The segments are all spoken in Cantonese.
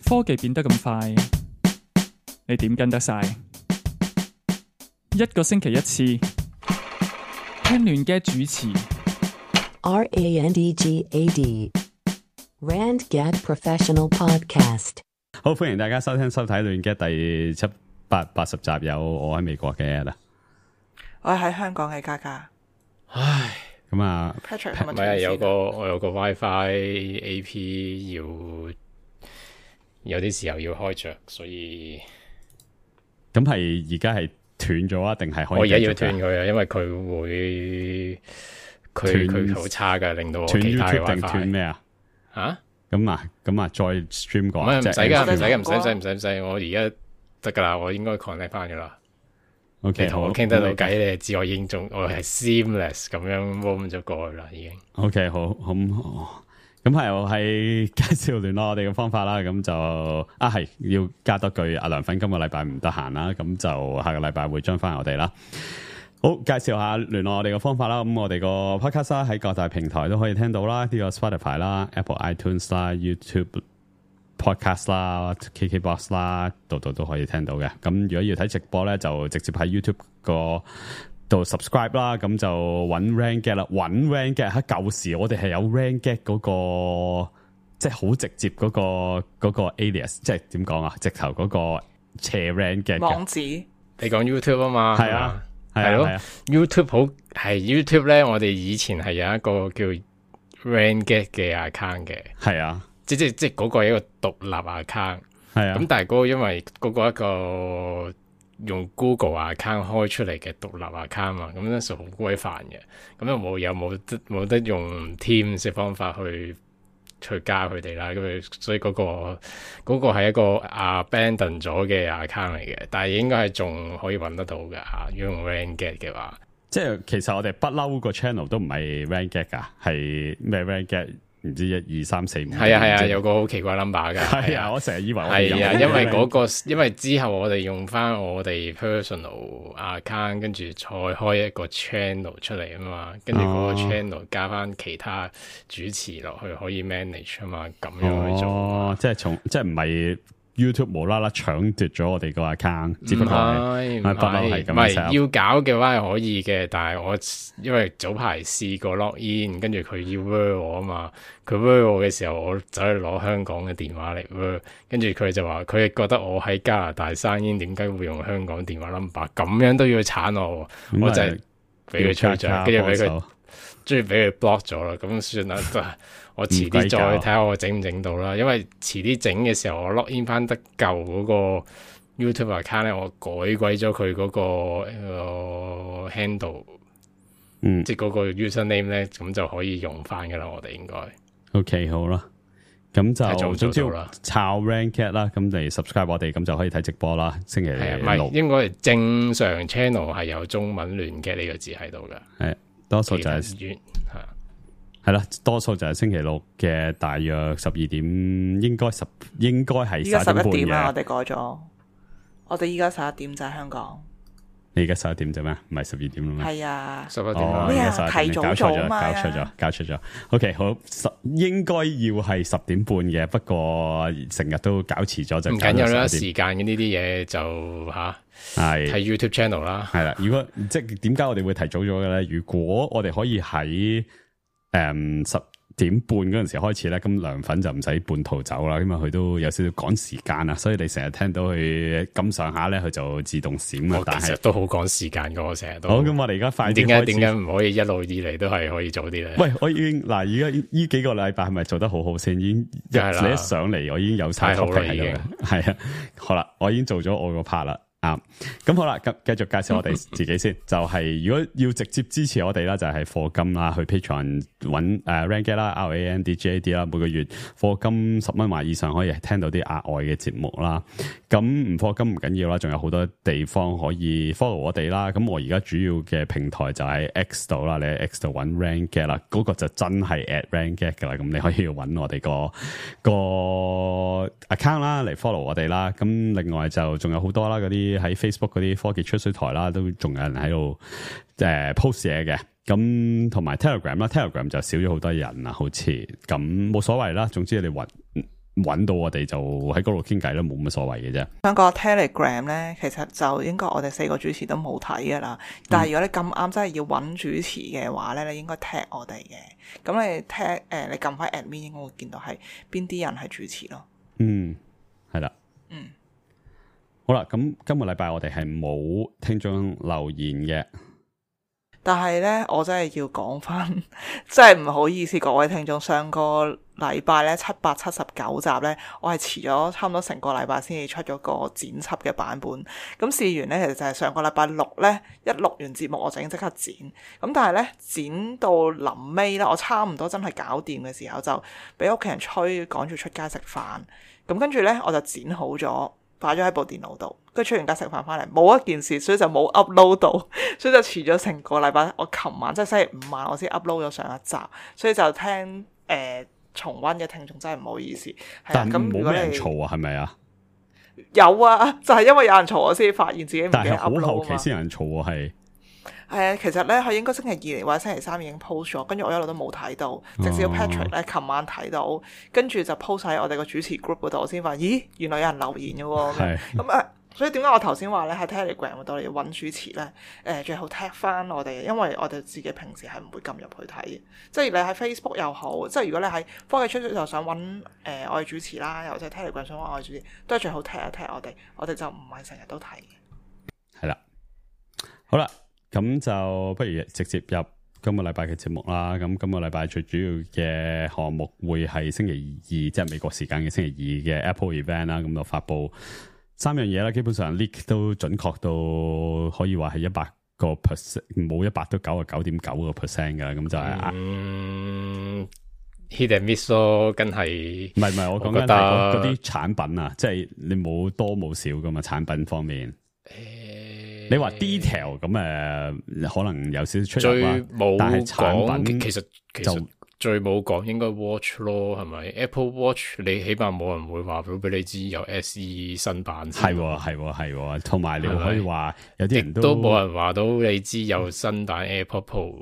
科技變得咁快，你點跟得晒？一個星期一次，聽亂嘅主持。RANDGAD RandGad Professional Podcast。好，歡迎大家收聽收睇亂嘅第780集，有我喺美國嘅啦，我喺香港嘅嘉嘉。唉，咁啊 Patrick 唔係我有個 WiFi AP 有啲時候要開着，所以咁係而家係斷咗啊？定係可以？我而家要斷佢啊，因為佢好差噶，令到我其他嘅 WiFi 定斷咩啊？吓？咁啊，再 stream 過唔係唔使噶，唔唔使，我而家得噶啦，我應該 connect 翻噶啦。OK，你同我傾得到偈，你就知我已經我係 seamless 咁樣 roam 咗過去啦，已經。OK， 好，咁係我係介紹聯絡我哋嘅方法啦，咁就係要加多句，阿梁粉今個禮拜唔得閒啦，咁就下個禮拜會將翻我哋啦。好，介紹下聯絡我哋嘅方法啦。咁我哋個 podcast 啦，喺各大平台都可以聽到啦，呢個 Spotify 啦、Apple iTunes 啦、YouTube podcast 啦、KKBox 啦，度都可以聽到嘅。咁如果要睇直播咧，就直接喺 YouTube 個度 subscribe 啦。咁就揾 RandGad 啦，揾 RandGad 喺舊時我哋係有 RandGad 嗰個，即係好直接嗰個 alias， 即係點講啊？直頭嗰個斜 RandGad 網址。你講 YouTube 啊嘛？係啊。係咯，YouTube 好係 YouTube 咧，我哋以前係有一個叫 RandGad 嘅 account 嘅，係啊，即嗰個係一個獨立 account， 係啊，咁但係嗰個因為嗰個一個用 Google account 開出嚟嘅獨立 account 嘛，咁咧就好鬼煩嘅，咁又冇得用 Teams 嘅方法去加佢哋啦，咁所以嗰個係一個 abandon 咗嘅 account 嚟嘅，但係應該係仲可以揾得到嘅嚇。如果用 RandGad 嘅話，即係其實我哋不嬲個 channel 都唔係 RandGad 㗎，係咩 RandGad？唔知1、2、3、4、5。係啊，有個好奇怪 number 㗎。係啊，我成日以為我係啊，因為之後我哋用翻我哋 personal account， 跟住再開一個 channel 出嚟啊嘛，跟住嗰個 channel 加翻其他主持落去可以 manage 啊嘛，咁樣去做。即係唔係 YouTube 無啦啦搶奪咗我哋個 account， 只不過係唔係要搞嘅話係可以嘅，但係我因為早排試過 log in， 跟住佢要 word 我啊嘛，佢 word 我嘅時候，我走去攞香港嘅電話嚟 word， 跟住佢就話佢覺得我喺加拿大生煙，點解會用香港電話 number， 咁樣都要鏟我，我就係俾佢吹咗，跟住俾佢，終於俾佢 block 咗啦，咁算啦。我遲啲再睇下我整唔整到啦，因為遲啲整嘅時候我 log in 翻得舊嗰個 YouTube account 咧，我改鬼咗佢嗰個handle， 即係嗰個 username 咧，咁就可以用翻噶啦，我哋應該。OK， 好啦，咁就總之啦，抄 RandGad 啦，咁嚟 subscribe 我哋，咁就可以睇直播啦。星期六，唔係應該係正常 channel 係有中文亂嘅呢個字喺度噶，係多數就係係啦，多數就係星期六嘅大約12點，應該係11點啦。我哋改咗，我哋依家11點就係香港。你而家11點啫咩？唔係12點啦咩？係啊，11點咩啊？提早咗嘛？搞錯咗。OK， 好，應該要係10點半嘅，不過成日都搞遲咗就唔緊要啦。時間嘅呢啲嘢就係睇 YouTube channel 啦。係啦，如果即係點解我哋會提早咗嘅咧？如果我哋可以喺10點半嗰陣時開始咧，咁涼粉就唔使半途走啦，因為佢都有少少趕時間啊，所以你成日聽到佢咁上下咧，佢就自動閃啊。但係都好趕時間噶，我成日都。好，咁我哋而家快啲開始。點解唔可以一路以嚟都係可以早啲咧？喂，我已經嗱，而家呢幾個禮拜係咪做得好好先？已經你一上嚟，我已經有晒 topic 喺度嘅。係啊，好啦，我已經做咗我個 part 啦。咁好啦，繼續介紹我哋自己先。就係如果要直接支持我哋啦，就係課金啦，去 Patreon 揾RandGad 啦 ，RANDGAD 啦，每個月課金10蚊或以上可以聽到啲額外嘅節目啦。咁唔課金唔緊要啦，仲有好多地方可以 follow 我哋啦。咁我而家主要嘅平台就喺 X 度啦，你喺 X 度揾 RandGad 啦，嗰個就真係 @RandGad 噶啦。咁你可以揾我哋個 account 啦嚟 follow 我哋啦。咁另外就仲有好多啦，嗰啲喺 Facebook 嗰啲科技吹水台啦，都仲有人喺度post 嘢嘅。咁同埋 Telegram 啦 ，Telegram 就少咗好多人啦，好似咁冇所謂啦。總之你揾到我哋就喺嗰度傾偈啦，冇乜所謂嘅啫。香港 Telegram 咧，其實就應該我哋4個主持都冇睇噶啦。但係如果你咁啱真係要揾主持嘅話咧，你應該 tag 我哋嘅。咁你 tag 你撳翻 admin 應該會見到係邊啲人係主持咯。係啦。好啦，咁今個禮拜我哋係冇聽眾留言嘅。但係咧，我真係要講翻，真係唔好意思各位聽眾，上個禮拜咧779集咧，我係遲咗差唔多成個禮拜先至出咗個剪輯嘅版本。咁試完咧，其實就係上個禮拜六咧，一錄完節目我就已經即刻剪。咁但係咧，剪到臨尾咧，我差唔多真係搞掂嘅時候，就俾屋企人催趕住出街食飯。咁跟住咧，我就剪好咗，擺咗喺部電腦度。跟住出完街食飯翻嚟，冇一件事，所以就冇 upload 到，所以就遲咗成個禮拜。我琴晚即係星期五晚，我先 upload 咗上一集，所以就聽重溫嘅聽眾真係唔好意思。但冇咩人嘈啊，係咪啊？有啊，就係因為有人嘈，我先發現自己唔記得 upload 啊嘛。但係好後期先有人嘈啊，係。其實咧佢應該星期2嚟或者星期3已經 post 咗，跟住我一路都冇睇到，直至到 Patrick 咧琴晚睇到，跟住就 post 喺我哋個主持 group 嗰度，我先發現，咦，原來有人留言嘅喎。咁所以點解我頭先話咧喺 Telegram 嗰度嚟揾主持咧？最後 tag 翻我哋，因為我哋自己平時係唔會撳入去睇嘅。即係你喺 Facebook 又好，即係如果你喺科技出就想揾我哋主持啦，又或者 Telegram 想揾我哋主持，都係最好 tag 一 tag 我哋就唔係成日都睇嘅。係啦，好啦。咁就不如直接入今個禮拜嘅節目啦。咁今個禮拜最主要嘅項目會係星期2，即係美國時間嘅星期2嘅 Apple event 啦。咁就發布3樣嘢啦，基本上 leak 都準確到可以話係100%，冇100都99.9%嘅。咁就係hit and miss 咯，梗係唔係我講緊係嗰啲產品啊，即係你冇多冇少噶嘛，產品方面。你話 detail 咁可能有少少出入啦，但係產品其實最冇講應該 watch 咯，係咪 Apple Watch 你起碼冇人會話到俾你知有 SE 新版，係，同埋你可以話有啲人都冇人話到你知有新版 AirPod Pro。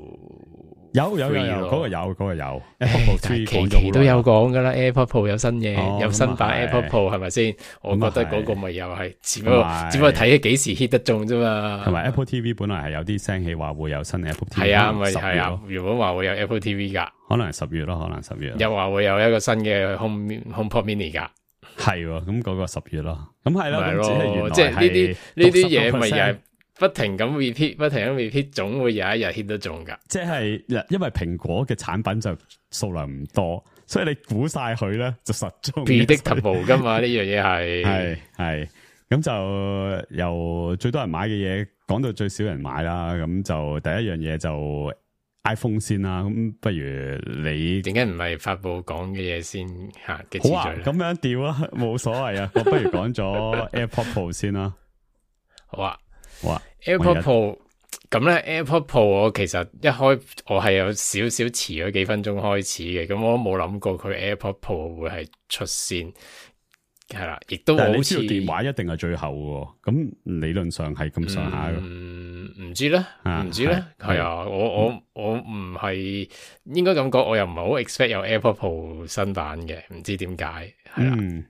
有嗰個有 AirPod Pro 期都有講噶啦 ，AirPod Pro 有新嘢，有新版 AirPod Pro 係咪先？我覺得嗰個咪又係只不過睇幾時 hit 得中啫嘛。同埋 Apple TV 本來係有啲聲氣話會有新 Apple TV， 係啊，咪係啊，原本話會有 Apple TV 噶，可能係10月咯，可能10月。又話會有一個新嘅 HomePod Mini 噶，係咁嗰個10月咯。咁係咯，即係呢啲嘢咪又係。不停咁 repeat， 總會有一日 hit 得中噶。即係因為蘋果嘅產品就數量唔多，所以你估晒佢咧就實中。predictable 噶嘛，呢樣嘢係咁就由最多人買嘅嘢講到最少人買啦。咁就第一樣嘢就 iPhone 先啦。咁不如你點解唔係發布講嘅嘢先吓嘅次序咧？咁樣調啊，冇所謂啊。我不如講咗 AirPod Pro 先啦。好啊。哇 AirPod Pro 咁咧 ，AirPod Pro 我其實一開我係有少少遲咗幾分鐘開始嘅，咁我都冇諗過佢 AirPod Pro 會係出先，係啦，亦都好似電話一定係最後嘅，咁理論上係咁上下嘅。唔知咧，係啊，我唔係應該咁講，我又唔係好 expect 有 AirPod Pro 新版嘅，唔知點解係啦。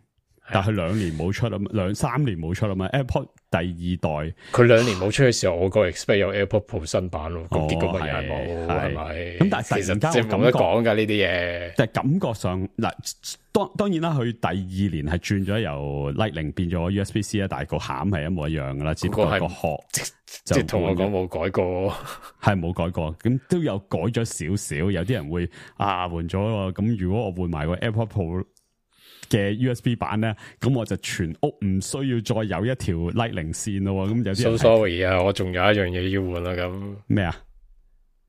但係2年冇出啊嘛，3年冇出啊嘛 ，AirPod 第2代佢2年冇出嘅時候，我個 expect 有 AirPod Pro 新版咯，咁結果咪又係冇，係咪？咁但係其實即係冇得講噶呢啲嘢。但係感覺上嗱，當然啦，佢第2年係轉咗由 Lightning 變咗 USB-C 啦，但係個餡係一模一樣噶啦，只不過個殼即係同我講冇改過，係冇改過，咁都有改咗少少。有啲人會換咗喎，咁如果我換埋個 AirPod Pro嘅 USB 版咧，咁我就全屋唔需要再有一條 Lightning 線咯。咁有啲人 So sorry 啊，我仲有一樣嘢要換啦。咁咩啊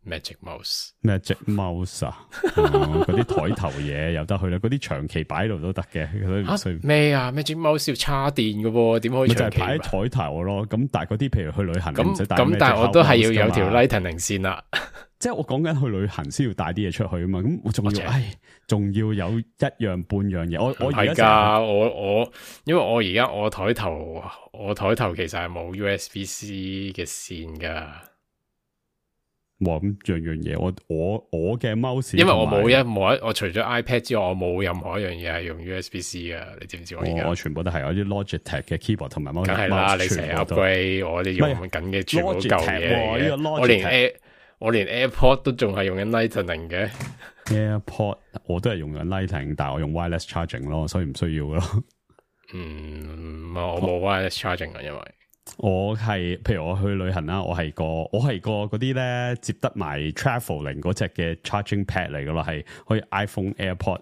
？Magic Mouse 啊，嗰啲台頭嘢有得去啦，嗰啲長期擺喺度都得嘅。咩啊 ？Magic Mouse 要插電嘅喎，點可以長期？就係擺喺台頭咯。咁但係嗰啲譬如去旅行唔使帶咁，但係我都係要有條 Lightning 線啦。即係我講緊去旅行先要帶啲嘢出去啊嘛，咁我仲要有一樣半樣嘢。我係噶，我因為我而家我台頭其實係冇 USB-C 嘅線噶。哇！咁樣嘢，我嘅 mouse，因為我冇一，我除咗 iPad 之外，我冇任何一樣嘢係用 USB-C 噶，你知唔知我全部都係我啲 Logitech 嘅 keyboard 同埋 mouse。梗係啦，你成日 upgrade，我哋用緊嘅全部都舊嘢。我連 AirPod 都仲係用緊 Lightning 嘅。AirPod 我都係用緊 Lightning， 但係我用 wireless charging 咯，所以唔需要咯。我冇 wireless charging 啊，因為我係譬如我去旅行啦，我係個嗰啲咧接得埋 traveling 嗰隻嘅 charging pad 嚟噶咯，係可以 iPhone AirPod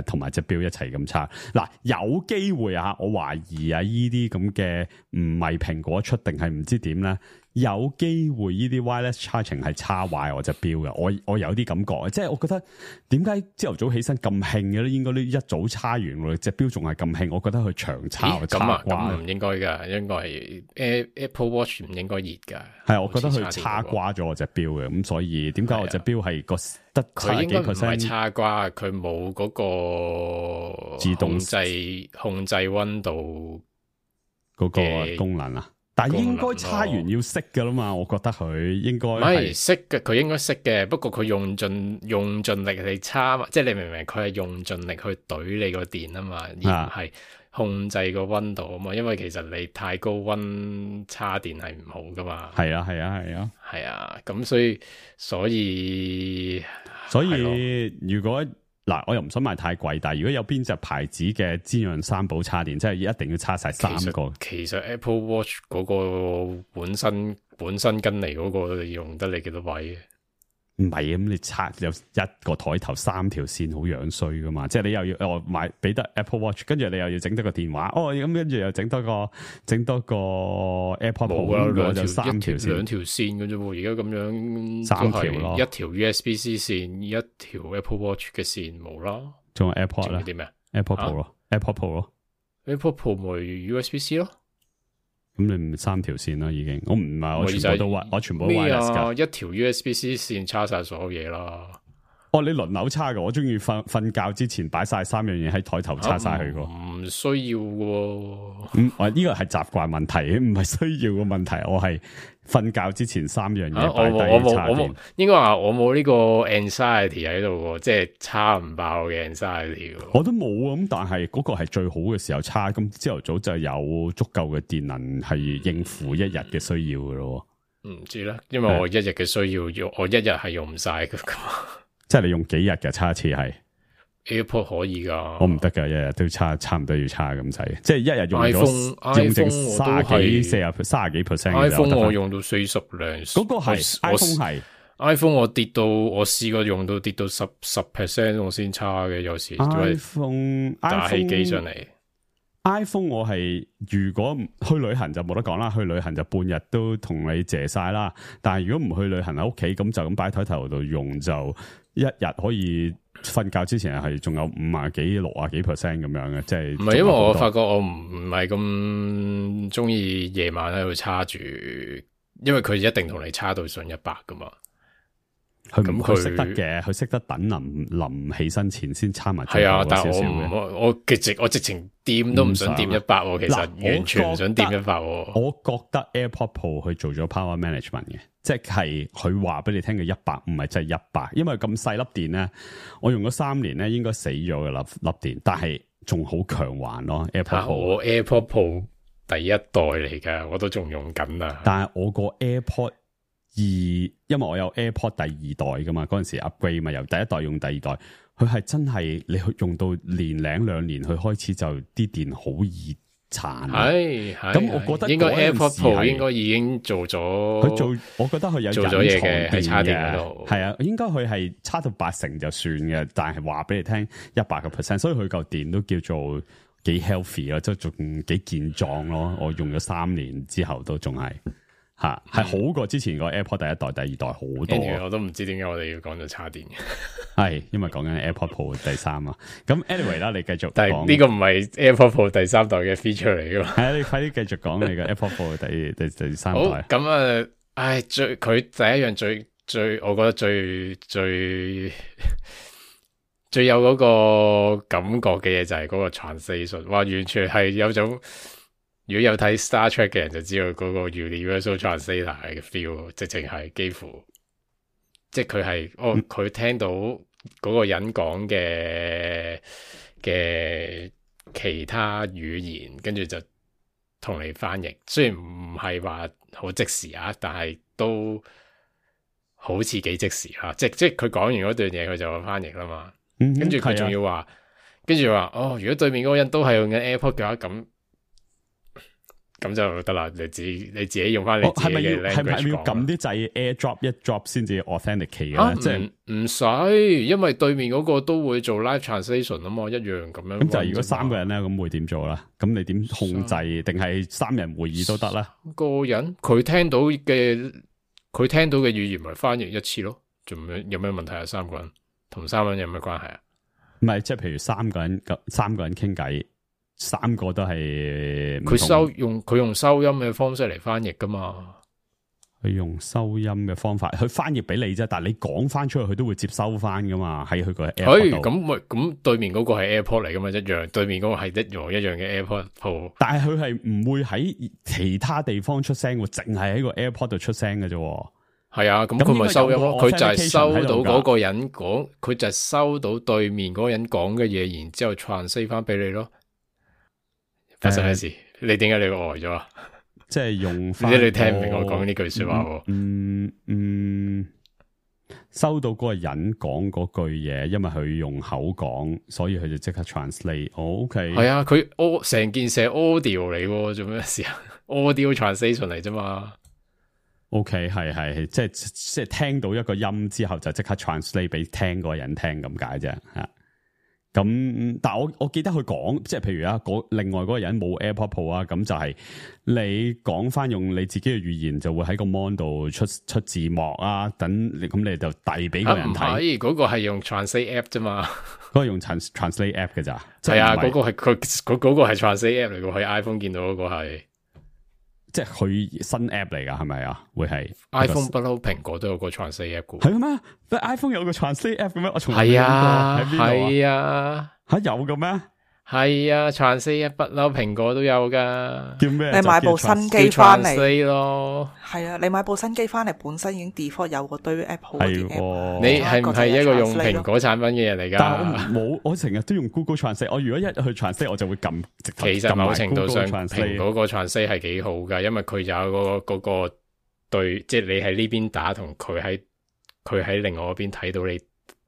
同埋隻錶一齊咁插。嗱，有機會啊，我懷疑啊，呢啲咁嘅唔係蘋果出定係唔知點咧。有機會呢啲 wireless charging 係叉壞我隻錶嘅，我有啲感覺，即係我覺得點解朝頭早起身咁興嘅咧？應該呢一早叉完喎，隻錶仲係咁興，我覺得佢長叉咁唔應該㗎，應該係 Apple Watch 唔應該熱㗎。係，我覺得佢叉瓜咗我隻錶嘅，咁所以點解我隻錶係個得佢應該唔係叉瓜，佢冇嗰個自動控制溫度嗰個功能啊？但係應該叉完要熄噶啦嘛，我覺得佢應該唔係熄嘅，佢應該熄嘅。不過佢用盡力嚟叉，即係你明唔明？佢係用盡力去懟你個電啊嘛，而唔係控制個溫度啊嘛。因為其實你太高溫叉電係唔好噶嘛。係啊，咁所以如果嗱，我又唔想買太貴，但係如果有邊隻牌子嘅資源三寶叉電，即係一定要叉晒3個。其實 Apple Watch 嗰個本身跟嚟嗰個用得你幾多位？唔係咁，你叉有一個台頭3條線，好樣衰噶嘛！即係你又要買俾得 Apple Watch， 跟住你又要整多個電話，咁跟住又整多個 AirPod Pro， 兩條3條線，兩條線嘅啫喎。而家咁樣3條咯，一條 USB-C 線，一條 Apple Watch 嘅線冇啦。仲有 AirPod 啦，啲咩 ？AirPod Pro 咯，AirPod Pro 咯，AirPod Pro 咪 USB-C 咯。咁你唔3條線啦，已經。我唔係我全部都我全部都 wireless 㗎。一條 USB-C 線叉晒所有嘢啦。你輪流叉㗎，我中意瞓覺之前擺晒3樣嘢喺台頭叉晒佢個。唔需要喎。我呢個係習慣問題，唔係需要嘅問題。我係瞓覺之前3樣嘢擺低叉電。應該話我冇呢個 anxiety 喺度喎，即係叉唔爆嘅 anxiety。我都冇啊，咁但係嗰個係最好嘅時候叉，咁朝頭早就有足夠嘅電能係應付一日嘅需要嘅咯。唔知啦，因為我一日嘅需要用，我一日係用唔晒噶。即係你用幾日嘅叉一次係 AirPod 可以噶，我唔得噶，一日都差唔多要叉咁滯，即係一日用咗 iPhone 用剩30幾 percent。iPhone 我用到40零，嗰個係 iPhone 係 iPhone 我跌到我試過用到跌到10% 我先叉嘅，有時 iPhone 打起機上嚟。iPhone 我係如果去旅行就冇得講啦，去旅行就半日都同你借晒啦。但係如果唔去旅行喺屋企，咁就咁擺台頭度用，就一日可以瞓覺之前係仲有50幾60幾 percent 咁樣嘅，即係唔係因為我發覺我唔係咁中意夜晚喺度叉住，因為佢一定同你叉到上100噶嘛。佢識得嘅，佢識得等臨起身前先叉埋。係啊，但係我直情掂都唔想掂100，其實完全唔想掂100。我覺得 AirPod Pro 去做咗 power management 嘅，即係佢話俾你聽嘅100唔係真係100，因為咁細粒電咧，我用咗3年咧應該死咗嘅粒電，但係仲好強環咯。AirPod Pro 我 AirPod Pro 第一代嚟㗎，我都仲用緊啊。但係我個 AirPod 因為我有 AirPod 第2代噶嘛，嗰陣時 upgrade 嘛，由第一代用第2代，佢係真係你去用到年零2年，佢開始就啲電好易殘。係，咁我覺得應該 AirPod Pro 應該已經做咗，佢做，我覺得佢有做咗嘢嘅喺叉電嗰度。係啊，應該佢係叉到80%就算嘅，但係話俾你聽100%，所以佢嚿電都叫做幾 healthy 咯，即係仲幾健壯咯。我用咗3年之後都仲係。係好過之前個 AirPod 第1代、第2代好多。我都唔知點解我哋要講到叉電嘅。係因為講緊 AirPod Pro 第3啊。咁 anyway 啦，你繼續講。但係呢個唔係 AirPod Pro 第3代嘅 feature 嚟噶嘛？係啊，你快啲繼續講你個 AirPod Pro 第3代。好，咁啊，佢第一樣最，我覺得最有嗰個感覺嘅嘢就係嗰個 translation， 哇，完全係有種。如果有睇 Star Trek 嘅人就知道嗰個 Universal Translator 嘅 feel， 直情係幾乎即係佢係佢聽到嗰個人講嘅其他語言，跟住就同你翻譯。雖然唔係話好即時啊，但係都好似幾即時啊！即係佢講完嗰段嘢，佢就會翻譯啦嘛。跟住佢仲要話，跟住話哦，如果對面嗰個人都係用緊 AirPod 嘅話，咁就得啦。你自己用翻你自己嘅 language 講。係咪要撳啲掣 AirDrop 一 drop 先至 authenticate 嘅？即係唔使，因為對面嗰個都會做 live translation 啊嘛，一樣咁樣。咁就係如果3個人咧，咁會點做啦？咁你點控制？定係3人會議都得啦？個人佢聽到嘅語言咪翻譯一次咯？仲有咩問題啊？3個人同3個人有咩關係啊？唔係，即係譬如3個人傾偈，3個都係佢用收音嘅方式嚟翻譯噶嘛？佢用收音嘅方法，佢翻譯俾你啫，但係你講翻出去，佢都會接收翻噶嘛？喺佢個 AirPod 度。咁對面嗰個係 AirPod 嚟噶嘛？一樣，對面嗰個係一模一樣嘅 AirPod Pro。但係佢係唔會喺其他地方出聲，淨係喺個 AirPod 度出聲嘅啫。係啊，咁佢咪收音咯？佢就係收到嗰個人講，佢就係收到對面嗰個人講嘅嘢，然之後 translate 翻俾你咯。發生咩事？你點解你會呆咗啊？即係用翻，你聽唔明我講呢句說話？收到嗰個人講嗰句嘢，因為佢用口講，所以佢就即刻 translate。OK，係啊，佢成件事係 audio 嚟，做咩事啊？audio translation 嚟啫嘛。OK， 係，即係聽到一個音之後就即刻 translate 俾聽嗰個人聽咁解啫吓。咁，但係我記得佢講，即係譬如啊，另外嗰個人冇 AirPod Pro 啊，咁就係你講翻用你自己嘅語言，就會喺個 mon 度出字幕啊，等咁你就遞俾個人睇。唔係，嗰個係用 translate app 啫嘛，嗰個用 translate app 嘅咋？係啊，嗰個係嗰個係 translate app 嚟嘅，喺 iPhone 見到嗰個係。即係佢新 app 嚟噶，係咪啊？會係 iPhone 不嬲，蘋果都有個 translate app 嘅。係咩？iPhone 有個 translate app 嘅咩？我從來未見過。係啊，吓有嘅咩？係啊，translate app 不嬲，蘋果都有噶。叫咩？你買部新機翻嚟咯。係啊，你買部新機翻嚟，本身已經 default 有個堆 app 好嘅 app。你係唔係一個用蘋果產品嘅人嚟噶？但係我成日都用 Google Translate。我如果一去 Translate，我就會撳。其實某程度上，蘋果個 Translate 係幾好噶，因為佢有嗰個對，即係你喺呢邊打，同佢喺另外嗰邊睇到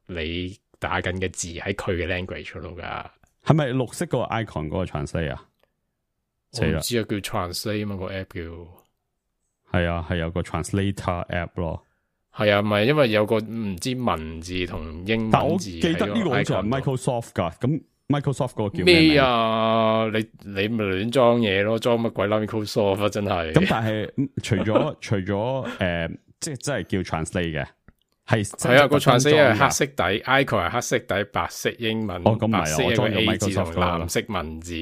你打緊嘅字喺佢嘅 language 度噶。係咪綠色個 icon 嗰個 translate 啊？我唔知啊，叫 translate 嘛，個 app 叫。係啊，係有個 translator app 咯。係啊，唔係因為有個唔知文字同英文字。但我記得呢個好似係 Microsoft 噶，咁 Microsoft 嗰個叫咩啊？你咪亂裝嘢咯，裝乜鬼啦 Microsoft 啊，真係。咁但係除咗即係真係叫 translate 嘅。係啊，個 translate 係黑色底 ，icon 係黑色底，白色英文，白色一個 A 字同藍色文字，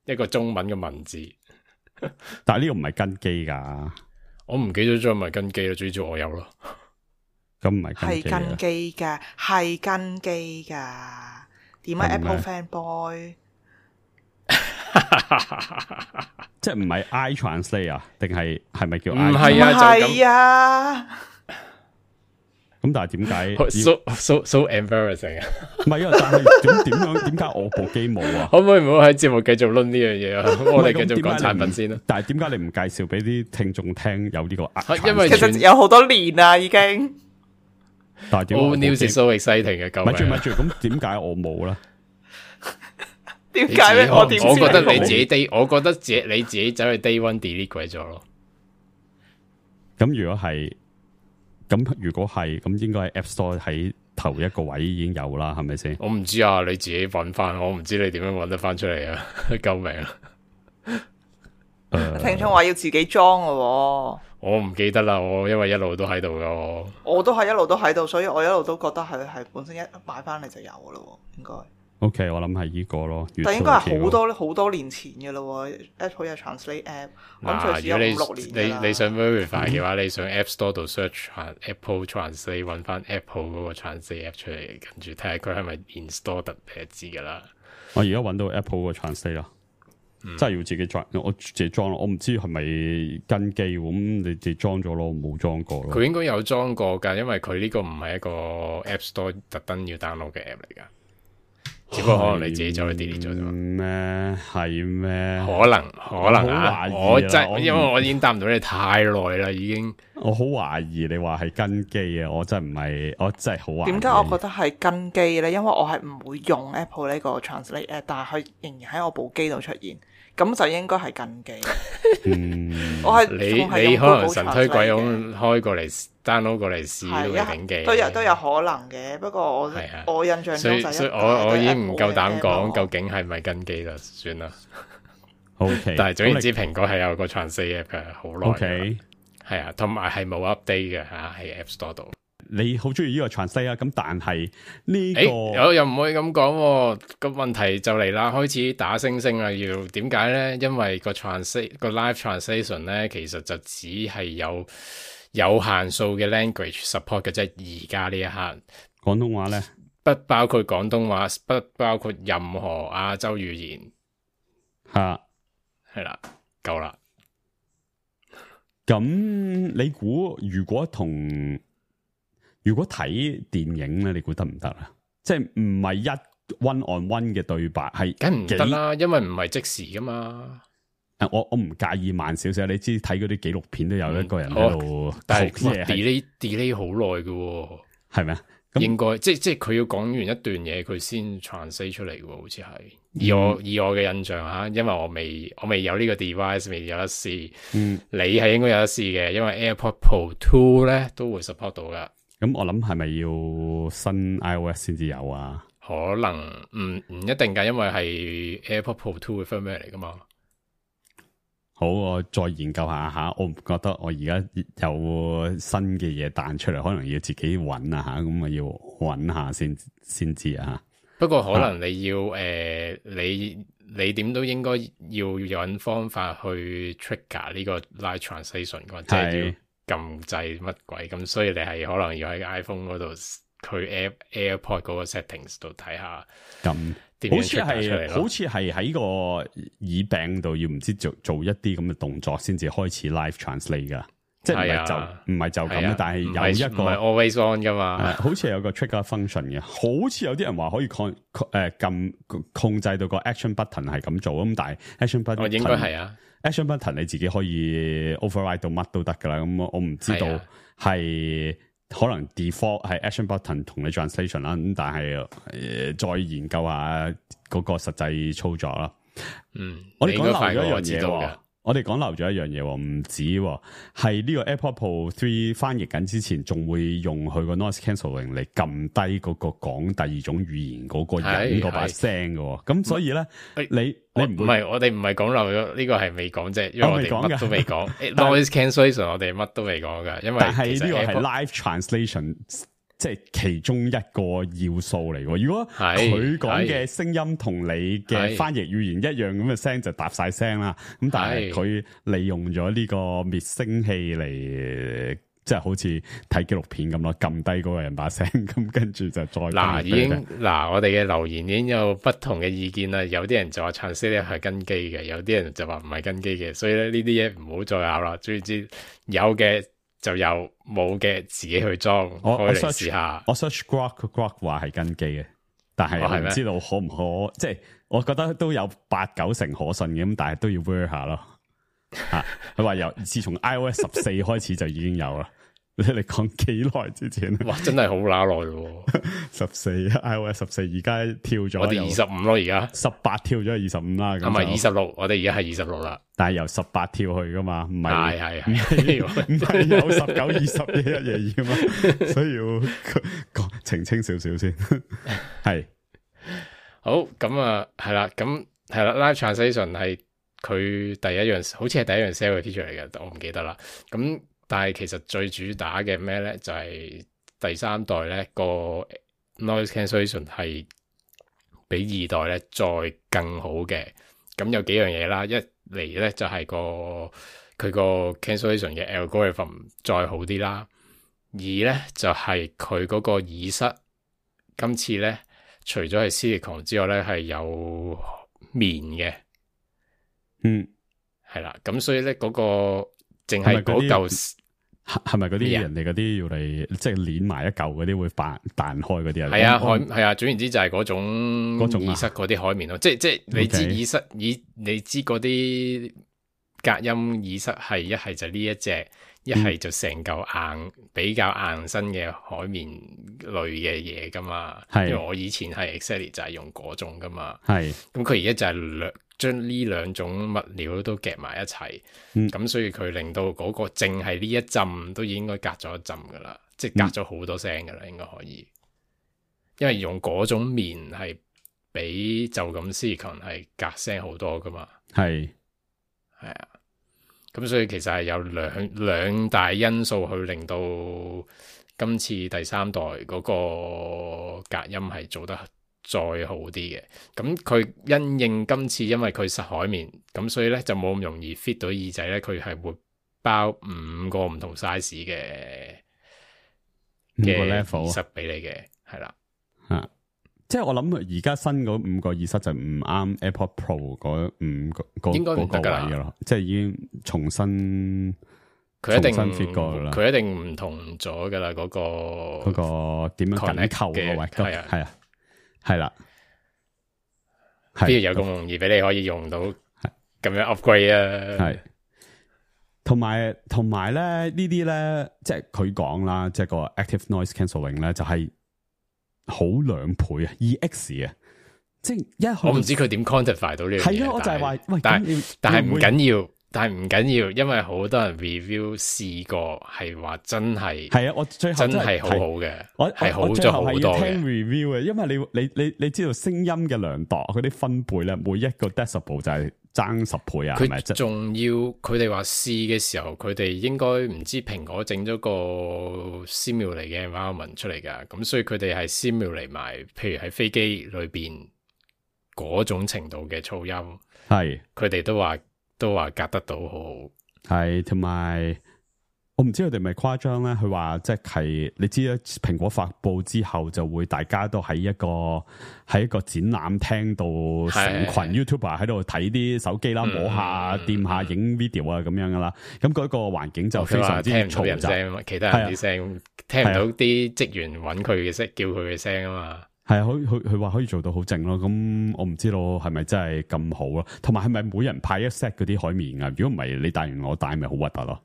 一個中文嘅文字。但係呢個唔係跟機噶，我唔記得咗係咪跟機啦，最主要我有咯。咁唔係跟機噶，係跟機噶。點解 Apple fanboy？即係唔係 iTranslate 啊？定係咪叫 I？ 唔係啊，就咁。咁但係點解 so embarrassing 啊？唔係啊，但係點解我部機冇啊？可唔可以唔好喺節目繼續論呢樣嘢啊？我哋繼續講產品先啦。但係點解你唔介紹俾啲聽眾聽有呢個？因為其實有好多年啦，已經。但係點？All news is so exciting 嘅，咪住，咁點解我冇咧？點解咧？我覺得你自己我覺得你自己走去 day one delete 鬼咗咯。咁如果係咁，應該係 App Store 喺頭一個位已經有啦，係咪先？我唔知啊，你自己揾翻，我唔知你點樣揾得翻出嚟啊！救命啊！聽眾話要自己裝嘅，我唔記得啦，我因為一路都喺度噶，我都係一路都喺度，所以我一路都覺得佢係本身一買翻嚟就有噶咯，應該。OK， 我諗係呢個咯，但應該係好多年前嘅咯。Apple 有 Translate App，咁最少有5-6年啦。你想 verify 嘅話，你上 App Store 度 search Apple Translate， 揾翻 Apple 嗰個 Translate App 出嚟，跟住睇下佢係咪 install 得，你就知噶啦。我而家揾到 Apple 個 Translate 啦。真係要自己裝，我自己裝咯。我唔知係咪跟機咁，你自己裝咗咯，我冇裝過咯。佢應該有裝過㗎，因為佢呢個唔係一個 App Store 特登要 download 嘅 app 嚟㗎。只不過可能你自己走去 delete 咗啫咩？係咩？可能啊！我真因為我已經答唔到你太耐啦，已經。我好懷疑你話係跟機啊！我真係唔係，我真係好懷疑。點解我覺得係跟機咧？因為我係唔會用 Apple 呢個 Translate app，但係佢仍然喺我部機度出現，咁就應該係跟機。我係你可能神推鬼咁開過嚟 download 過嚟試都未頂機，都有可能嘅。不過我印象中就所以我已經唔夠膽講究竟係咪跟機啦，算啦。OK，但係總言之，蘋果係有個 Translate app 嘅，好耐。OK，係啊，同埋係冇 update 嘅嚇喺 App Store 度。你好中意呢個 Translate 啊？咁但係呢個我又唔可以咁講喎。個問題就嚟啦，開始打星星啦。要點解咧？因為個 live translation 咧，其實就只係有限數嘅 language support 嘅，即係而家呢一刻。廣東話咧，不包括廣東話，不包括任何亞洲語言。嚇，係啦，夠啦。咁你估如果睇電影咧，你估得唔得啊？即係唔係一 one on one 嘅對白，係梗唔得啦，因為唔係即時噶嘛。我唔介意慢少少，你知睇嗰啲紀錄片都有一個人喺度，但係 delay 好耐嘅，係咪啊？應該即係佢要講完一段嘢，佢先 translate 出嚟嘅，好似係。以我嘅印象吓，因為我未有呢個 device， 未有得試。你係應該有得試嘅，因為 AirPod Pro 2咧都會 support 到噶。咁我諗係咪要新 iOS 先至有啊？可能唔一定噶，因為係 AirPod Pro 2嘅 firmware 嚟噶嘛。好，我再研究下吓。我唔覺得我而家有新嘅嘢彈出嚟，可能要自己揾啊吓。咁啊要揾下先知啊。不過可能你要你點都應該要揾方法去 trigger 呢個 live translation 嘅，即係要撳掣乜鬼咁，所以你係可能要喺 iPhone 嗰度佢 AirPod 嗰個 settings 度睇下咁。好似係喺個耳柄度要唔知做一啲咁嘅動作先至開始 live translate 噶，即係唔係就咁，但係有一個唔係 always on 噶嘛，好似有個 trigger function 嘅，好似有啲人話可以控制到個 action button 係咁做，咁但係 action button 應該係啊 action button 你自己可以 override 到乜都得噶啦，咁我唔知道係。可能 default 係 action button 同你 translation 啦，咁但係再研究下嗰個實際操作啦。我哋講漏咗一樣嘢，我哋講漏咗一樣嘢，唔止係呢個 AirPod Pro 3翻譯緊之前，仲會用佢個 noise cancelling 嚟撳低嗰個講第二種語言嗰個人嗰把聲嘅。咁所以咧，你唔係我哋唔係講漏咗呢個係未講啫，因為我哋乜都未講 noise cancellation 我哋乜都未講噶，因為其實呢個係 live translation。即係其中一個要素嚟喎。如果佢講嘅聲音同你嘅翻譯語言一樣咁嘅聲，就搭晒聲啦。咁但係佢利用咗呢個滅聲器嚟，即係好似睇紀錄片咁咯，撳低嗰個人把聲，咁跟住就再我哋嘅留言已經有不同嘅意見啦。有啲人就話 translate 係跟機嘅，有啲人就話唔係跟機嘅。所以咧呢啲嘢唔好再拗啦。總之有嘅。就有冇嘅自己去裝，開嚟試下。我 search Grok 話係跟機嘅，但係我唔知道可唔可，即係我覺得都有8-9成可信嘅，咁但係都要 work 下咯。吓，佢話自從 iOS 14開始就已經有啦。你講幾耐之前？哇，真係好乸耐咯！iOS 14而家跳咗，我哋25咯，而家18跳咗去25啦，咁咪26，我哋而家係26啦。但係由18跳去噶嘛，唔係唔係有19、20一嘢噶嘛，所以要澄清少少先。係好咁啊，係啦，咁係啦 ，Live Translation 係佢第一樣，好似係第一樣 sell 嘅 feature 嚟嘅，我唔記得啦。咁但係其實最主打嘅咩咧，就係第3代咧個 noise cancellation 係比2代咧再更好嘅。咁有幾樣嘢啦，一嚟咧就係佢個 cancellation 嘅 algorithm 再好啲啦。二咧就係佢嗰個耳塞，今次咧除咗係 silicone 之外咧係有棉嘅，係啦，咁所以咧嗰個淨係嗰嚿係咪嗰啲人哋嗰啲要嚟即係攣埋一嚿嗰啲會彈開嗰啲啊？係啊，係啊，總言之就係嗰種耳塞嗰啲海綿咯，即係你知耳塞你知嗰啲隔音耳塞係一係就呢一隻，一係就成嚿硬比較硬身嘅海綿類嘅嘢噶嘛。因為我以前係 exactly 就係用嗰種噶嘛。係咁佢而家就係將呢兩種物料都夾埋一齊，咁所以佢令到嗰個淨係呢一浸都應該隔咗一浸噶啦，即係隔咗好多聲噶啦，應該可以。因為用嗰種棉係比就咁 silicone 係隔聲好多噶嘛。係啊，咁所以其實係有兩大因素去令到今次第三代嗰個隔音係做得再好啲嘅。咁佢因應今次因為佢實海綿，咁所以咧就冇咁容易 fit 到耳仔咧，佢係會包5個唔同 size 嘅耳塞俾你嘅，係啦。即係我諗而家新嗰5個耳塞就唔啱 AirPod Pro 嗰5個應該唔得噶啦，位咯，即係已經重新佢一定 fit 過啦，佢一定唔同咗噶啦，嗰個點樣緊扣嘅位，係啊，係啦，邊有咁容易俾你可以用到咁樣 upgrade 啊？係，同埋咧呢啲咧，即係佢講啦，即係個 active noise cancelling 咧，就係好2倍啊 ，EX 啊，即係我唔知佢點 quantify 到呢樣嘢。係咯，我就係話，喂，但係唔緊要，因為好多人 review 試過係話真係係啊，我最後真係好好嘅，我係好咗好多嘅。聽 review 嘅，因為你知道聲音嘅量度嗰啲分貝咧，每一個 decibel 就係爭10倍啊，係咪？佢仲要佢哋話試嘅時候，佢哋應該唔知蘋果整咗個 simulate 嘅 environment 出嚟噶，咁所以佢哋係 simulate埋，譬如喺飛機裏邊嗰種程度嘅噪音，係佢哋都話隔得到好好，係同埋我唔知佢哋咪誇張咧，佢話即係你知啦，蘋果發佈之後就會大家都喺一個展覽廳度，成群 YouTuber 喺度睇啲手機啦，摸下、掂下、影 video 啊咁樣噶啦，咁嗰個環境就非常之嘈雜，其他人啲聲聽唔到啲職員揾佢嘅聲，叫佢嘅聲啊嘛。係啊，佢話可以做到好靜咯，咁我唔知道係咪真係咁好咯，同埋係咪每人派一 set 嗰啲海綿啊？如果唔係你戴完我戴咪好核突咯。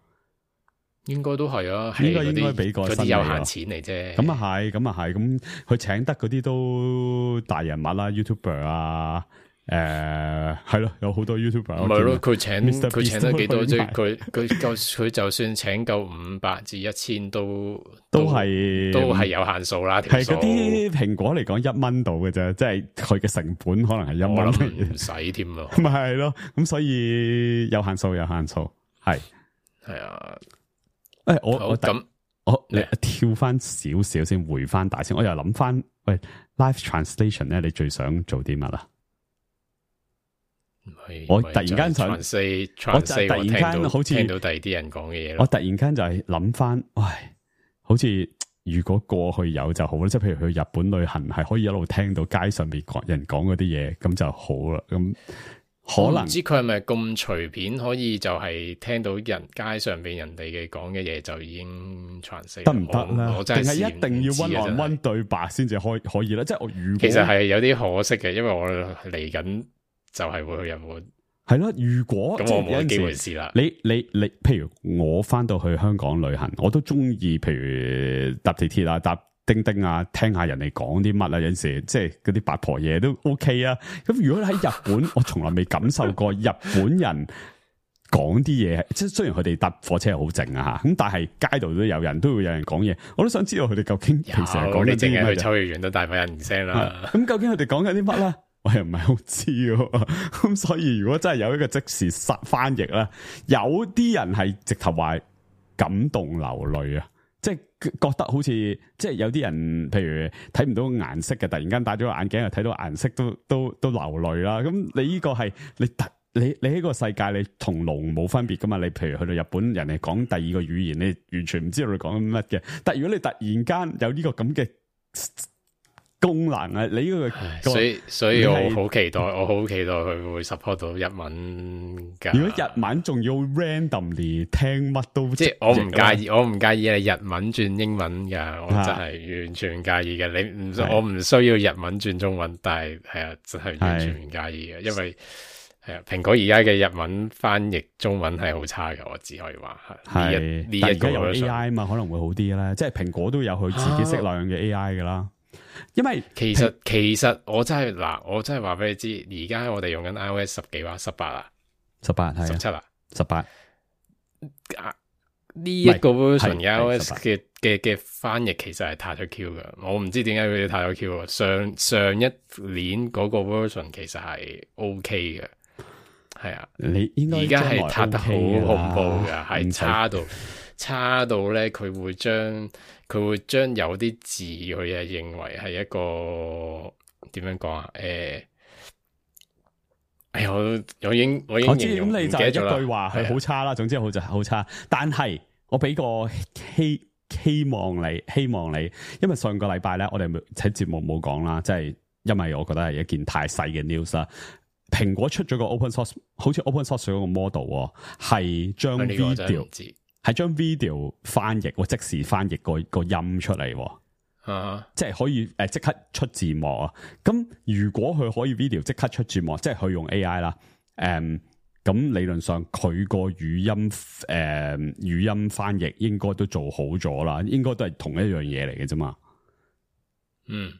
應該都係啊，應該俾個嗰啲有限錢嚟啫。咁啊係，咁佢請得嗰啲都大人物啦 ，YouTuber 啊，係咯，有好多 YouTuber。唔係咯，佢請得幾多啫？佢就算請夠500至1000都係有限數啦。係嗰啲蘋果嚟講1蚊到嘅啫，即係佢嘅成本可能係1蚊，唔使添咯。咪係咯，咁所以有限數，係啊。誒，你跳翻少少先，回翻大先。我又諗翻，喂 ，live translation 咧，你最想做啲乜啊？我突然間想，我突然間好似聽到第二啲人講嘅嘢。我突然間就係諗翻，喂，好似如果過去有就好啦，即係譬如去日本旅行，係可以一路聽到街上邊人講嗰啲嘢，咁就好啦。咁。可能唔知佢係咪咁隨便可以就係聽到街上邊人哋嘅講嘅嘢就已經傳死得唔得咧？定係一定要1on1對白先至可以咧？即係我如果其實係有啲可惜嘅，因為我嚟緊就係會去日本。係咯，如果咁我冇機會試啦。你，譬如我翻到去香港旅行，我都中意，譬如搭地鐵啊，搭叮叮啊，聽下人哋講啲乜啊，有陣時即係嗰啲八婆嘢都 OK 啊。咁如果喺日本，我從來未感受過日本人講啲嘢，即係雖然佢哋搭火車係好靜啊吓，咁但係街度都有人都會有人講嘢，我都想知道佢哋究竟平時係講啲乜嘢。去秋葉原都大把人聲啦。咁究竟佢哋講緊啲乜咧？我又唔係好知喎。咁所以如果真係有一個即時翻譯咧，有啲人係直頭話感動流淚啊。即係覺得好似，即係有啲人，譬如睇唔到顏色嘅，突然間戴咗個眼鏡又睇到顏色都流淚啦。咁你呢個係你喺個世界，你同龍冇分別噶嘛？你譬如去到日本人哋講第二個語言，你完全唔知道佢講緊乜嘅。但係如果你突然間有呢個咁嘅功能啊！你呢個所以我好期待，佢會 support 到日文噶。如果日文仲要 randomly 聽乜都，即係我唔介意你日文轉英文噶，我真係完全唔介意嘅。我唔需要日文轉中文，但係真係完全唔介意嘅，因為蘋果而家嘅日文翻譯中文係好差嘅，我只可以話係呢一個有 AI 嘛，可能會好啲啦。即係蘋果都有佢自己適量嘅 AI 噶啦。因為其實我真係話俾你知，而家我哋用緊 iOS 10幾話18啊，18係17啊，18呢一個 version 嘅 iOS 嘅翻譯其實係太咗 Q 噶，我唔知點解佢哋太咗 Q 啊。上一年嗰個 version 其實係 OK 嘅，係啊，你應該而家係塌得好恐怖噶，係差到咧，佢會將有啲字佢係認為係一個點樣講啊？我已經形容唔記得咗啦。咁你就一句話係好差啦，總之好差。但係我俾個希望你，因為上個禮拜咧，我哋喺節目冇講啦，即係因為我覺得係一件太細嘅 news 啦。蘋果出咗個 open source， 好似 open source 咗個 model， 係將 video 翻譯，即時翻譯個音出嚟，即係可以即刻出字幕啊！咁如果佢可以 video 即刻出字幕，即係佢用 AI 啦，咁理論上佢個語音翻譯應該都做好咗啦，應該都係同一樣嘢嚟嘅啫嘛。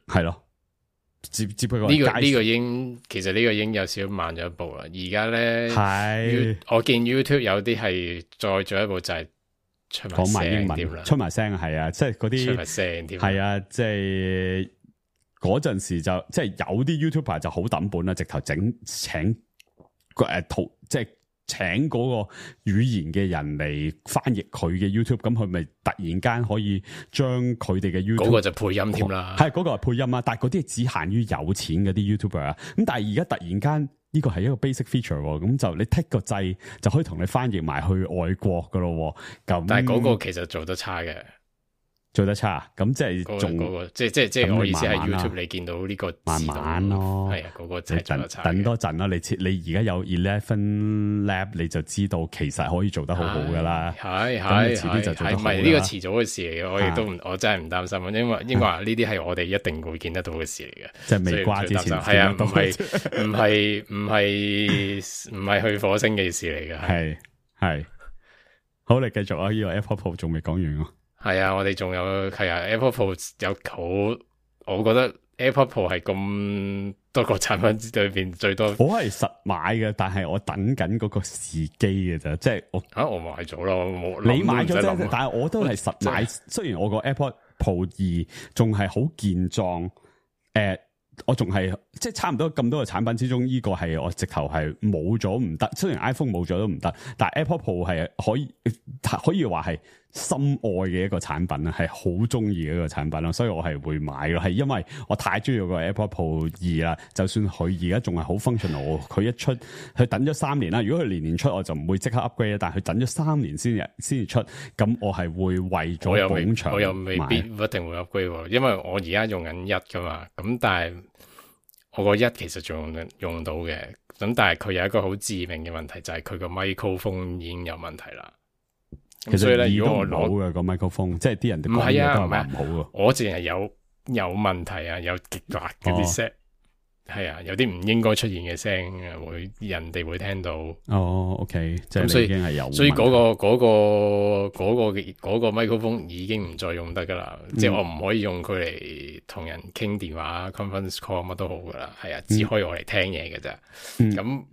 係咯。只不過呢個其實呢個已經有少少慢咗一步啦。而家咧，我見 YouTube 有啲係再進一步就係出埋英文，出埋聲係啊，即係嗰啲出埋聲添，係啊，即係嗰陣時就即係有啲 YouTuber 就好抌本啦，直頭請即係請嗰個語言嘅人嚟翻譯佢嘅 YouTube， 咁佢咪突然間可以將佢哋嘅 YouTube 嗰個就配音添啦，係嗰個係配音啊，但係嗰啲係只限於有錢嗰啲 YouTuber 啊，咁但係而家突然間呢個係一個 basic feature， 咁就你 tick 個掣就可以同你翻譯埋去外國噶咯，咁但係嗰個其實做得差嘅。做得差，咁即係仲即係我意思係 YouTube 你見到呢個慢慢咯，係啊，嗰個真係做得差。等多陣啦，你而家有 11 Lab 你就知道其實可以做得好好噶啦。係遲啲就做得好啦。係咪呢個遲早嘅事嚟嘅？我亦都我真係唔擔心，因為應該話呢啲係我哋一定會見得到嘅事嚟嘅。即係未瓜之前係啊，唔係去火星嘅事嚟嘅。係好，你繼續啊！呢個 Apple Pro 仲未講完啊。係啊，我哋仲有Apple Pro 有好，我覺得 Apple Pro 係咁多個產品裏邊最多。我係實買嘅，但係我等緊嗰個時機嘅咋，即係我買咗啦，我冇你買咗啫，但係我都係實買。雖然我個 Apple Pro 2仲係好健壯，我仲係即係差唔多咁多個產品之中，呢個係我直頭係冇咗唔得。雖然 iPhone 冇咗都唔得，但係 Apple Pro 係可以話係心愛嘅一個產品啊，係好中意嘅一個產品咯，所以我係會買咯。係因為我太中意個 Apple Pro 2啦，就算佢而家仲係好 functional， 佢一出佢等咗3年啦。如果佢年年出，我就唔會即刻 upgrade， 但係佢等咗3年先至出，咁我係會為咗捧場，我又未必一定會 upgrade， 因為我而家用緊1噶嘛，咁但係我個1其實仲用到嘅，咁但係佢有一個好致命嘅問題，就係佢個 microphone 已經有問題啦。其實咧，如果我攞嘅個 microphone，即係啲人哋講嘢都係話唔好嘅。我淨係有問題啊，有極辣嗰啲聲，係啊，有啲唔應該出現嘅聲，人哋會聽到。OK， 即係你已經係有問題。所以嗰個 microphone 已經唔再用得噶啦，即係我唔可以用佢嚟同人傾電話、conference call 乜都好噶啦，係啊，只可以我嚟聽嘢嘅啫。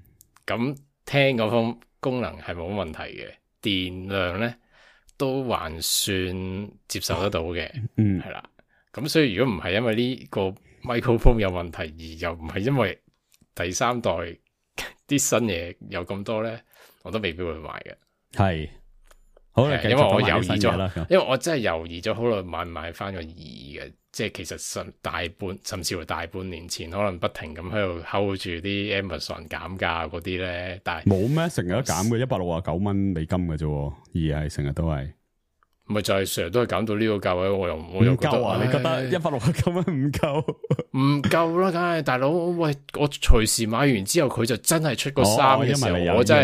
咁聽嗰方功能係冇問題嘅，電量咧都還算接受得到嘅，係啦。咁所以如果唔係因為呢個 microphone 有問題，而又唔係因為第3代啲新嘢有咁多咧，我都未必會買嘅。係，好啦，因為我猶豫咗，因為我真係猶豫咗好耐，買翻個2嘅，即係其實甚至乎大半年前，可能不停咁喺度 hold 住啲 Amazon 減價嗰啲咧，但係冇咩，成日都減嘅，169蚊美金嘅啫，2係成日都係。咪就係成日都係減到呢個價位，我又唔夠啊？你覺得169蚊唔夠？唔夠啦，梗係大佬，喂，我隨時買完之後佢就真係出個衫嘅時候，我真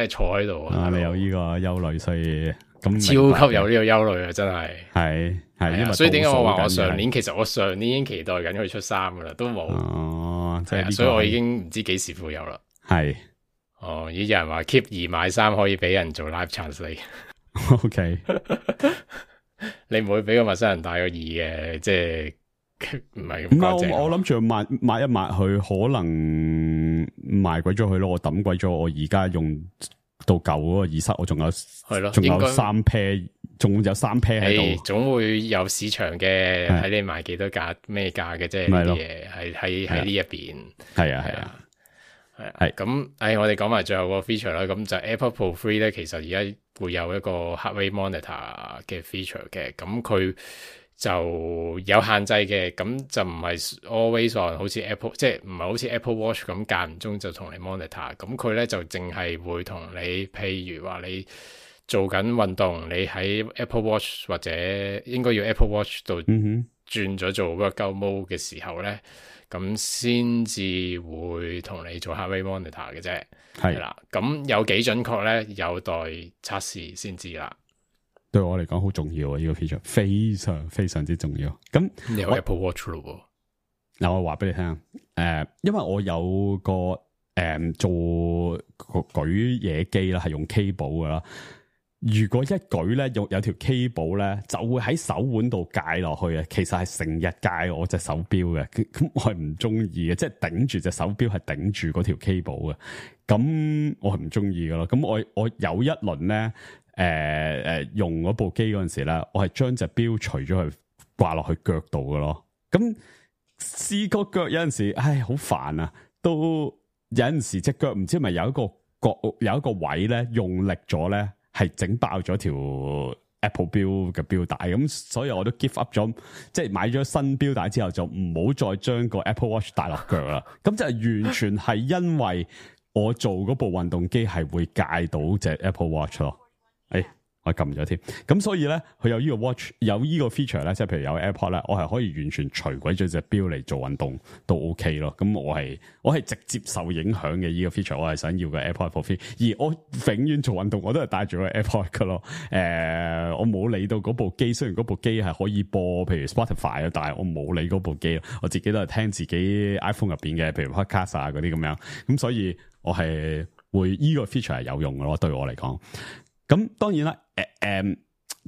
係坐喺度啊！你有呢個憂慮，所以咁超級有呢個憂慮啊！真係係，因為所以點解我話我上年已經期待緊佢出衫噶啦，都冇哦，即係所以我已經唔知幾時會有啦。係哦，有人話 keep 2買3可以俾人做 live translate。OK， 你唔會俾個陌生人帶個2嘅，即係唔係咁唔乾淨。係我諗住抹一抹佢，可能賣鬼咗佢咯。我抌鬼咗，我而家用到舊嗰個耳塞，我仲有係咯，仲有3 pair，仲有3 pair 喺度。總會有市場嘅，睇你賣幾多價咩價嘅啫。呢啲嘢喺呢一邊。係咁，我哋講埋最後個 feature 啦。咁就 AirPods Pro 3咧，其實而家會有一個 Heart Rate Monitor 嘅 feature 嘅。咁佢就有限制嘅，咁就唔係 always on，好似 Apple， 即係唔係好似 Apple Watch 咁間唔中就同你 monitor。咁佢咧就淨係會同你，譬如話你做緊運動，你喺 Apple Watch 或者應該要 Apple Watch 度轉咗做 workout mode 嘅時候咧。咁先至會同你做 heart rate monitor 嘅啫，係啦。咁有幾準確咧？有待測試先知啦。對我嚟講好重要啊！呢個 feature 非常非常之重要。咁你有 Apple Watch 咯？嗱，我話俾你聽，因為我有個做舉嘢機啦，係用 cable 噶啦。如果一舉咧，有條 cable 咧，就會喺手腕度戒落去啊！其實係成日戒我隻手錶嘅，咁我係唔中意嘅，即係頂住隻手錶係頂住嗰條 cable 嘅，咁我係唔中意噶咯。咁我有一輪咧，用嗰部機嗰陣時咧，我係將隻錶除咗去掛落去腳度噶咯。咁試個腳有陣時，好煩啊！都有陣時隻腳唔知係咪有一個位咧，用力咗咧。係整爆咗條 Apple 錶嘅錶帶，咁所以我都 give up 咗，即係買咗新錶帶之後就唔好再將個 Apple Watch 帶落腳啦。咁就係完全係因為我做嗰部運動機係會戒到隻 Apple Watch 咯。我撳咗添，咁所以咧，佢有呢個 watch， 有呢個 feature 咧，即係譬如有 AirPod 咧，我係可以完全除鬼咗隻錶嚟做運動都 OK 咯。咁我係直接受影響嘅呢個 feature， 我係想要個 AirPod Pro 3，而我永遠做運動我都係帶住個 AirPod 噶咯。我冇理到嗰部機，雖然嗰部機係可以播譬如 Spotify 啊，但係我冇理嗰部機，我自己都係聽自己 iPhone 入邊嘅，譬如 Podcast 啊嗰啲咁樣。咁所以我係會呢個 feature 係有用嘅咯，對我嚟講。咁當然啦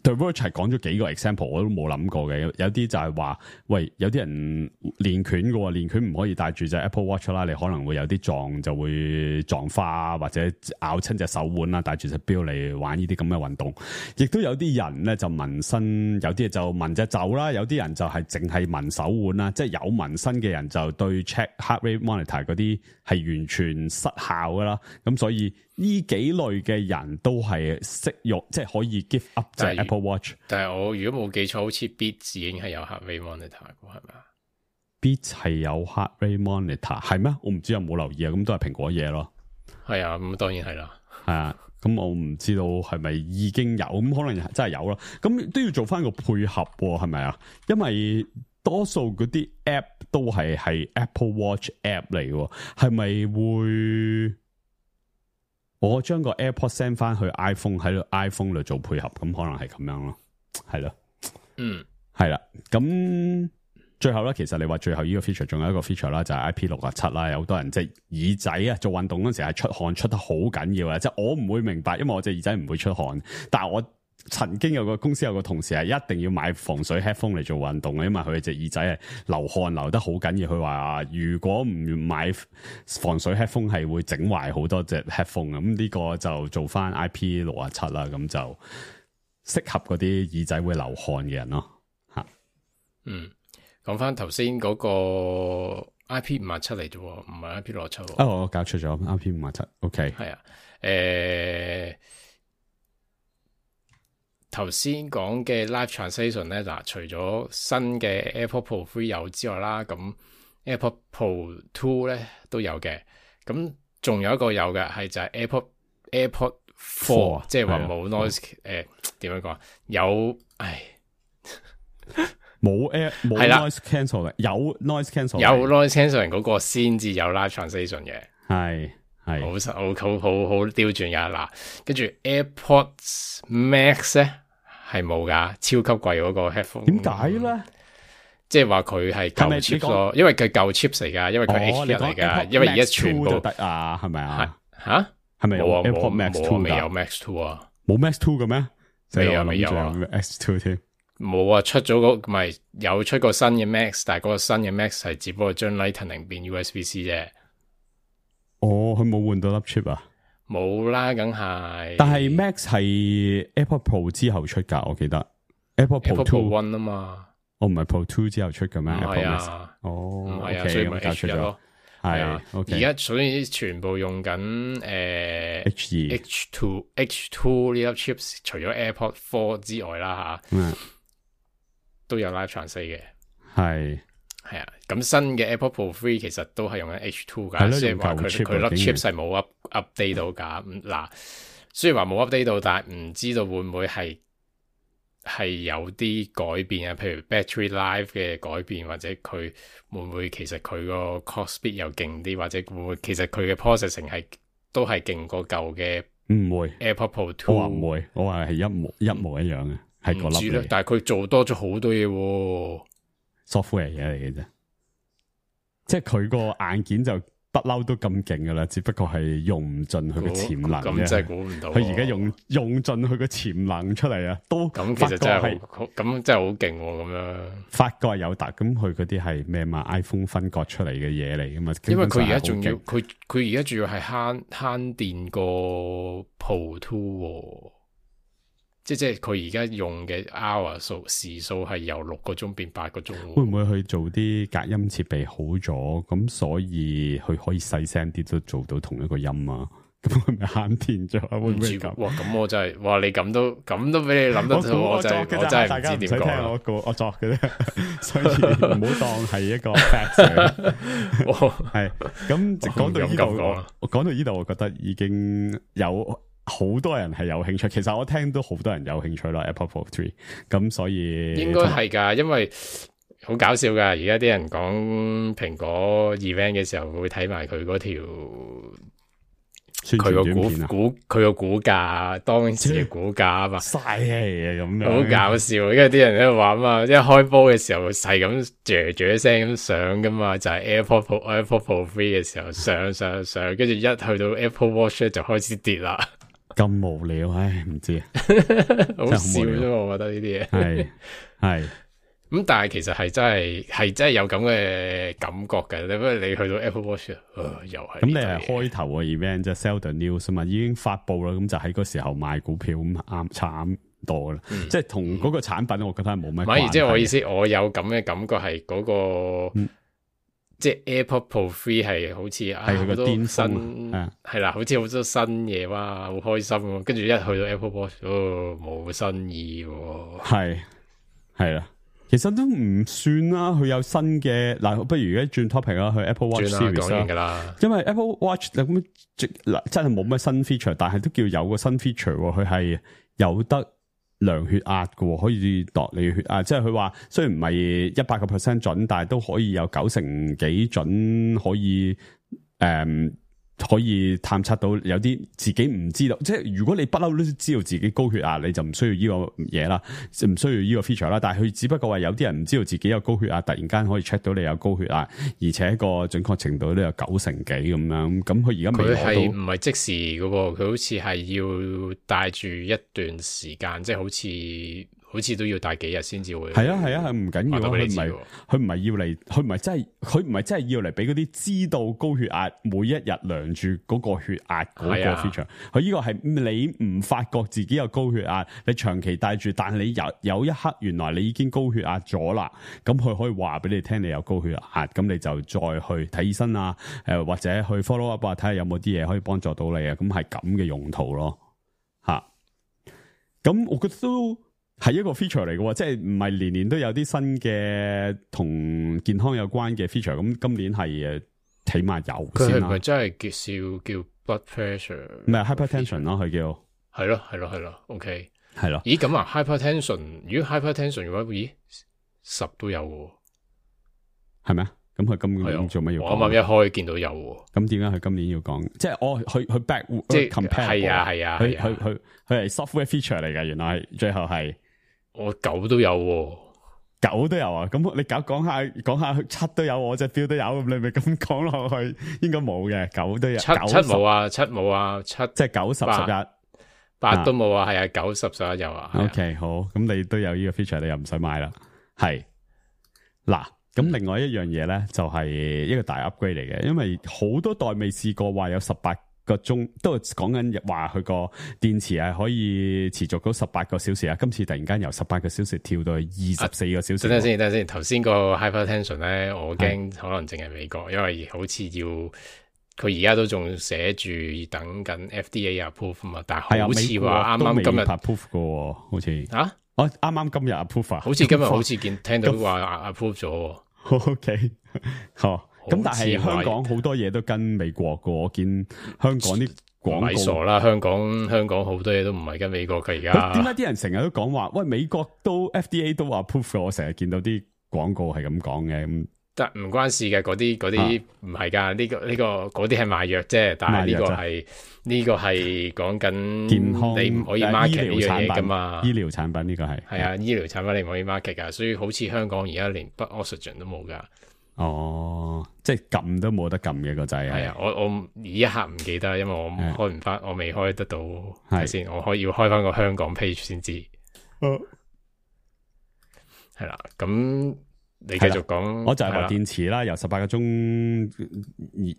，The Verge 係講咗幾個 example， 我都冇諗過嘅。有啲就係話，喂，有啲人練拳嘅喎，練拳唔可以帶住隻 Apple Watch 啦，你可能會有啲就會撞花或者咬親隻手腕啦，帶住隻錶嚟玩呢啲咁嘅運動。亦都有啲人咧就紋身，有啲就紋隻袖啦，有啲人就係淨係紋手腕啦。即係有紋身嘅人就對 check heart rate monitor 嗰啲係完全失效噶啦。咁所以呢幾類嘅人都係適用，即係可以 give up 隻 Apple Watch。但係我如果冇記錯，好似 Beats 已經係有 heart rate monitor 嘅，係咪啊 ？Beats 係有 heart rate monitor 係咩？我唔知有冇留意啊。咁都係蘋果嘢咯。係啊，咁當然係啦。係啊，咁我唔知道係咪已經有，咁可能真係有啦。咁都要做翻個配合，係咪啊？因為多數嗰啲 app 都係 Apple Watch app 嚟嘅，係咪會？我將個 AirPod send 翻去 iPhone 度做配合，咁可能係咁樣咯，係咯，係啦。咁最後咧，其實你話最後呢個 feature 仲有一個 feature 啦，就係 IP67啦。有好多人即係耳仔啊，做運動嗰陣時係出汗出得好緊要啊。即係我唔會明白，因為我隻耳仔唔會出汗，但係我曾經有個公司有個同事係一定要買防水 headphone 嚟做運動嘅，因為佢隻耳仔係流汗流得好緊要。佢話如果唔買防水 headphone 係會整壞好多隻 headphone。咁呢個就做翻 IP67啦，咁就適合嗰啲耳仔會流汗嘅人咯。吓，講翻頭先嗰個 IP57嚟啫，唔係 IP67。我搞錯咗 IP57。OK， 係啊，頭先講嘅 Live Translation 咧，嗱，除咗新嘅 AirPod Pro 3有之外啦，咁 AirPod Pro 2咧都有嘅，咁仲有一個有嘅係就係 AirPod 4，即係話冇 noise 點樣講？有冇 noise cancel 有 noise cancel， 有 noise cancelling 嗰個先至有 live translation 嘅，係好刁鑽噶嗱。跟住 AirPods Max 咧係冇噶，超級貴嗰個 headphone。點解咧？即係話佢係舊 chips 咯，因為佢舊 chips 嚟噶，因為佢 H1 嚟噶，因為而家全部得啊，係咪啊？吓係咪有 AirPods Max 2？未有 Max 2啊？冇 Max 2嘅咩？未有啊 Max 2添。冇啊，出咗唔係有出過新嘅 Max， 但係嗰個新嘅 Max 係只不過將 Lightning 變 USB-C 啫。佢冇換到粒 chip 啊？冇啦，梗係。但係 Max 係 AirPod Pro 之後出噶，我記得 AirPod Pro 1啊嘛。唔係 Pro 2之後出嘅咩？唔係啊，唔係啊，所以咪 H1 咯。係啊，而家所以全部用緊H2 呢粒 chips， 除咗 AirPod 4之外啦都有 Live Translate 嘅。係啊，咁新嘅 AirPod Pro 3其實都係用緊 H2 噶，即係話佢粒 chips 係冇 update 到噶。嗱，雖然話冇 update 到，但係唔知道會唔會係有啲改變啊，譬如 battery life 嘅改變，或者佢會唔會其實佢個 clock speed 又勁啲，或者會唔會其實佢嘅 processing 都係勁過舊嘅？唔會 AirPod Pro 2，我話唔會，我話係一模一樣嘅，係個粒嚟。但係佢做多咗好多嘢，software 嘢嚟嘅啫，即係佢個硬件就不嬲都咁勁噶啦，只不過係用唔盡佢嘅潛能。咁真係估唔到，佢而家用盡佢嘅潛能出嚟啊！都咁其實真係咁真係好勁咁樣。發覺係有達，咁佢嗰啲係咩嘛 ？iPhone 分割出嚟嘅嘢嚟噶嘛？因為佢而家仲要，佢而家仲要係慳電過 Pro 2，即係佢而家用嘅 hour 時數係由6個鐘變8個鐘。會唔會去做啲隔音設備好咗？咁所以佢可以細聲啲都做到同一個音啊？咁係咪慳電咗？會唔會咁？哇！咁我真係，哇！你咁都俾你諗得到，我真係唔知點講。我作嘅啫，所以唔好當係一個 fact。係咁講到呢度，講到呢度，我覺得已經有好多人係有興趣。其實我聽到好多人有興趣啦 ，Apple Pro 3。咁所以應該係噶，因為好搞笑噶。而家啲人講蘋果 event 嘅時候，會睇埋佢嗰條。佢個股價，當時嘅股價啊嘛，嘥氣啊咁樣，好搞笑。因為啲人喺度玩嘛，一開波嘅時候係咁啫聲咁上噶嘛，就係 AirPod Pro 3嘅時候上，跟住一去到 Apple Watch 就開始跌啦。咁無聊，唉，唔知啊，好笑啫嘛，我覺得呢啲嘢係。咁但係其實係真係有咁嘅感覺嘅，你不如你去到 Apple Watch，又係咁你係開頭嘅 event 即係 sell the news 嘛，已經發布啦，咁就喺嗰時候賣股票咁啱差唔多啦，即係同嗰個產品，我覺得係冇乜關係。即係我意思，我有咁嘅感覺係嗰個，即係 AirPod Pro 3係好似係佢個巔峰，係啦，好似好多新嘢哇，好開心喎。跟住一去到 Apple Watch，冇新意喎，係啦。其實都唔算啦，佢有新嘅嗱，不如而家轉 topic 啦，去 Apple Watch Series 啦。因為 Apple Watch 咁真係冇乜新 feature，但係都叫有個新 feature，佢係有得量血壓嘅，可以度你血壓。即係佢話雖然唔係100% 準，但係都可以有90幾準，可以探測到有啲自己唔知道，即係如果你不嬲都知道自己高血壓，你就唔需要呢個嘢啦，唔需要呢個 feature 啦。但係佢只不過話有啲人唔知道自己有高血壓，突然間可以 check 到你有高血壓，而且個準確程度都有90幾咁樣。咁佢而家未攞到，佢係唔係即時嘅喎？佢好似係要帶住一段時間，即係好似都要帶幾日先至會。係啊，唔緊要，佢唔係要嚟，佢唔係真係要嚟俾嗰啲知道高血壓每一日量住嗰個血壓嗰個 feature。佢呢個係你唔發覺自己有高血壓，你長期帶住，但係你有一刻原來你已經高血壓咗啦，咁佢可以話俾你聽你有高血壓，咁你就再去睇醫生啊，或者去 follow up 啊，睇下有冇啲嘢可以幫助到你啊，咁係咁嘅用途咯，吓。咁我覺得都係一個 feature 嚟嘅，即係唔係年年都有啲新嘅同健康有關嘅 feature。咁今年係起碼有先啦。佢係咪真係叫 blood pressure？唔係 hypertension 咯，佢叫係咯，OK，係咯。咦咁啊 ，hypertension， 如果 hypertension 嘅話，咦10都有喎，係咪啊？咁佢今年做乜要講？我啱啱一開見到有喎。咁點解佢今年要講？即係我佢 back 即係 compare 係啊，佢係 software feature 嚟嘅，原來係最後係我9都有喎。9都有啊！咁你講下7都有，我隻表都有，咁你咪咁講落去，應該冇嘅9都有。7冇啊，7冇啊，7即係9、10、11、8都冇啊，係啊，9、10、11有啊。OK， 好，咁你都有呢個 feature，你又唔使買啦。係嗱，咁另外一樣嘢咧，就係一個大 upgrade 嚟嘅，因為好多代未試過話有18個鐘，都係講緊話佢個電池係可以持續到18個小時啊！今次突然間由18個小時跳到去24個小時。等陣先，頭先個 hypertension 咧，我驚可能淨係美國，因為好似要佢而家都仲寫住等緊 FDA approve 嘛，但係好似話啱啱今日 approve 嘅，好似啊，我啱啱今日 approve 啊，好似今日好似聽到話 approve 咗。OK， 好。咁但係香港好多嘢都跟美國嘅，我見香港啲廣告咪傻啦，香港好多嘢都唔係跟美國嘅而家。點解啲人成日都講話喂美國都 FDA 都話 approve 嘅？我成日見到啲廣告係咁講嘅。咁但唔關事嘅，嗰啲唔係㗎，呢個嗰啲係賣藥啫，但係呢個係講緊健康，你唔可以 market 呢樣嘢㗎嘛。醫療產品呢個係啊，醫療產品你唔可以 market 㗎，所以好似香港而家連 blood oxygen 都冇㗎。哦，即係撳都冇得撳嘅個掣係啊！我呢一刻唔記得，因為我開唔翻，我未開得到睇先，我可以要開翻個香港 page 先知。係啦，咁你繼續講，我就係話電池啦，由18個鐘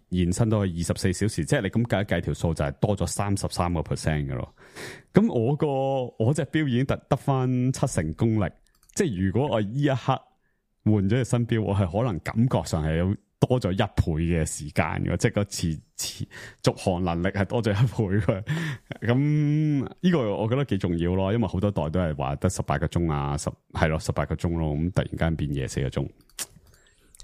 延伸到去24小時，即係你咁計一計條數就係多咗33% 嘅咯。咁我隻錶已經得翻70%功力，即係如果我呢一刻換咗隻新錶，我係可能感覺上係有多咗1倍嘅時間嘅，即係個續航能力係多咗1倍嘅。咁呢個我覺得幾重要咯，因為好多代都係話得18個鐘啊，18個鐘咯，咁突然間變24個鐘。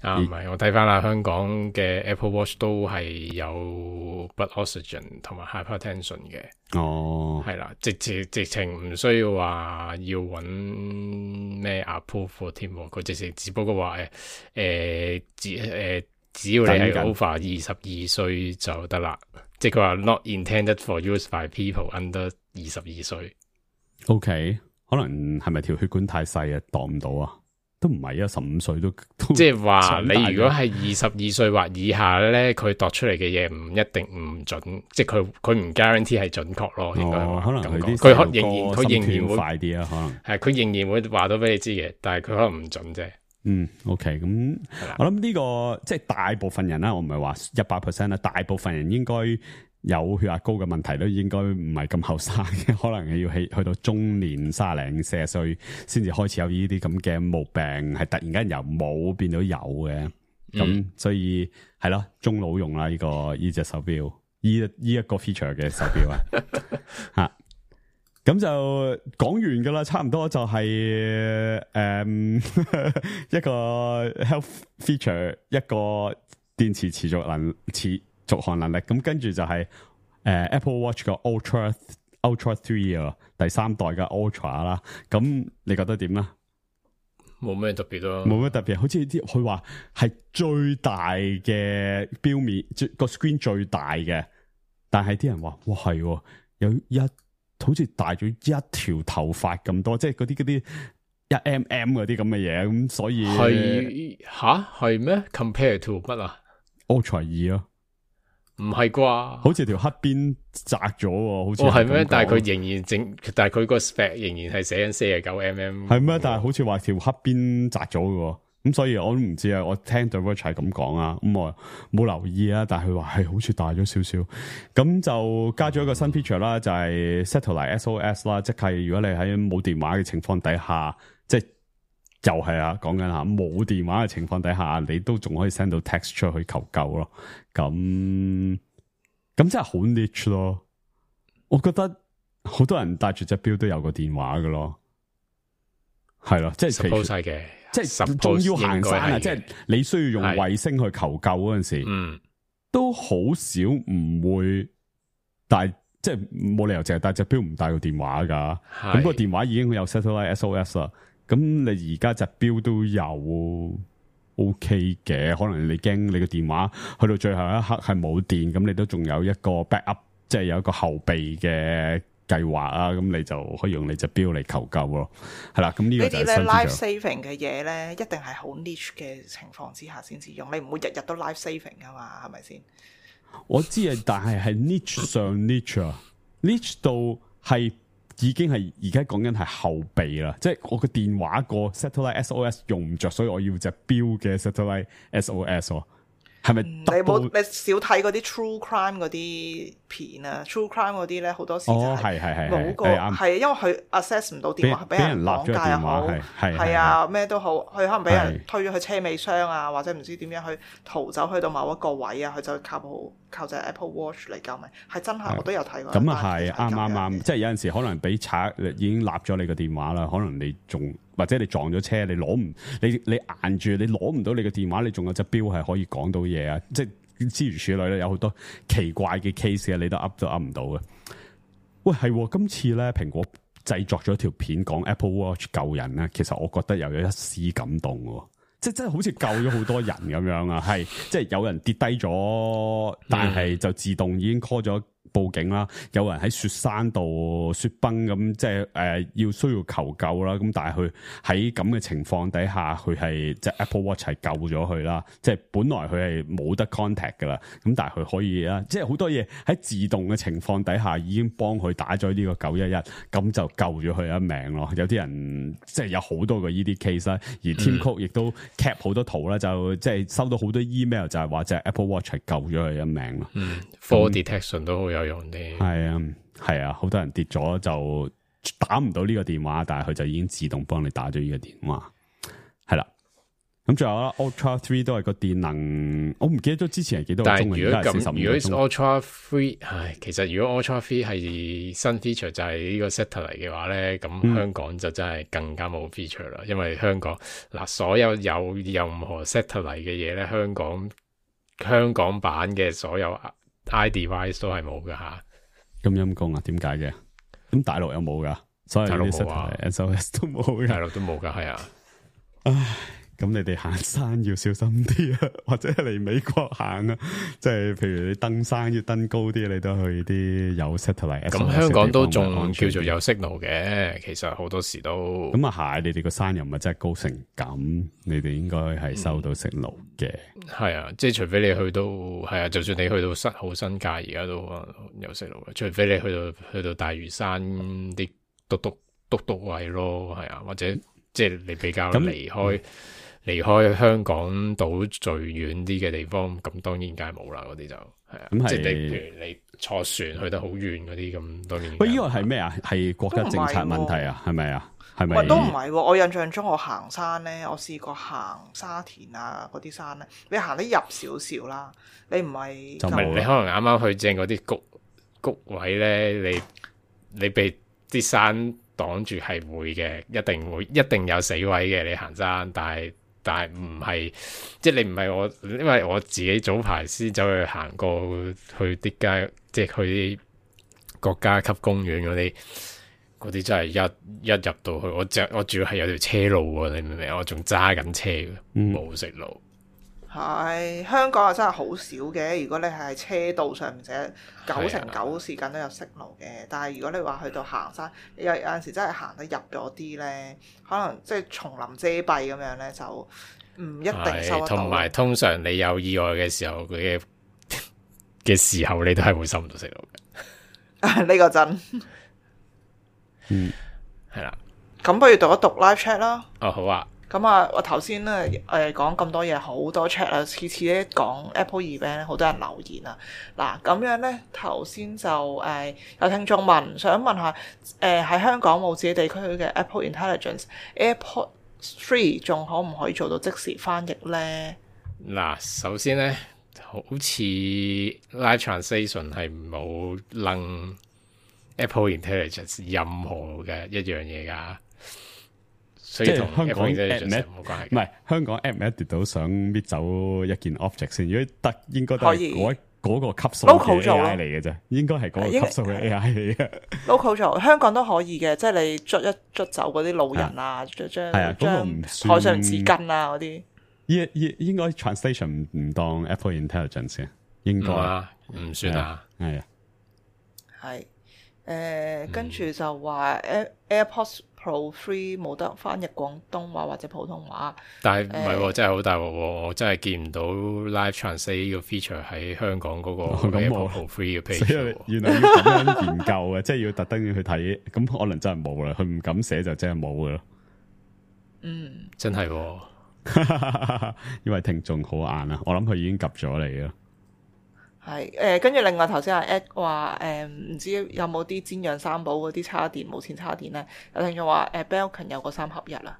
啊，唔係，我睇翻啦，香港嘅 Apple Watch 都係有 blood oxygen 同埋 hypertension 嘅。哦，係啦，直情唔需要話要揾咩 approve 添，佢直情只不過話只要你係 over 22歲就得啦，即係佢話 not intended for use by people under 22歲。OK， 可能係咪條血管太細啊，擋唔到啊？都唔係啊，15歲都即係話你如果係22歲或以下咧，佢度出嚟嘅嘢唔一定唔準，即係佢唔 guarantee 係準確咯。應該可能佢仍然會快啲啊，可能係佢仍然會話到俾你知嘅，但係佢可能唔準啫。OK， 咁我諗呢個即係大部分人啦，我唔係話100%啦，大部分人應該有血壓高嘅問題都應該唔係咁後生嘅，可能要去到中年30零40歲先至開始有呢啲咁嘅毛病，係突然間由冇變到有嘅。咁所以係咯，中老用啦呢隻手錶，呢一個 feature 嘅手錶啊吓。咁就講完噶啦，差唔多就係一個 health feature， 一個電池持續航能力。咁跟住就係Apple Watch 個 Ultra 3啊，第3代嘅 Ultra 啦。咁你覺得點啦？冇咩特別咯，冇咩特別，好似啲佢話係最大嘅錶面，個 screen 最大嘅，但係啲人話哇係有好似大咗一條頭髮咁多，即係嗰啲1mm 嗰啲咁嘅嘢，咁所以係咩 ？Compare to 乜啊 ？Ultra 2咯，唔係啩？好似條黑邊窄咗，好似係咩？但係佢仍然但係佢個 spec 仍然係寫緊49mm，係咩？但係好似話條黑邊窄咗嘅。咁所以我都唔知啊，我聽 The Verge 係咁講啊，咁我冇留意啊，但係佢話係好似大咗少少，咁就加咗一個新 feature 啦，就係 Satellite SOS 啦，即係如果你喺冇電話嘅情況底下，即係就係啊講緊吓冇電話嘅情況底下，你都仲可以 send 到 text 出去求救咯，咁真係好 niche 咯，我覺得好多人帶住隻錶都有個電話㗎咯，係咯，即係 suppose 係嘅。即係仲要行山啊！即係你需要用衛星去求救嗰陣時，都好少唔會帶即係冇理由淨係帶隻錶唔帶個電話㗎。咁個電話已經有 satellite SOS 啦。咁你而家隻錶都有 OK 嘅，可能你驚你個電話去到最後一刻係冇電，咁你都仲有一個 backup， 即係有一個後備嘅計劃啊。咁你就可以用你隻錶嚟求救咯。係啦，咁呢個就係新 life saving 嘅嘢咧，一定係好 niche 嘅情況之下先至用。你唔會日日都 life saving 噶嘛，係咪先？我知啊，但係 niche 上 niche 啊，niche 到係已經係而家講緊係後備啦，即係我個電話個 satellite SOS 用唔着，所以我要隻錶嘅 satellite SOS。係咪？你少睇嗰啲 true crime 嗰啲片啊 ？true crime 嗰啲咧好多時就係冇個係，因為佢 access 唔到電話，俾人綁架又好，係啊咩都好，佢可能俾人推咗去車尾箱啊，或者唔知點樣去逃走去到某一個位啊，佢就靠隻 Apple Watch 嚟救命，係真係我都有睇過。咁啊係啱，即係有陣時可能俾賊已經立咗你個電話啦，可能你仲。或者你撞咗車，你攞唔你硬住，你攞唔到你嘅電話，你仲有隻錶係可以講到嘢啊！即係諸如此類咧，有好多奇怪嘅 case 嘅，你都噏唔到嘅。喂，係今次咧，蘋果製作咗條片講 Apple Watch 救人咧，其實我覺得又有一絲感動喎，即係真係好似救咗好多人咁樣啊！係即係有人跌低咗，但係就自動已經 call 咗報警啦，有人喺雪山度雪崩咁，即係要需要求救啦。咁但係佢喺咁嘅情況底下，佢係即係 Apple Watch 係救咗佢啦。即係本來佢係冇得 contact 噶啦，咁但係佢可以啦。即係好多嘢喺自動嘅情況底下，已經幫佢打咗呢個911，咁就救咗佢一命咯。有啲人即係有好多個呢啲 case 啦，而 Tim Cook 亦都 cap 好多圖啦，就即係收到好多 email 就係話隻 Apple Watch 係救咗佢一命咯。Fall detection 都好有用啲，係啊，好多人跌咗就打唔到呢個電話，但係佢就已經自動幫你打咗呢個電話，係啦。咁最後啦 ，Ultra 3都係個電能，我唔記得咗之前係幾多個鐘，但係如果咁，如果 Ultra 3，其實如果 Ultra 3係新 feature 就係呢個 satellite 嘅話咧，咁香港就真係更加冇 feature 啦，因為香港嗱所有任何 satellite 嘅嘢咧，香港版嘅所有 iDevice 都係冇噶吓。咁陰公啊？點解嘅？咁大陸有冇噶？所以大陸冇啊 ，SOS 都冇，大陸都冇噶，係啊。唉，咁你哋行山要小心啲啊，或者嚟美國行啊，即係譬如你登山要登高啲，你都去啲有 satellite。咁香港都仲叫做有 signal 嘅，其實好多時都。咁啊係，你哋個山又唔係真係高成咁，你哋應該係收到 signal 嘅。係啊，即係除非你去到係啊，就算你去到好新界，而家都有 signal 嘅。除非你去到大嶼山啲篤位咯，係啊，或者即係你比較離開香港島最遠啲嘅地方，咁當然梗係冇啦，嗰啲就係啊。即係你譬如你坐船去得好遠嗰啲，咁當然。喂，呢個係咩啊？係國家政策問題啊？係咪啊？係咪？都唔係喎，我印象中我行山咧，我試過行沙田啊嗰啲山咧，你行得入少少啦，你唔係就你可能啱啱去正嗰啲谷位咧，你被啲山擋住係會嘅，一定有死位嘅。你行山，但係唔係，即係你唔係我，因為我自己早排先走去行過去啲街，即係去啲國家級公園嗰啲真係一入到去，我主要係有條車路喎，你明唔明？我仲揸緊車嘅，冇食路。係香港又真係好少嘅，如果你係車道上面寫9成9時間都有息路嘅，但係如果你話去到行山，有陣時真係行得入咗啲咧，可能即係叢林遮蔽咁樣咧，就唔一定收得到。同埋通常你有意外嘅時候，嘅時候你都係會收唔到息路嘅。呢個真。係啦。咁不如讀一讀 live chat 啦。哦，好啊。咁啊，我頭先咧講咁多嘢，好多 chat 啊，次次咧講 Apple event 咧，好多人留言啊。嗱，咁樣咧頭先就有聽眾想問下喺香港冇自己地區嘅 Apple Intelligence AirPods 3仲可唔可以做到即時翻譯咧？嗱，首先咧，好似 Live Translation 係冇楞 Apple Intelligence 任何嘅一樣嘢㗎。所以同香港 app 冇關係，唔係香港 app 咪一跌到想搣走一件 object 先，如果得應該都係嗰個級數 local 嘅做 AI 嚟嘅啫，應該係嗰個級數嘅 AI 嚟嘅。local 做香港都可以嘅，即係你捽一捽走嗰啲路人啊，將嗰個唔算台上紙巾啊嗰啲。應該 translation 唔當 Apple Intelligence 嘅，應該唔算啊，係啊，係跟住就話 AirPods Pro 3冇得翻譯廣東話或者普通話，但係唔係真係好大鑊喎，我真係見唔到 Live Translate 呢個 feature 喺香港嗰個 AirPods Pro 3嘅 page。原來要咁樣研究嘅，即係要特登要去睇，咁可能真係冇啦，佢唔敢寫就真係冇噶咯。真係喎。因為聽眾好硬啊，我諗佢已經及咗你啦。係跟住另外頭先阿 Ed 話唔知有冇啲煎釀三寶嗰啲叉電無線叉電咧？有聽眾話Belkin 有個3合1啦。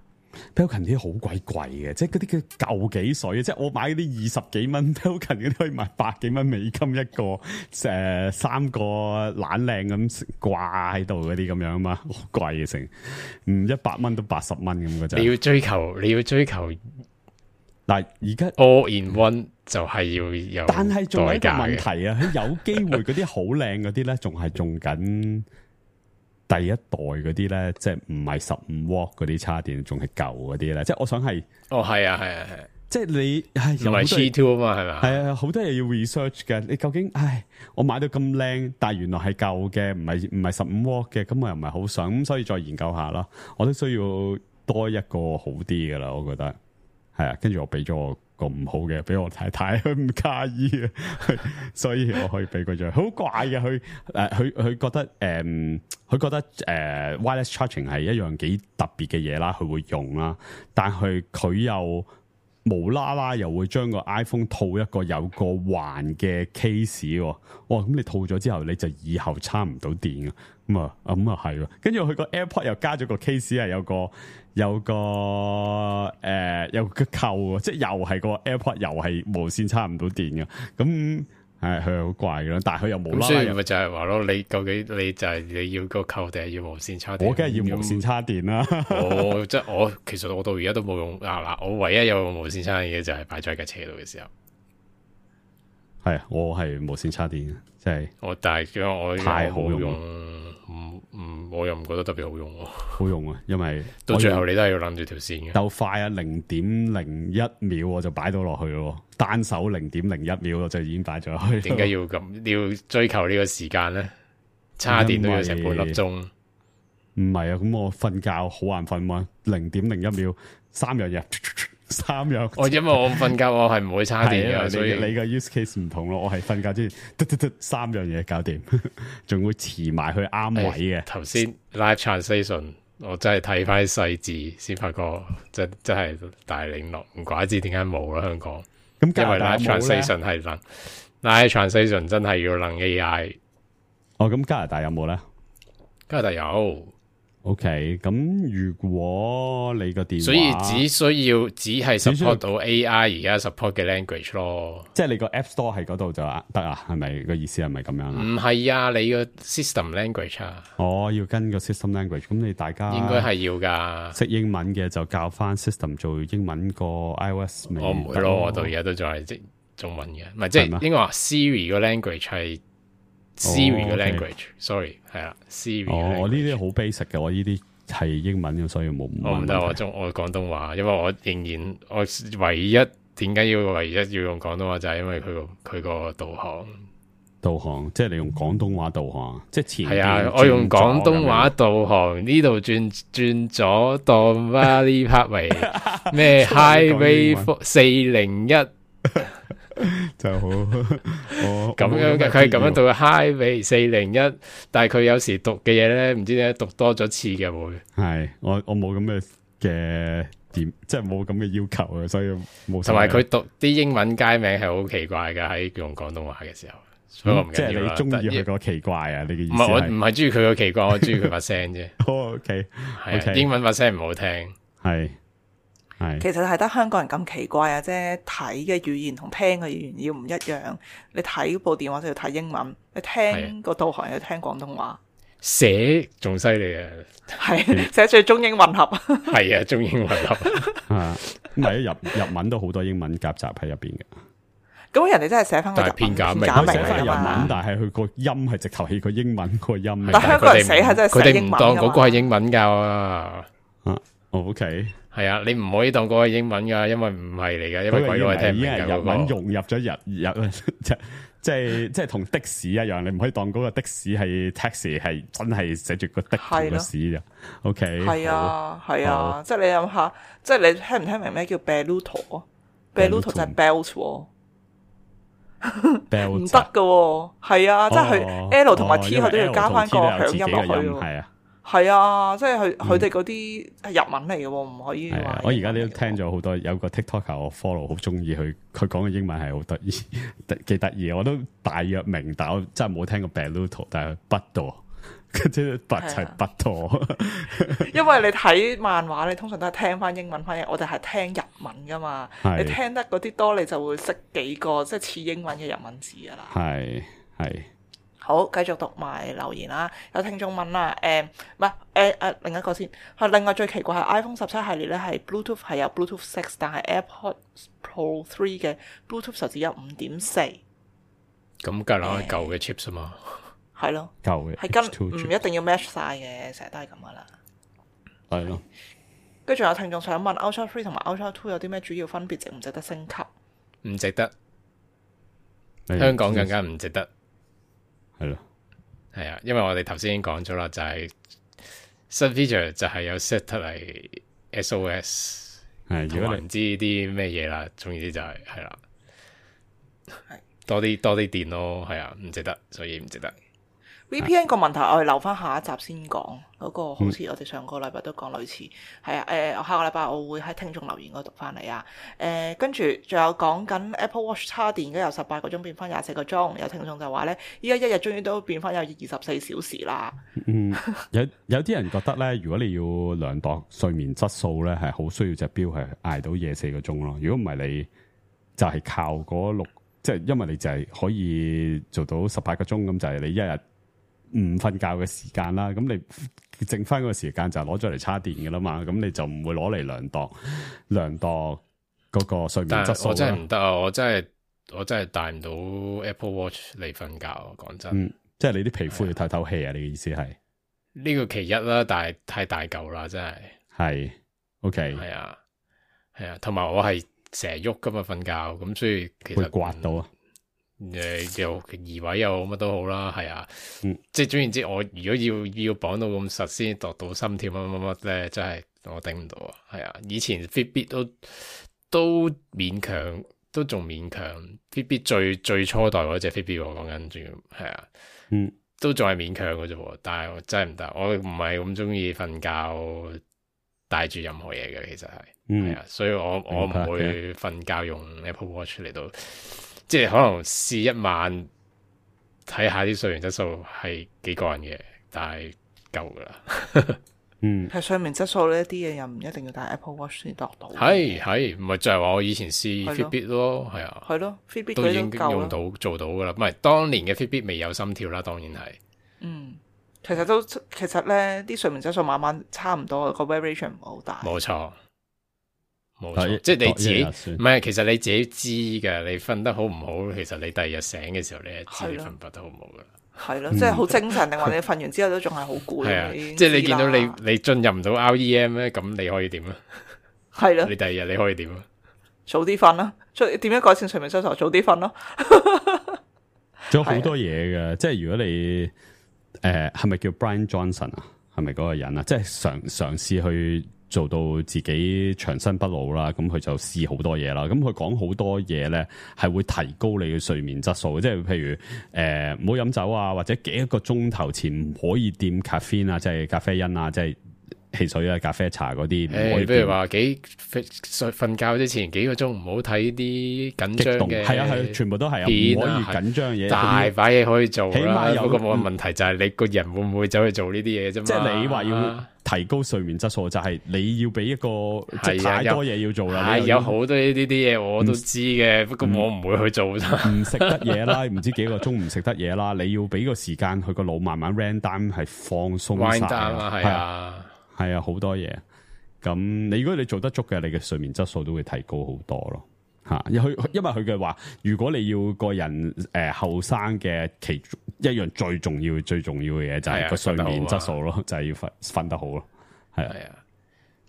Belkin 啲好鬼貴嘅，即係嗰啲叫舊幾水嘅，即係我買嗰啲20幾蚊 Belkin 嗰啲可以賣100幾蚊美金一個，3個懶靚咁掛喺度嗰啲咁樣啊嘛，好貴嘅成，100蚊都80蚊咁嘅啫。你要追求嗱，而家 all in one 就係要有，但係仲有一個問題啊，佢有機會嗰啲好靚嗰啲咧，仲係用緊第一代嗰啲咧，即係唔係15W嗰啲叉電，仲係舊嗰啲咧。即係我想係，係啊，即係你係唔係 G2 啊嘛，係咪？係啊，好多嘢要 research 嘅。你究竟我買到咁靚，但係原來係舊嘅，唔係15W嘅，咁我又唔係好想，咁所以再研究下啦。我都需要多一個好啲噶啦，我覺得係啊。跟住我俾咗我個唔好嘅俾我太太，佢唔介意啊，所以我可以俾佢咗。好怪嘅，佢覺得佢覺得wireless charging 係一樣幾特別嘅嘢啦，佢會用啦，但係佢又無啦啦又會將個 iPhone 套一個有個環嘅 case 喎，咁你套咗之後你就以後插唔到電啊，咁啊係喎，跟住佢個 AirPod 又加咗個 case 係有個扣，即係又係個 AirPod 又係無線插唔到電嘅，咁係佢好怪嘅，但係佢又無啦啦，所以咪就係話咯，你究竟你就係你要個扣定係要無線插電？我梗係要無線插電啦。即係其實我到而家都冇用嗱，我唯一有用無線插電嘅就係擺咗喺架車度嘅時候。係啊，我係無線插電嘅，即係但係我太好用，我又唔覺得特別好用喎。好用啊，因為到最後你都係要攬住條線嘅。鬥快啊，0.01秒我就擺到落去咯，單手0.01秒我就已經擺咗去。點解要咁追求呢個時間咧？叉電都要成半粒鐘。唔係啊，咁我瞓覺好眼瞓嘛，0.01秒3樣嘢。3樣，因為我瞓覺我係唔會叉電嘅，所以你個 use case 唔同咯。我係瞓覺之前3樣嘢搞掂，仲會遲埋去啱位嘅。頭先 live translation 我真係睇翻細字先發覺，真係大領落，唔怪之點解冇啦香港。咁因為 live translation 係能 live translation 真係要能 AI。咁加拿大有冇咧？加拿大有。OK，咁如果你個電話，所以只係 support 到 AI 而家 support 嘅 language 咯，即係你個 App Store 喺嗰度就得啊？係咪個意思係咪咁樣？唔係啊，你個 system language 啊，要跟個 system language，咁你大家應該係要噶。識英文嘅就教翻 system 做英文個 iOS。我唔會咯，我到而家都仲係即中文嘅，唔係即係應該話 Siri 個 language 係。Siri 嘅 language，sorry 係啦，Siri。我呢啲好 basic 嘅，我呢啲係英文嘅，所以冇。我唔得，我廣東話，因為我仍然我唯一點解要用廣東話就係因為佢個導航，即係你用廣東話導航，即係前係啊，我用廣東話導航呢度轉左當 Valley Park 為咩 Highway 401。就好咁樣嘅，佢係咁樣讀 Highway 401，但係佢有時讀嘅嘢咧，唔知點解讀多咗次嘅會。係我冇咁嘅點，即係冇咁嘅要求啊，所以冇。同埋佢讀啲英文街名係好奇怪嘅，喺用廣東話嘅時候，所以我唔緊要啦。即係你中意佢個奇怪啊？你嘅意思唔係我唔係中意佢個奇怪，我中意佢把聲啫。OK，係英文把聲唔好聽，係。其實係得香港人咁奇怪啊！即係睇嘅語言同聽嘅語言要唔一樣。你睇部電話就要睇英文，你聽個導航要聽廣東話。寫仲犀利啊！係寫最中英混合。係啊，中英混合啊，唔係日文都好多英文夾雜喺入邊嘅。咁人哋真係寫翻個日文片假名假名寫翻日文嚟㗎嘛，但係佢個音係直頭係個英文個音。但香港人寫係真係佢哋唔寫英文㗎嘛當嗰個係英文㗎啊。OK，係啊，你唔可以當嗰個係英文㗎，因為唔係嚟㗎，因為鬼佬係聽唔明㗎。日文融入咗日即係同的士一樣，你唔可以當嗰個的士係 taxi 係真係寫住個的同個士嘅。OK，係啊係啊，即係你諗下，即係你聽唔聽明咩叫 Belluto 啊 ？Belluto 就係 belt 喎。唔得噶，係啊，即係佢 L 同埋 T 佢都要加翻個響音落去喎。係啊，係啊，即係佢哋嗰啲係日文嚟嘅，唔可以話。我而家都聽咗好多，有個 TikTok 我 follow 好中意佢講嘅英文係好得意，幾得意。我都大約明，但我真係冇聽過 Belluto， 但係不多，即係不係不多。因為你睇漫畫，你通常都係聽翻英文翻譯，我哋係聽日文噶嘛。你聽得嗰啲多，你就會識幾個即係似英文嘅日文字噶啦。係。好，繼續讀埋留言啦。有聽眾問啦，另一個先。另外最奇怪係 iPhone 17系列咧係 Bluetooth 係有 Bluetooth 6，但係 AirPods Pro 3嘅 Bluetooth 就只有 5.4。咁梗係攞舊嘅 chips 啊嘛。係咯，舊嘅係跟唔一定要 match 晒嘅，成日都係咁噶啦。係咯。跟住有聽眾想問 Ultra 3同埋 Ultra 2有啲咩主要分別，值唔值得升級？唔值得，香港更加唔值得。係咯，係啊，因為我哋頭先已經講咗啦，就係新 feature 就係有 set 得嚟 SOS， 係如果你唔知啲咩嘢啦，總之就係啦，多啲電咯，係啊，唔值得，所以唔值得。VPN 個問題我哋留翻下一集先講，嗰個好似我哋上個禮拜都講類似，係啊，下個禮拜我會喺聽眾留言嗰度讀翻嚟啊。跟住仲有講緊 Apple Watch 叉電，而家由18個鐘變翻24個鐘，有聽眾就話咧，依家一日終於都變翻有24小時啦。有啲人覺得咧，如果你要量度睡眠質素咧，係好需要隻錶係捱到24個鐘咯。如果唔係，你就係靠嗰6，即係因為你就係可以做到18個鐘咁，就係你一日唔瞓覺嘅時間啦，咁你剩翻嗰個時間就攞咗嚟叉電嘅啦嘛，咁你就唔會攞嚟量度嗰個睡眠質素。我真係唔得啊！我真係帶唔到 Apple Watch 嚟瞓覺，講真。即係你啲皮膚要透透氣啊！你嘅意思係呢個其一啦，但係太大嚿啦，真係。係 OK，係啊，同埋我係成日喐噶嘛瞓覺，咁所以其實會刮到啊。又移位又乜都好啦，係啊，即係總言之，我如果要綁到咁實先度到心跳乜乜咧，真係我頂唔到啊，係啊，以前 Fitbit 都勉強，都仲勉強 Fitbit 最初代嗰隻 Fitbit 我講緊，仲要係啊，都仲係勉強嘅啫，但係我真係唔得，我唔係咁中意瞓覺帶住任何嘢嘅，其實係啊，所以我唔會瞓覺用 Apple Watch 嚟到。即係可能試一晚睇下啲睡眠質素係幾個人嘅，但係夠噶啦。係睡眠質素呢啲嘢又唔一定要帶 Apple Watch 先度到。係，唔係就係話我以前試 Fitbit 咯，係啊，係咯 ，Fitbit 都已經用到做到噶啦。唔係當年嘅 Fitbit 未有心跳啦，當然係。其實咧啲睡眠質素慢慢差唔多，個 variation 唔好大。冇錯。即係你自己唔係，其實你自己知嘅，你瞓得好唔好，其實你第二日醒嘅時候，你係知你瞓得好唔好噶啦。係咯，即係好精神，定話你瞓完之後都仲係好攰。係啊，即係你見到你進入唔到 REM 咧，咁你可以點啊？係咯，你第二日你可以點啊？早啲瞓啦，點樣改善睡眠質素？早啲瞓咯。仲有好多嘢嘅，即係如果你係咪叫 Brian Johnson 啊？係咪嗰個人啊？即係嘗試去做到自己長生不老啦，咁佢就試好多嘢啦。咁佢講好多嘢咧，係會提高你嘅睡眠質素。即係譬如唔好飲酒啊，或者幾個鐘頭前唔可以掂咖啡啊，即係咖啡因啊，即係汽水啊、咖啡茶嗰啲。譬如話瞓覺之前幾個鐘唔好睇啲緊張嘅，係啊，全部都係唔可以緊張嘢。大把嘢可以做啦。起碼有個冇問題就係你個人會唔會走去做呢啲嘢啫嘛。即係你話要提高睡眠質素，就係你要俾一個即係太多嘢要做啦。有好多呢啲嘢我都知嘅，不過我唔會去做啫。唔食得嘢啦，唔知幾個鐘唔食得嘢啦，你要俾個時間佢個腦慢慢 wind down 係放鬆晒。係啊，好多嘢。咁如果你做得足嘅，你嘅睡眠質素都會提高好多咯。吓，因為佢嘅話，如果你要個人後生嘅其中一樣最重要嘅嘢就係個睡眠質素咯，就係要瞓得好咯，係啊。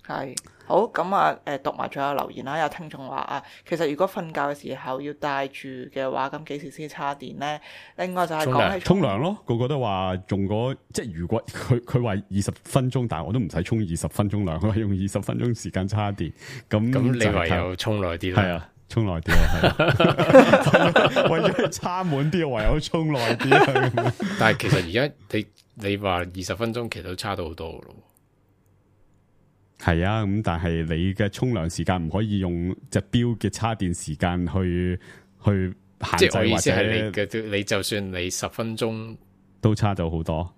係好咁啊！讀埋最後留言啦。有聽眾話啊，其實如果瞓覺嘅時候要帶住嘅話，咁幾時先叉電咧？另外就係講起沖涼咯，個個都話用即係如果佢話20分鐘，但係我都唔使沖20分鐘涼，佢話用20分鐘時間叉電。咁你唯有沖耐啲啦。係啊，沖耐啲啊，為咗叉滿啲，唯有沖耐啲。但係其實而家你話20分鐘，其實都差到好多咯。係啊，咁但係你嘅沖涼時間唔可以用隻錶嘅叉電時間去限制，即係我意思係你就算你10分鐘都差咗好多，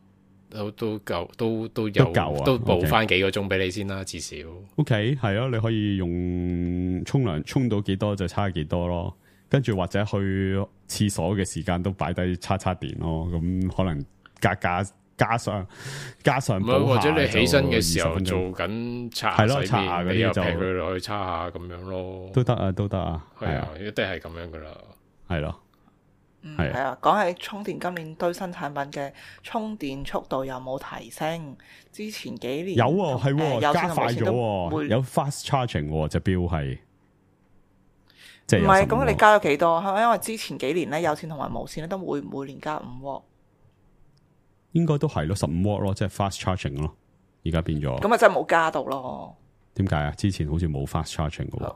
都夠都有夠啊，都補翻幾個鐘俾你先啦，至少。OK， 係啊，你可以用沖涼沖到幾多就叉幾多咯，跟住或者去廁所嘅時間都擺低叉電咯，咁可能加上或者你起身嘅時候做緊擦洗面，你又劈佢落去擦下咁樣咯，都得啊，係啊，一定係咁樣噶啦，係咯，係啊。講起充電，今年堆新產品嘅充電速度有冇提升？之前幾年有喎，係喎，加快咗喎，有 fast charging 喎，隻錶係，即係唔係咁？你加咗幾多？係咪因為之前幾年咧有線同埋無線咧都會每年加5W？應該都係咯，15W咯，即係 fast charging 咯。而家變咗，咁啊真係冇加到咯。點解啊？之前好似冇 fast charging 嘅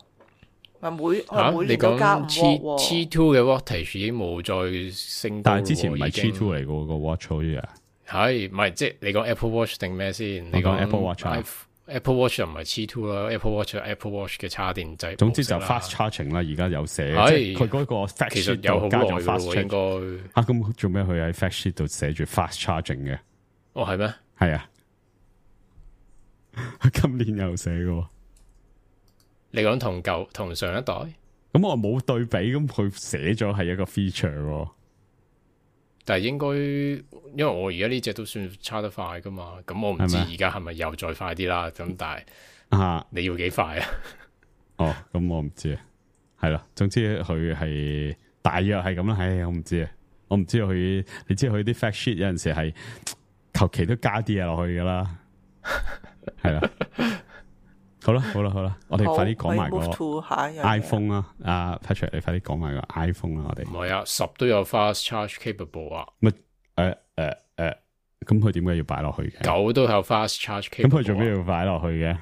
喎。每年都加5W。T2 嘅 wattage 已經冇再升，但係之前唔係 T2 嚟嘅個 watch 好似啊。係，唔係即係你講 Apple Watch 定咩先？你講 Apple Watch。Apple Watch 又唔係 T2 啦 ，Apple Watch Apple Watch 嘅插電掣。總之就 fast charging 啦，而家有寫，即係佢嗰個 fact sheet 度加咗 fast charging。應該咁做咩？佢喺 fact sheet 度寫住 fast charging 嘅。哦，係咩？係啊，佢今年有寫嘅。你講同上一代？咁我冇對比，咁佢寫咗係一個 feature。但係應該，因為我而家呢隻都算差得快噶嘛，咁我唔知而家係咪又再快啲啦。咁但係你要幾快啊？哦，咁我唔知啊。係啦，總之佢係大約係咁啦。唉，我唔知啊。我唔知佢，你知佢啲 fact sheet 有陣時係求其都加啲嘢落去噶啦。係啦，好啦，我哋快啲講埋個 iPhone 啦。阿 Patrick， 你快啲講埋個 iPhone 啦。我哋唔係啊，10都有 fast charge capable 啊。乜咁佢點解要擺落去嘅？9都有 fast charge capable。咁佢做咩要擺落去嘅？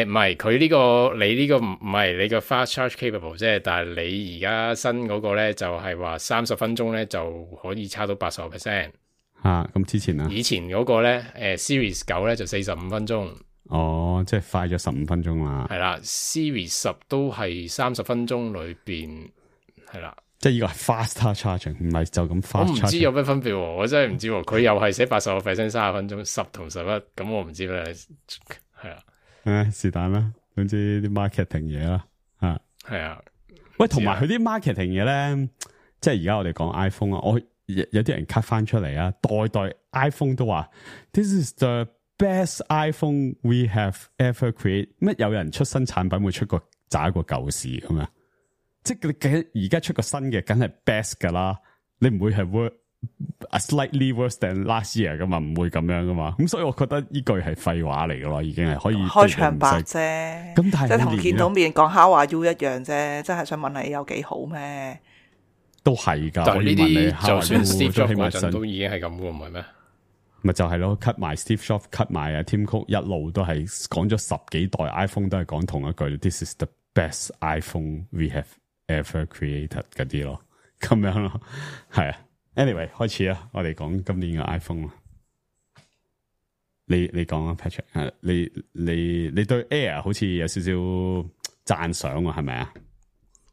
唔係佢呢個，你呢個唔係你個 fast charge capable 啫。但係你而家新嗰個咧就係話30分鐘咧就可以差到80%。咁之前啊？以前嗰個咧，Series 9咧就45分鐘。哦，即係快咗15分鐘啦。係啦 ，Series 10都係30分鐘裏邊係啦。即係呢個係 faster charging，唔係就咁 fast charging。我唔知有咩分別，我真係唔知。佢又係寫80% 30分鐘，10同11，咁我唔知咩。係啊，是但啦，總之啲 marketing 嘢啦，係啊。喂，同埋佢啲 marketing 嘢咧，即係而家我哋講 iPhone 啊，我有啲人 cut 翻出嚟啊，代 iPhone 都話 This is the best iPhone we have ever created。乜有人出新產品會出個渣個舊事咁樣？即係你而家出個新嘅，梗係 best 噶啦，你唔會係 slightly worse than last year 噶嘛，唔會咁樣噶嘛。咁所以我覺得呢句係廢話嚟噶咯，已經係可以開場白啫。咁但係即係同見到面講 How are you 一樣啫，即係想問你有幾好咩？都係噶。但係呢啲就算 Steve Jobs 嗰陣都已經係咁噶，唔係咩？咪就係咯 ，cut 埋 Steve Jobs，cut 埋啊 Tim Cook，一路都係講咗10幾代 iPhone 都係講同一句 ，This is the best iPhone we have ever created 嗰啲咯，咁樣咯，係啊。Anyway， 開始啊，我哋講今年嘅 iPhone 啦。你講啊 ，Patrick， 你對 Air 好似有少少讚賞啊，係咪啊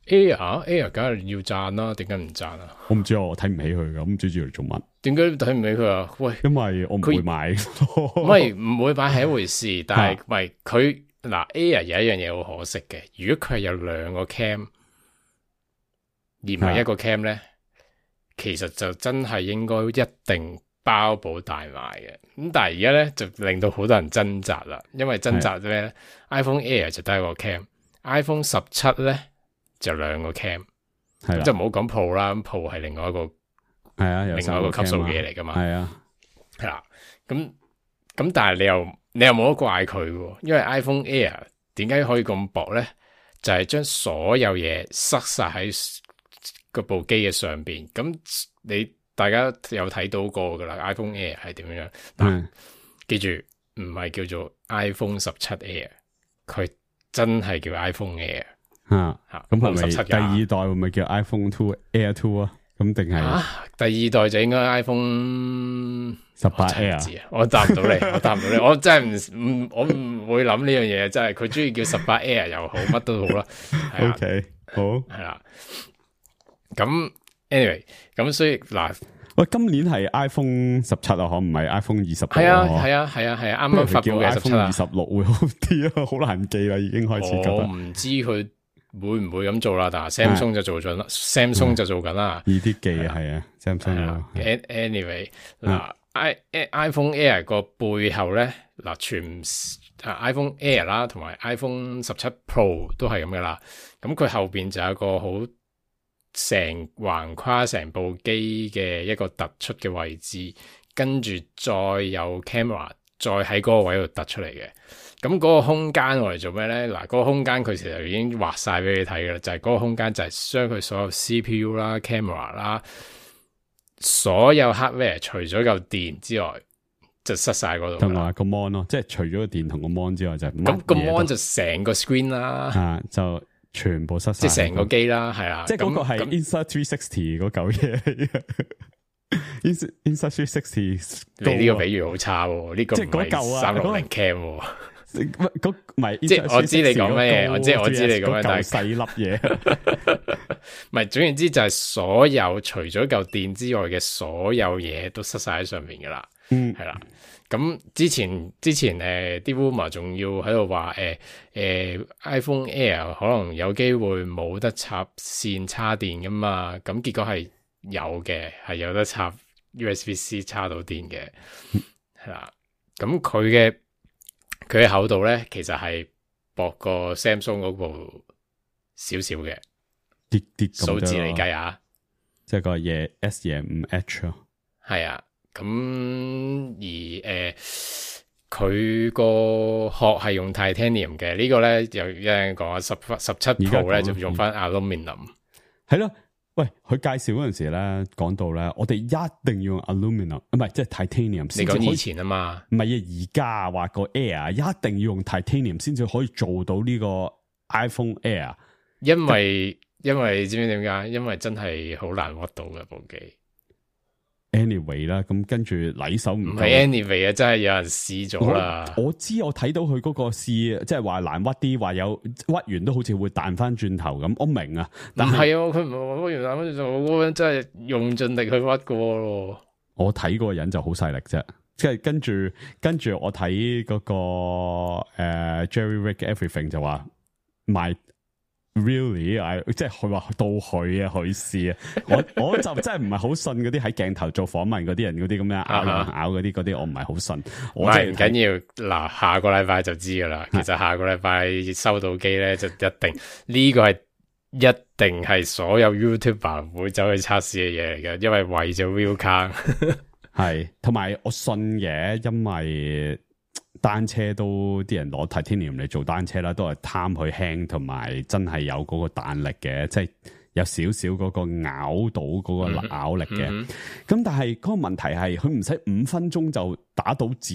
？Air 梗係要讚啦，點解唔讚啊？我唔知我睇唔起佢噶，唔知住嚟做乜？點解睇唔起佢啊？喂，因為我唔會買，唔會買係一回事，但係唔係佢嗱 Air 有一樣嘢好可惜嘅，如果佢係有2個 cam 而唔係一個 cam 咧，其實就真係應該一定包保大賣嘅。咁但係而家咧就令到好多人掙扎啦，因為掙扎咩咧 ？iPhone Air 就得一個 cam。iPhone 17咧就2個 cam， 係啦，就唔好講 Pro 啦，Pro 係另外一個係啊，有另外一個級數嘅嘢嚟噶嘛。係啊，係啦，咁但係你又冇得怪佢喎，因為 iPhone Air 點解可以咁薄咧？就係將所有嘢塞晒喺嗰部機嘅上邊。咁大家有睇到過噶啦 ，iPhone Air 係點樣？但記住唔係叫做 iPhone 17 Air， 佢真係叫 iPhone Air。咁係咪第二代會唔會叫 iPhone 2 Air 2啊？咁定係第二代就應該 iPhone 18 Air。我答唔到你，我真係我唔會諗呢樣嘢，真係佢中意叫18 Air 又好，乜都好啦。OK， 好係啦。咁 anyway， 咁所以嗱，喂，今年係 iPhone 17啊，可唔係 iPhone 26？係啊，啱啱發布嘅17 26會好啲啊，好難記啦，已經開始覺得。我唔知佢會唔會咁做啦，但係 Samsung 就做緊啦，Samsung 就做緊啦，易啲記啊，係啊 ，Samsung。Anyway， 嗱，iPhone Air 個背後咧，嗱iPhone Air 啦，同埋 iPhone 17 Pro 都係咁噶啦。咁佢後邊就有一個好成橫跨成部機嘅一個突出嘅位置，跟住再有 camera， 再喺嗰個位度突出嚟嘅。咁嗰個空間我嚟做咩咧？嗱，嗰個空間佢其實已經畫晒俾你睇噶啦，就係嗰個空間就係將佢所有 CPU 啦、camera 啦，所有 hardware 除咗嚿電之外，就塞晒嗰度。同埋個 mon 咯，即係除咗個電同個 mon 之外就咁個 mon 就成個 screen 啦，就全部塞晒，即係成個機啦，係啦，即係嗰個係 Insta 360嗰嚿嘢。Insta 360，你呢個比喻好差喎，呢個唔係360 cam。唔係，即係我知你講咩嘢，我知你講咩，但係細粒嘢，唔係，總言之就係所有除咗嚿電之外嘅所有嘢都塞晒喺上面噶啦，係啦。咁之前啲 rumor 仲要喺度話iPhone Air 可能有機會冇得插線插電噶嘛，咁結果係有嘅，係有得插 USB-C 插到電嘅，係啦。咁佢嘅厚度咧，其實係薄過 Samsung 嗰部少少嘅，啲數字嚟計啊，即係個嘢 S25H 咯，係啊。咁而佢個殼係用 Titanium 嘅，呢個咧有人講啊，17 Pro 咧就用翻 Aluminium， 係咯。喂，佢介紹嗰陣時咧，講到咧，我哋一定要用 aluminium， 唔係即係 titanium。你講以前啊嘛，唔係啊，而家話個 Air 一定要用 titanium 先至可以做到呢個 iPhone Air。因為你知唔知點解？因為真係好難屈到嘅部機。Anyway 啦，咁跟住禮手唔係 Anyway 啊，真係有人試咗啦。我知我睇到佢嗰個試，即係話難屈啲，話有屈完都好似會彈翻轉頭咁。我明啊，但係佢唔係屈完彈翻轉頭，嗰個人真係用盡力去屈過咯。我睇嗰個人就好細力啫，即係跟住我睇嗰個Jerry Rig Everything 就話賣。Really， 即係佢話到佢啊，佢試啊，我就真係唔係好信嗰啲喺鏡頭做訪問嗰啲人嗰啲咁樣咬嗰啲，我唔係好信。我係唔緊要，嗱，下個禮拜就知噶啦。其實下個禮拜收到機咧，就一定呢個係一定係所有 YouTuber 會走去測試嘅嘢嚟嘅，因為為咗 view count 係，同埋我信嘅，因為。單車都啲人攞 Titanium 嚟做單車啦，都係貪佢輕，同埋真係有嗰個彈力嘅，即係有少少嗰個咬到嗰個咬力嘅。咁但係嗰個問題係，佢唔使5分鐘就打到自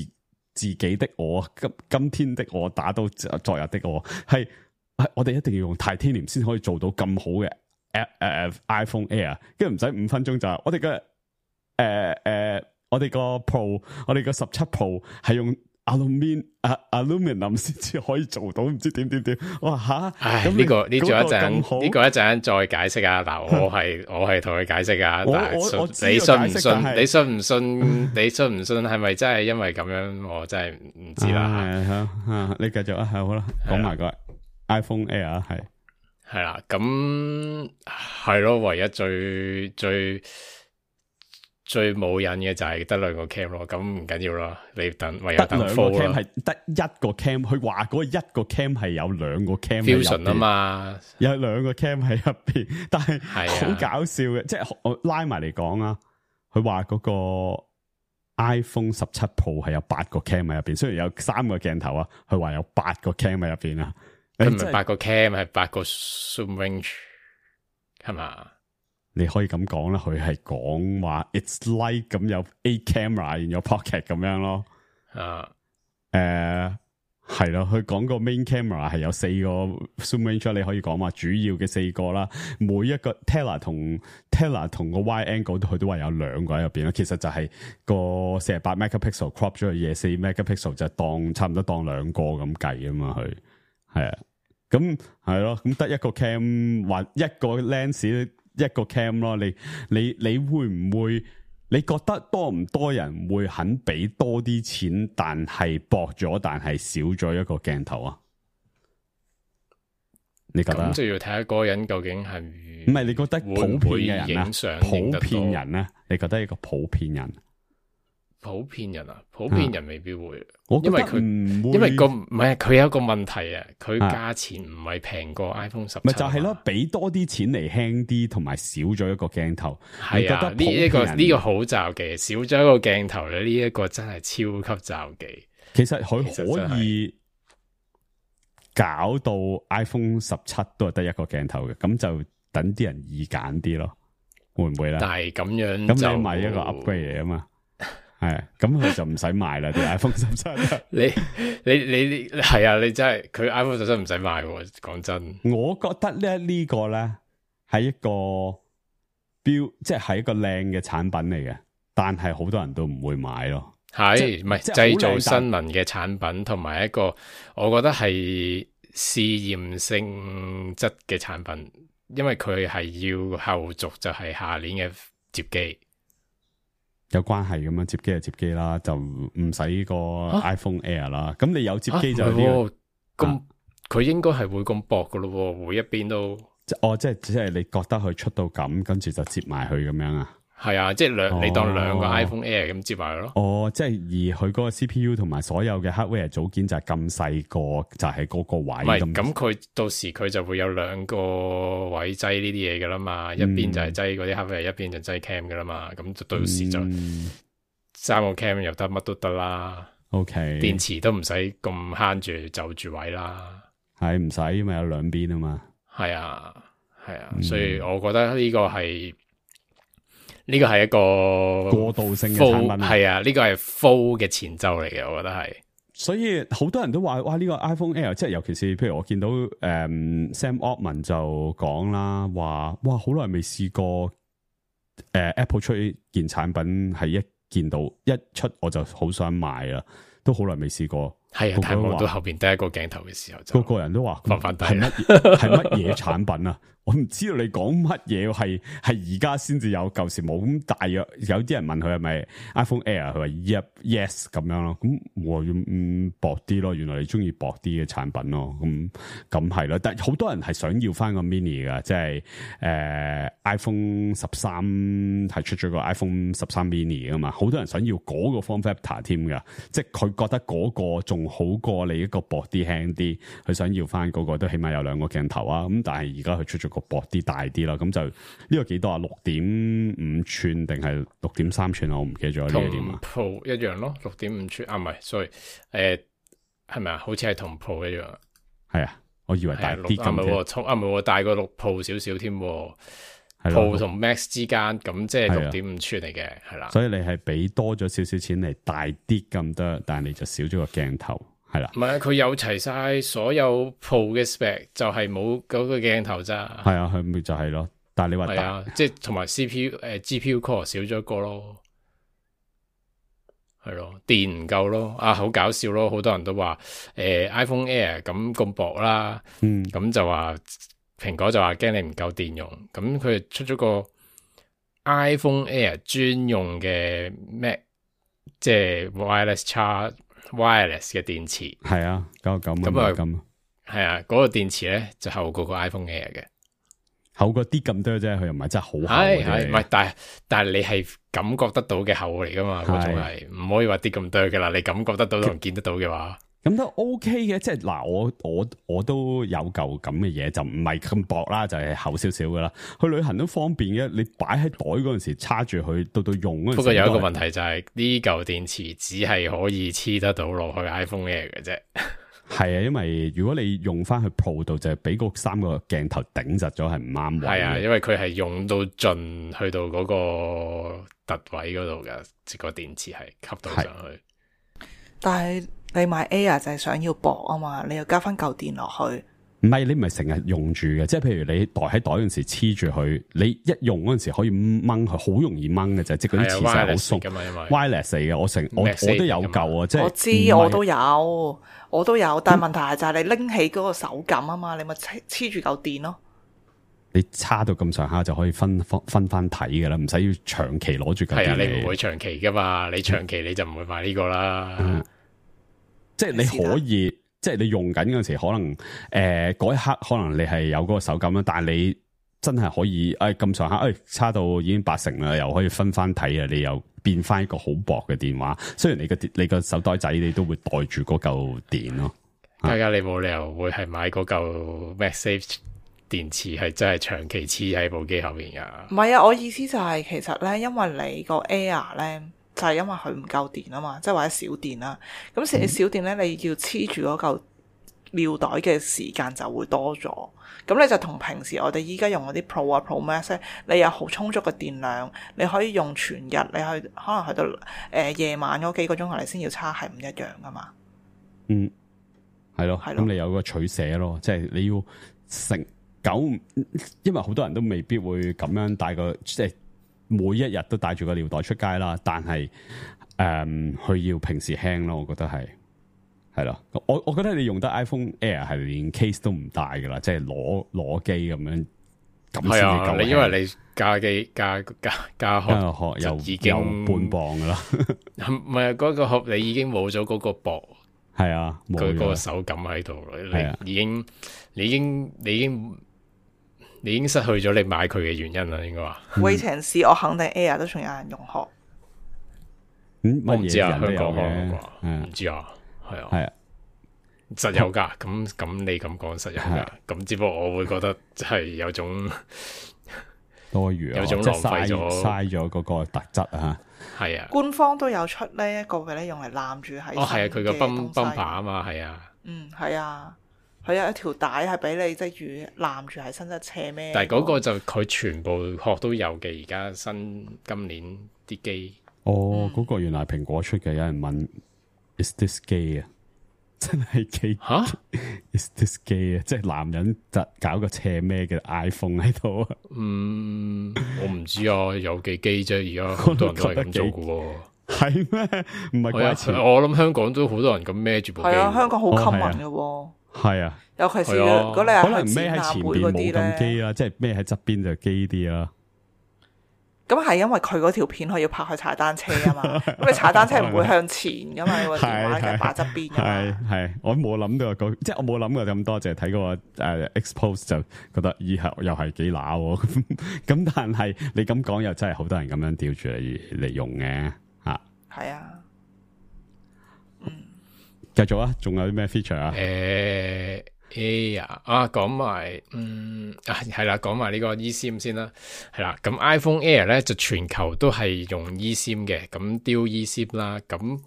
己的我，今天的我打到昨日的我，係我哋一定要用 Titanium 先可以做到咁好嘅iPhone Air， 跟住唔使5分鐘就我哋嘅我哋個 Pro， 我哋個17 Pro 係用。Aluminium 先至可以做到，唔知點，哇吓！咁呢個一陣再解釋啊！嗱，我係同佢解釋啊，但係你信唔信？你信唔信？你信唔信？係咪真係因為咁樣？我真係唔知啦。你繼續啊，係好啦，講埋個 iPhone Air 係啦，咁係咯，唯一最最冇癮嘅就係得兩個 cam 咯，咁唔緊要咯，你等唯有得等兩個 full cam 咯。係得一個 cam，佢話嗰一個 cam 係有兩個 cam fusion 啊嘛，有兩個 cam 喺入邊，但係係好搞笑嘅，即係我拉埋嚟講啊，佢話嗰個 iPhone 17 Pro 係有8個 cam 喺入邊，雖然有3個鏡頭啊，佢話有8個 cam 喺入邊啊，佢唔係8個 cam，係8個 zoom range， 係嘛？你可以咁講啦，佢係講話 it's like 咁有 8 camera in your pocket 咁樣咯。係咯，佢講個 main camera 係有4個 zoom range， 你可以講話主要嘅4個啦。每一個 Tele 同個 wide angle 佢都話有2個喺入邊啦。其實就係個48 megapixel crop 咗去24 megapixel 就差唔多當2個咁計啊嘛。佢係啊，咁係咯，咁得一個 cam 或一個 lens。一個 cam 咯，你會唔會？你覺得多唔多人會肯俾多啲錢，但係薄咗，但係少咗一個鏡頭啊？你覺得？咁就要睇下嗰個人究竟係唔係？你覺得普遍嘅人啊？普遍人咧？你覺得一個普遍人？普遍人啊，普遍人未必會，因為佢因為唔係佢有一個問題啊，佢價錢唔係平過 iPhone 17，咪就係咯，俾多啲錢嚟輕啲，同埋少咗一個鏡頭。係啊，呢個好罩忌，少咗一個鏡頭咧，呢一個真係超級罩忌。其實佢可以搞到 iPhone 17都係得一個鏡頭嘅，咁就等啲人易揀啲咯，會唔會咧？但係咁樣咁你買一個 upgrade 嚟啊嘛。係，咁佢就唔使賣啦。啲 iPhone 17，你係啊，你真係佢 iPhone 17唔使賣。講真，我覺得呢個咧係一個標，即係一個靚嘅產品嚟嘅，但係好多人都唔會買咯。係唔係製造新聞嘅產品，同埋一個我覺得係試驗性質嘅產品，因為佢係要後續就係下年嘅摺機。有關係咁樣，摺機就摺機啦，就唔使個 iPhone Air 啦。咁你有摺機就呢個咁，佢應該係會咁薄噶咯，每一邊都。即係你覺得佢出到咁，跟住就摺埋佢咁樣啊？係啊，即係你當兩個 iPhone Air 咁摺埋咯。哦，即係而佢嗰個 CPU 同埋所有嘅 hardware 組件就係咁細個，就係嗰個位。唔係，咁佢到時佢就會有2個位擠呢啲嘢噶啦嘛，一邊就係擠嗰啲 hardware，一邊就擠 cam 噶啦嘛，咁就到時就3個 cam 又得，乜都得啦。OK，電池都唔使咁慳住就住位啦。係唔使，因為有2邊啊嘛。係啊，所以我覺得呢個係一個過渡性嘅產品。係啊，呢個係 full 嘅前奏嚟嘅，我覺得係。所以好多人都話，哇！呢個 iPhone Air，即係尤其是譬如我見到Sam Altman 就講啦，話哇好耐未試過Apple 出件產品係一見到一出我就好想買啦，都好耐未試過。係啊，但係望到後邊第一個鏡頭嘅時候就，個人都話翻低係乜嘢產品啊？我唔知道你講乜嘢，係而家先至有，舊時冇。咁大約有啲人問佢係咪 iPhone Air，佢話 yes 咁樣咯。咁我薄啲咯，原來你中意薄啲嘅產品咯。咁係咯，但係好多人係想要翻個 mini 噶，即係iPhone 13係出咗個 iPhone 13 mini 噶嘛，好多人想要嗰個 form factor 添噶，即係佢覺得嗰個仲好過你一個薄啲輕啲，佢想要翻嗰個都起碼有2個鏡頭啊。咁但係而家佢出咗個薄啲大啲啦，咁就呢個幾多啊？6.5寸定係6.3寸啊？我唔記得咗呢個點啊。同 Pro 一樣咯，6.5寸啊，唔係，sorry，係咪啊？好似係同 Pro 一樣。係啊，我以為大啲咁。唔係，大過6 Pro 少少添。Pro 同 Max 之間，咁即係6.5寸嚟嘅，係啦。所以你係俾多咗少少錢嚟大啲咁多，但係你就少咗個鏡頭。係啦，唔係佢有齊晒所有 Pro 嘅 spec， 就係冇嗰個鏡頭咋。係啊，佢咪就係咯。但係你話係啊，即係同埋 CPU GPU core 少咗一個咯，係咯，電唔夠咯。啊，好搞笑咯，好多人都話iPhone Air 咁薄啦，咁就話蘋果就話驚你唔夠電用，咁佢出咗個 iPhone Air 專用嘅 Mac， 即係 wireless 嘅電池，係啊，99咁係啊，嗰個電池咧就厚過個 iPhone Air 嘅。厚過啲咁多啫，佢又唔係真係好厚係唔係？但係你係感覺得到嘅厚嚟噶嘛？嗰種係唔可以話啲咁多噶啦。你感覺得到同見得到嘅話，咁都 OK 嘅。即係嗱，我都有嚿咁嘅嘢，就唔係咁薄啦，就係厚少少噶啦。去旅行都方便嘅，你擺喺袋嗰陣時插住佢，到用嗰陣時。不過有一個問題就係呢嚿電池只係可以黐得到落去 iPhone Air 嘅啫。係啊，因為如果你用翻去 Pro 度，就係俾嗰3個鏡頭頂實咗，係唔啱位。係啊，因為佢係用到盡，去到嗰個凸位嗰度嘅，個電池係吸到上去。但係你買 Air 就係想要薄啊嘛，你要加翻嚿電落去。唔係，你唔係成日用住嘅，即係譬如你袋喺袋嗰陣時黐住佢，你一用嗰陣時可以掹佢，好容易掹嘅啫，即係嗰啲磁石好鬆噶嘛，因為 wireless 嚟嘅，我都有嚿啊，即係我知我都有，但係問題係就係你拎起嗰個手感啊嘛，你咪黐住嚿電咯。你差到咁上下就可以分翻睇噶啦，唔使要長期攞住嚿電。係啊，你唔會長期噶嘛，你長期你就唔會買呢個啦。即係你可以。即係你用緊嗰陣時，可能嗰一刻可能你係有嗰個手感啦，但係你真係可以咁上下，差到已經80%啦，又可以分翻睇啊！你又變翻一個好薄嘅電話，雖然你個手袋仔你都會袋住嗰嚿電咯。家你冇理由會係買嗰嚿 MagSafe 電池係真係長期黐喺部機後面噶。唔係啊，我意思就係其實咧，因為你個 Air 咧。就係因為佢唔夠電啊嘛，即係或者少電啦。咁你少電咧，你要黐住嗰嚿尿袋嘅時間就會多咗。咁你就同平時我哋依家用嗰啲 Pro 啊 Pro Max 咧，你有好充足嘅電量，你可以用全日，你可能去到夜晚嗰幾個鐘頭你先要叉，係唔一樣噶嘛。嗯，係咯，咁你有個取捨咯，即係你要成9，因為好多人都未必會咁樣帶個即係。每一日都帶住個尿袋出街啦，但係佢要平時輕咯，我覺得係咯。我覺得你用得 iPhone Air 係連 case 都唔帶噶啦，即係攞機咁樣咁先至夠。你因為你加機加殼又已經有半磅噶啦，唔係嗰個殼你已經冇咗嗰個薄，係啊，佢個手感喺度，你已經失去咗你買佢嘅原因啦，應該話。威情市我肯定 Air 都仲有人用殼。我唔知啊，香港唔知啊，係啊，實有噶。咁你咁講實有噶，咁只不過我會覺得即係有種多餘，有種浪費咗嘥咗嗰個特質啊。係啊，官方都有出呢一個嘅咧，用嚟攬住喺。哦，係啊，佢個泵把啊嘛，係啊。係啊。佢有一條帶係俾你即係攬住喺身側斜孭。但係嗰個就佢全部殼都有嘅，而家今年啲機。嗰個原來蘋果出嘅，有人問 Is this gay 啊？真係機吓 ？Is this gay 啊？即係男人搞個斜孭嘅 iPhone 喺度啊？我唔知啊，有幾機啫，而家好多人都係咁做嘅喎。係咩？唔係怪錢。我諗香港都好多人咁孭住部機。係啊，香港好 common 嘅喎。係啊，尤其是如果你係可能孭喺前邊冇咁機啦，即係孭喺側邊就機啲啦。咁係因為佢嗰條片可以拍去踩單車啊嘛，咁你踩單車唔會向前噶嘛，你個電話嘅擺側邊噶嘛。係，我冇諗到即係我冇諗過咁多，淨係睇個expose 就覺得以後又係幾乸咁，但係你咁講又真係好多人咁樣吊住嚟用嘅吓。係啊。繼續啊，仲有啲咩 feature 啊？Air 啊，講埋係啦，講埋呢個 eSIM 先啦，係啦。咁 iPhone Air 咧就全球都係用 eSIM 嘅，咁 Dual eSIM 啦。咁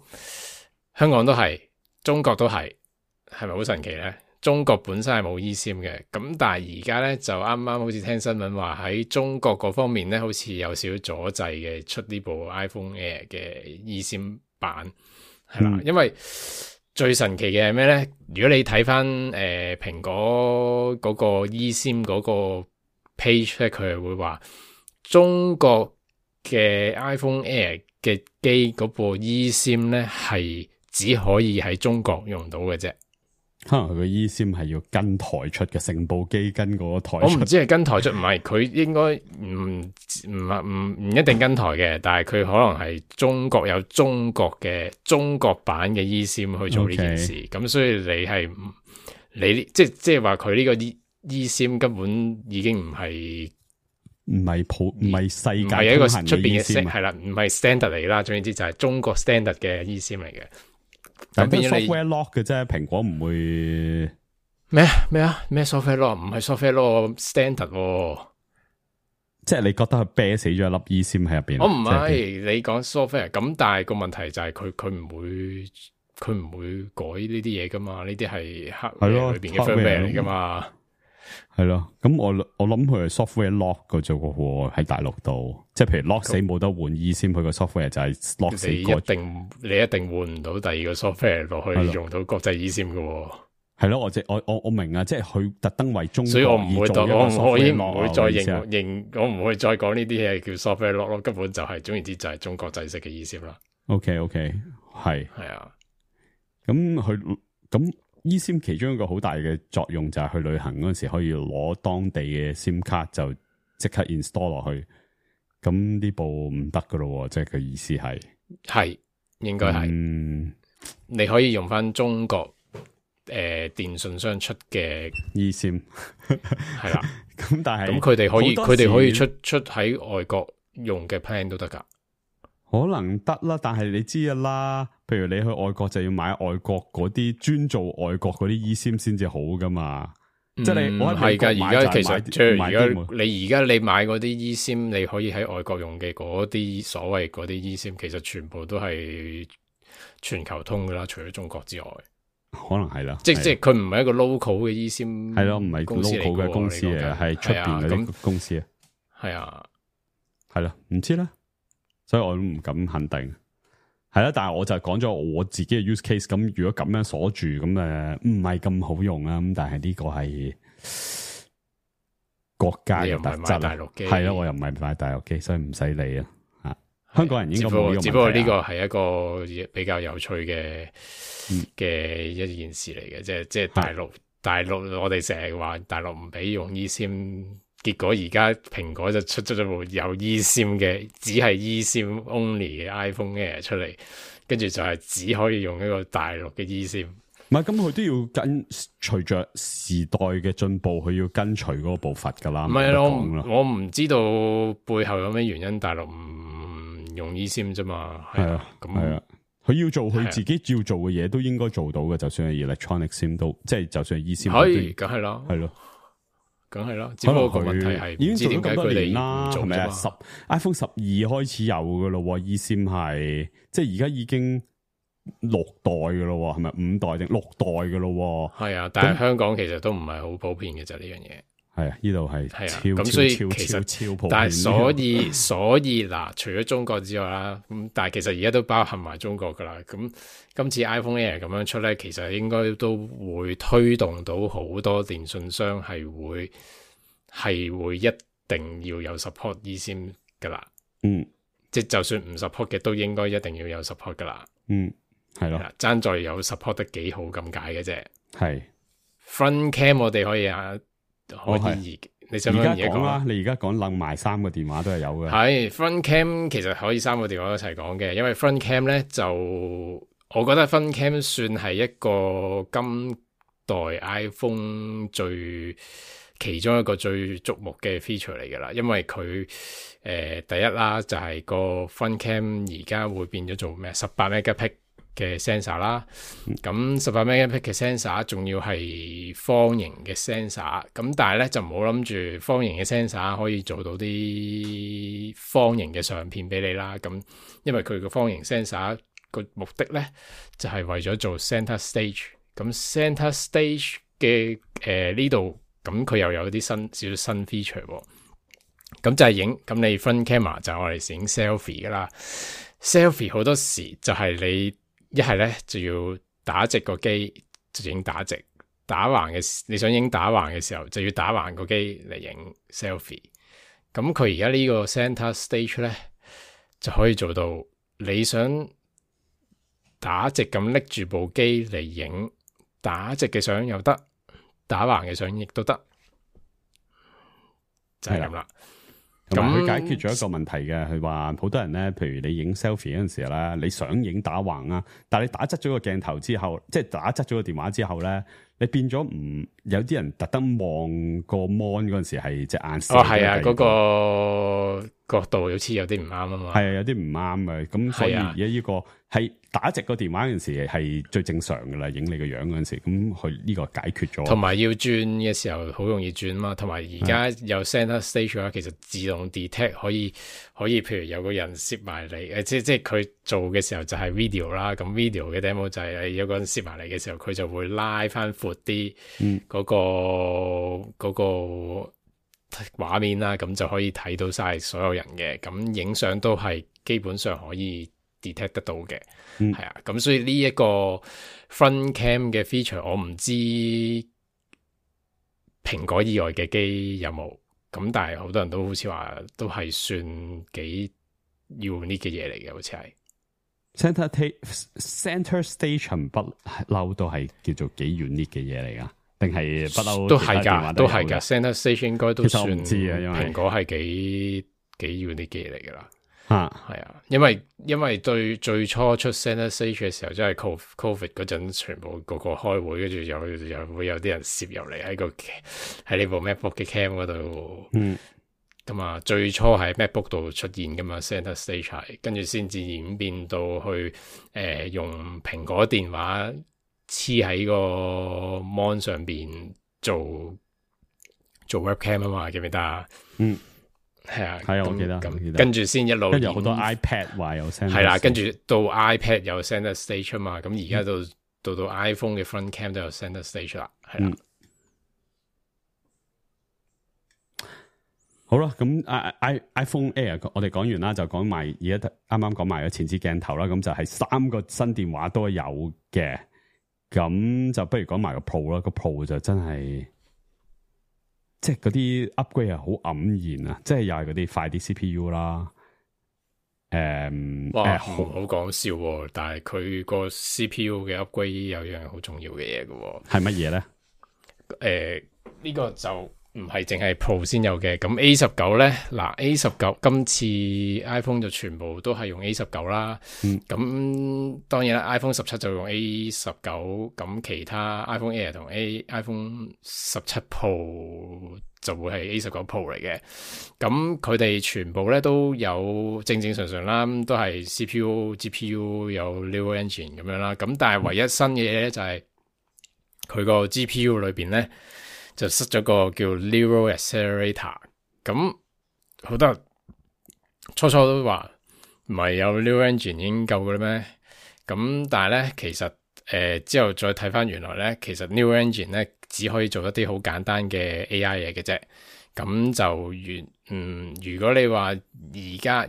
香港都係，中國都係，係咪好神奇咧？中國本身係冇 eSIM 嘅，咁但係而家咧就啱啱好似聽新聞話喺中國嗰方面咧，好似有少少阻滯嘅出呢部 iPhone Air 嘅 eSIM 版，係啦，因為。最神奇嘅係咩咧？如果你睇翻蘋果嗰個 eSIM 嗰個 page 咧，佢係會話中國嘅 iPhone Air 嘅機嗰部 eSIM 咧係只可以喺中國用到嘅啫。可能佢個 eSIM 係要跟台出嘅，成部機跟嗰個台出。我唔知係跟台出，唔係佢應該唔一定跟台嘅，但係佢可能係中國有中國版嘅 eSIM 去做呢件事，咁所以你即係話佢呢個 eSIM 根本已經唔係世界唔係一個通行出邊嘅 eSIM 係啦，唔係 standard 嚟啦。總言之就係中國 standard 嘅 eSIM 嚟嘅。但係咁變咗你 software lock 嘅啫，蘋果唔會咩 software lock 唔係 software lock standard 喎。即係你覺得佢啤死咗一粒 eSIM 喺入邊？我唔係你講 software 咁，但係個問題就係佢唔會改呢啲嘢噶嘛？呢啲係 hardware 裏邊嘅 firmware 嚟噶嘛？係咯，咁我諗佢係 software lock 嘅啫喎，喺大陸度，即係譬如 lock 死冇得換 eSIM，佢個 software 就係 lock 死你一定換唔到第二個 software 落去用到國際 eSIM 嘅喎。係咯，我明啊，即係佢特登為中國，所以我唔會再我已經唔會再我唔會再講呢啲嘢叫 software lock 咯，根本就係總言之就係中國製式嘅eSIM啦。OK，係啊，咁 eSIM 其中一個好大嘅作用就係去旅行嗰陣時可以攞當地嘅 SIM 卡就即刻 install 落去，咁呢部唔得噶咯，即係佢意思係應該係，你可以用翻中國電信商出嘅 eSIM 係啦，咁但係咁佢哋可以出喺外國用嘅 plan 都得噶。可能得啦，但係你知啦，譬如你去外國就要買外國嗰啲專做外國嗰啲 eSIM 先至好噶嘛，即係你我係噶，而家其實即係而家你買嗰啲 eSIM，你可以喺外國用嘅嗰啲所謂嗰啲 eSIM，其實全部都係全球通噶啦，除咗中國之外，可能係啦，即係佢唔係一個 local 嘅 eSIM，係咯，唔係 local 嘅公司嚟嘅，係出邊嗰啲公司啊，係啊，係啦，唔知啦。所以我都唔敢肯定，係啦。但係我就講咗我自己嘅 use case。咁如果咁樣鎖住，咁唔係咁好用啊。咁但係呢個係國家嘅特質啊。係咯，我又唔係買大陸機，所以唔使理啊。香港人應該冇用。只不過呢個係一個比較有趣嘅一件事嚟嘅，即係大陸，我哋成日話大陸唔俾用 eSIM。結果而家蘋果就出咗部有 eSIM 嘅，只係 eSIM only 嘅 iPhone Air 出嚟，跟住就係只可以用一個大陸嘅 eSIM。唔係，咁佢都要隨着時代嘅進步，佢要跟隨嗰個步伐噶啦。唔係我唔知道背後有咩原因，大陸唔用 eSIM 啫嘛。係啊，咁係啊，佢要做佢自己要做嘅嘢，都應該做到嘅。就算係 electronic SIM 都，即係就算係 eSIM 可以，梗係啦，係咯。梗係啦，只不過個問題係已經做咗咁多年啦，係咪啊？iPhone 12開始有噶咯，eSIM 係即係而家已經6代噶咯，係咪5代定6代噶咯？係啊，但係香港其實都唔係好普遍嘅就呢樣嘢。係啊，呢度係咁所以其實超普遍。但係所以嗱，除咗中國之外啦，咁但係其實而家都包含埋中國噶啦。咁今次 iPhone Air 咁樣出咧，其實應該都會推動到好多電信商係會一定要有 support eSIM 噶啦。即係就算唔 support 嘅，都應該一定要有 support 噶啦。係咯，爭在有 support 得幾好咁解嘅啫。係 front cam 我哋可以你想唔想而家講啦？你而家講冧埋3個電話都係有嘅。係 front cam 其實可以3個電話一齊講嘅，因為 front cam 咧就我覺得 front cam 算係一個今代 iPhone 其中一個最矚目嘅 feature 嚟㗎啦，因為佢第一啦就係個 front cam 而家會變咗做咩18 megapixel 嘅 sensor 啦，咁18 megapixel 嘅 sensor 仲要係方形嘅 sensor， 咁但係咧就唔好諗住方形嘅 sensor 可以做到啲方形嘅相片俾你啦，咁因為佢個方形 sensor 個目的咧就係為咗做 center stage， 咁 center stage 嘅呢度咁佢又有啲少少新 feature 喎，咁就係咁你 front camera 就係我哋影 selfie 噶啦 ，selfie 好多時就係你一係咧就要打直個機就影打直，你想影打橫嘅時候就要打橫個機嚟影 selfie。咁佢而家呢個 center stage 咧就可以做到你想打直咁拎住部機嚟影打直嘅相又得，打橫嘅相亦都得，就係咁啦。咁佢解決咗一個問題嘅，佢話好多人咧，譬如你影 selfie 嗰陣時咧，你想影打橫啊，但係你打側咗個鏡頭之後，即係打側咗個電話之後咧，你變咗唔有啲人特登望個 mon 嗰陣時係隻眼射。係啊，嗰個角度好似有啲唔啱啊嘛。係啊，有啲唔啱嘅，咁所以而家呢個係打直個電話嗰陣時係最正常噶啦，影你個樣嗰陣時，咁佢呢個解決咗。同埋要轉嘅時候好容易轉嘛，同埋而家有 center stage 啦，其實自動 detect 可以，譬如有個人攝埋嚟，即係佢做嘅時候就係 video 啦，咁 video 嘅 demo 就係有個人攝埋嚟嘅時候，佢就會拉翻闊啲嗰個畫面啦，咁就可以睇到晒所有人嘅，咁影相都係基本上可以 detect 得到嘅，係啊，咁所以呢一個 front cam 嘅 feature 我唔知蘋果以外嘅機有冇，咁但係好多人都好似話都係算幾 unique 嘅嘢嚟嘅，好似係 center station 不嬲都係叫做幾 unique 嘅嘢嚟噶。定係不嬲都係㗎，都係㗎。Center Stage 應該都算，其實我唔知啊，因為蘋果係幾要啲嘢嚟㗎啦。係啊，因為最初出 Center Stage 嘅時候，即係 Covid 嗰陣，全部個開會，跟住又會有啲人攝入嚟喺呢部 MacBook 嘅 cam 嗰度。咁啊，最初喺 MacBook 度出現㗎嘛 Center Stage 係，跟住先至演變到去用蘋果電話黐喺個 mon 上邊做 webcam 啊嘛，記唔記得啊？係啊，我記得。跟住先一路，跟住好多 iPad 話有 center， 係啦，跟住到 iPad 有 center stage 啊嘛，咁而家到 iPhone 嘅 front cam 都有 center stage 啦，係啦。好啦，咁 iPhone Air 我哋講完啦，就講埋而家啱啱講埋個前置鏡頭啦，咁就係3個新電話都有嘅。咁就不如講埋個 Pro 啦，個 Pro 就真係即係嗰啲 upgrade 係好黯然啊！即係又係嗰啲快啲 CPU 啦，好講笑喎！但係佢個 CPU 嘅 upgrade 有樣好重要嘅嘢嘅，係乜嘢咧？呢個就唔係淨係 Pro 先有嘅，咁 A19 咧，嗱 A19 今次 iPhone 就全部都係用 A19 啦，咁當然啦 iPhone 17就用 A19，咁其他 iPhone Air 同 iPhone 17 Pro 就會係 A19 Pro 嚟嘅，咁佢哋全部咧都有正常啦，都係 CPU、GPU 有 Neural Engine 咁樣啦，咁但係唯一新嘅嘢咧就係佢個 GPU 裏邊咧，就塞咗個叫 Neural Accelerator， 咁好多人初都話唔係有 Neural Engine 已經夠嘅咩？咁但係咧，其實之後再睇翻原來咧，其實 Neural Engine 咧只可以做一啲好簡單嘅 AI 嘢嘅啫。咁就如果你話以而家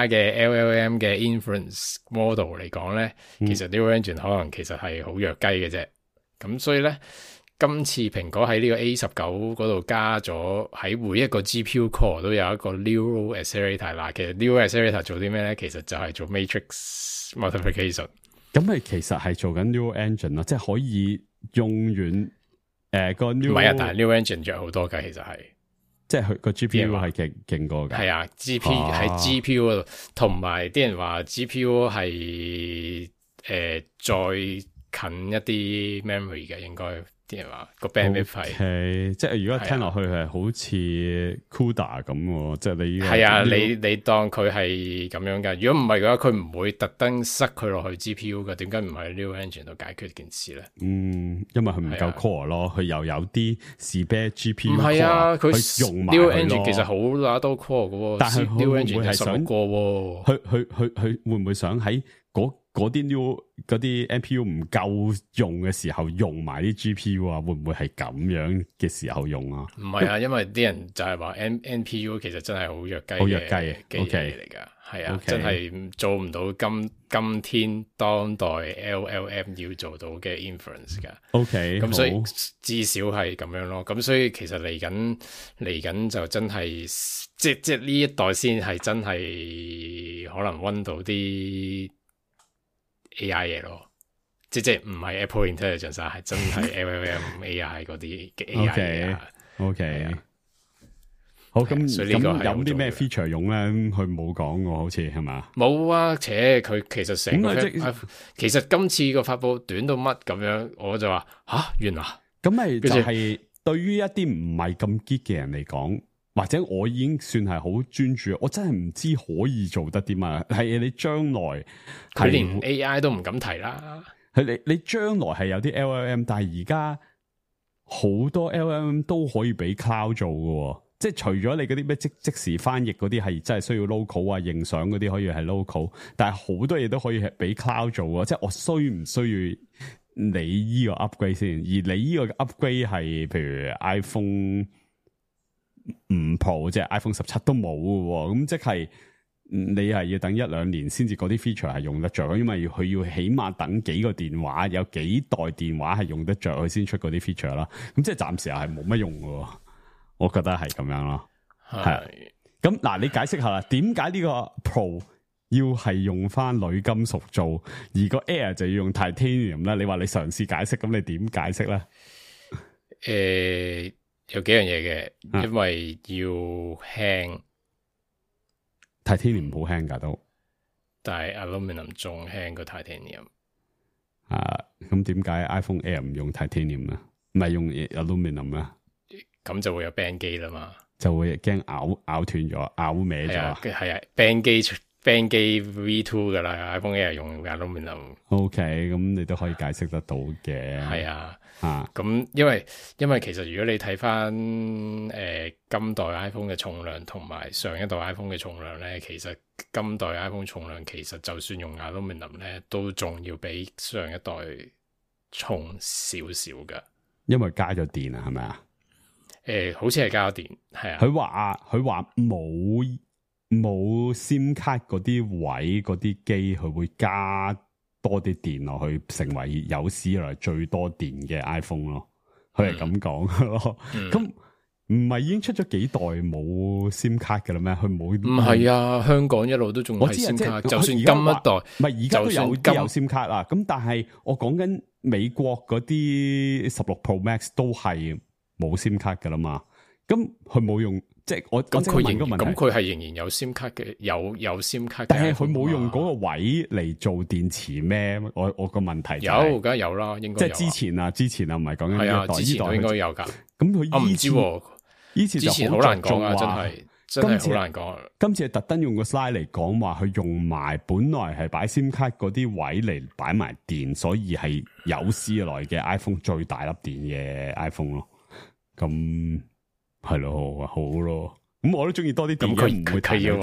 嘅 LLM 嘅 inference model 嚟講咧，其實 Neural Engine 可能其實係好弱雞嘅啫。咁所以咧，今次蘋果喺呢個 A19 嗰度加咗喺每一個 GPU core 都有一個 Neural Accelerator 嗱，其實 Neural Accelerator 做啲咩咧？其實就係做 Matrix Multiplication。咁咪其實係做緊 Neural Engine 咯，即係可以用完個 Neural。唔係啊，但係 Neural Engine 弱好多㗎，其實係即係佢個 GPU 係勁過㗎。係啊，GPU 喺 GPU 嗰度，同埋啲人話 GPU 係再近一啲 memory 嘅，應該啲人話個 bandwidth 係，即係如果聽落去係好似 CUDA 咁，即係你係啊，你當佢係咁樣噶。如果唔係嘅話，佢唔會特登塞佢落去 GPU 嘅。點解唔喺 Neural Engine 度解決件事咧？因為佢唔夠 core 咯，佢又有啲 spare GPU。唔係啊，佢用埋 Neural Engine 其實好乸多 core 嘅，但係 Neural Engine 係11個。佢會唔會想喺嗰啲 NPU 唔夠用嘅時候用埋啲 GPU 啊？會唔會係咁樣嘅時候用啊？唔係啊，因為啲人就係話 NPU 其實真係好弱雞嘅嘢嚟噶，係啊，真係做唔到今天當代 LLM 要做到嘅 inference 噶。OK，咁所以至少係咁樣咯。咁所以其實嚟緊就真係即係呢一代先係真係可能溫到啲 AI 嘢咯，即係唔係 Apple Intelligence 係真係 LLM AI 嗰啲嘅 AI 嘢。OK，好咁所以呢個係有啲咩 feature 用咧？佢冇講喎，好似係嘛？冇啊，且佢其實成個其實今次個發佈短到乜咁樣，我就話原來咁咪就係對於一啲唔係咁 geek 嘅人嚟講，或者我已經算係好專注，我真係唔知可以做得啲乜。係你將來佢連 AI 都唔敢提啦。係你將來係有啲 LLM， 但係而家好多 LLM 都可以俾 cloud 做嘅。即係除咗你嗰啲咩即時翻譯嗰啲係真係需要 local 啊，影相嗰啲可以係 local， 但係好多嘢都可以係俾 cloud 做啊。即係我需唔需要你依個 upgrade 先？而你依個 upgrade 係譬如 iPhone 5 Pro 即係 iPhone 17都冇嘅，咁即係你係要等1-2年先至嗰啲 feature 係用得着，因為佢要起碼等幾個電話，有幾代電話係用得着佢先出嗰啲 feature 啦。咁即係暫時係冇乜用嘅。我覺得係咁樣咯，係咁嗱，你解釋下啦，點解呢個 Pro 要係用翻鋁金屬做，而個 Air 就要用 Titanium 咧？你話你嘗試解釋，咁你點解釋咧？有幾樣嘢嘅，因為要輕，Titanium 唔好輕噶都，但係 Aluminum 仲輕過 Titanium。咁點解 iPhone Air 唔用 Titanium 咧？唔係用 Aluminum 咧？咁就會有 band 機啦嘛，就會驚咬斷咗、咬歪咗。係啊 band 機 V2 噶啦 ，iPhone Air 用 Aluminum。OK， 咁你都可以解釋得到嘅。係啊，咁因為其實如果你睇翻今代 iPhone 嘅重量同埋上一代 iPhone 嘅重量咧，其實今代 iPhone 重量其實就算用 Aluminum 咧，都仲要比上一代重少少噶。因為加咗電啊，係咪啊？好似係加咗電，係啊。佢話冇 SIM 卡嗰啲位嗰啲機，佢會加多啲電落去，成為有史以來最多電嘅 iPhone 咯。佢係咁講咯。咁唔係已經出咗幾代冇 SIM 卡嘅啦咩？佢冇。唔係啊，香港一路都仲係 SIM 卡，就算今一代，唔係而家都有 SIM 卡啦。咁但係我講緊美國嗰啲16 Pro Max 都係冇 SIM 卡噶啦嘛。咁佢冇用，即係我咁佢係仍然有 SIM 卡嘅，有 SIM 卡嘅，但係佢冇用嗰個位嚟做電池咩？我個問題有，梗係有啦，應該有。即係之前啊，唔係講緊呢代，之前都應該有噶。咁佢唔知，以前好難講啊，真係好難講。今次係特登用個 slide 嚟講話，佢用埋本來係擺 SIM 卡嗰啲位嚟擺埋電，所以係有史以來嘅 iPhone 最大粒電嘅 iPhone 咯。咁係咯，好咯。咁我都中意多啲電。咁佢要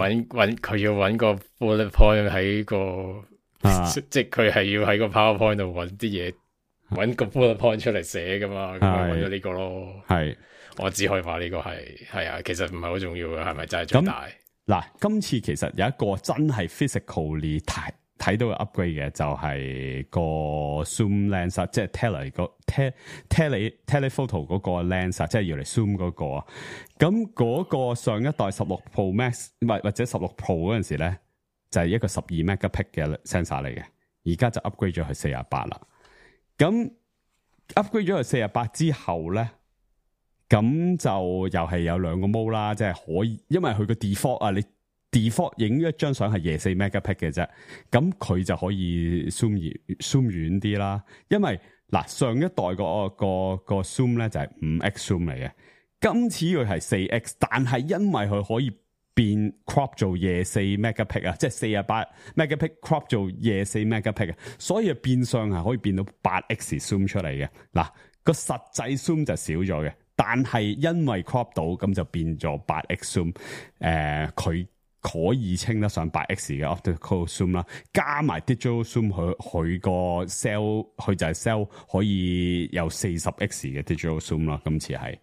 搵個 bullet point 喺個，即係佢係要喺個 PowerPoint 度搵啲嘢，搵個 bullet point 出嚟寫噶嘛。咁咪搵咗呢個咯。係，我只可以話呢個係啊，其實唔係好重要嘅，係咪真係最大？嗱，今次其實有一個真係 physically 睇到嘅 upgrade 嘅，就係個 zoom lens， 即係 telephoto 嗰個 lens， 即係要嚟 zoom 嗰個。咁嗰個上一代16 Pro Max 或者16 Pro 嗰陣時咧，就係一個12 megapixel 嘅 sensor 嚟嘅，而家就 upgrade 咗去48啦。咁 upgrade 咗去48之後咧，咁就又係有兩個 mode 啦，即係可以，因為佢個 default 啊，你 default 影一張相係24 megapixel 嘅啫，咁佢就可以 zoom 遠啲啦。因為嗱，上一代個 zoom 咧就係 5x zoom 嚟嘅，今次佢係 4x， 但係因為佢可以變 crop 做24 megapixel 啊，即係48 megapixel crop 做24 megapixel， 所以變相係可以變到 8x zoom 出嚟嘅。嗱，個實際 zoom 就少咗嘅，但係因為 crop 到，咁就變咗 8x zoom，佢可以稱得上 8x 嘅 optical zoom 啦，加埋 digital zoom， 佢個 sell 佢就係 sell 可以有 40x 嘅 digital zoom 啦。今次係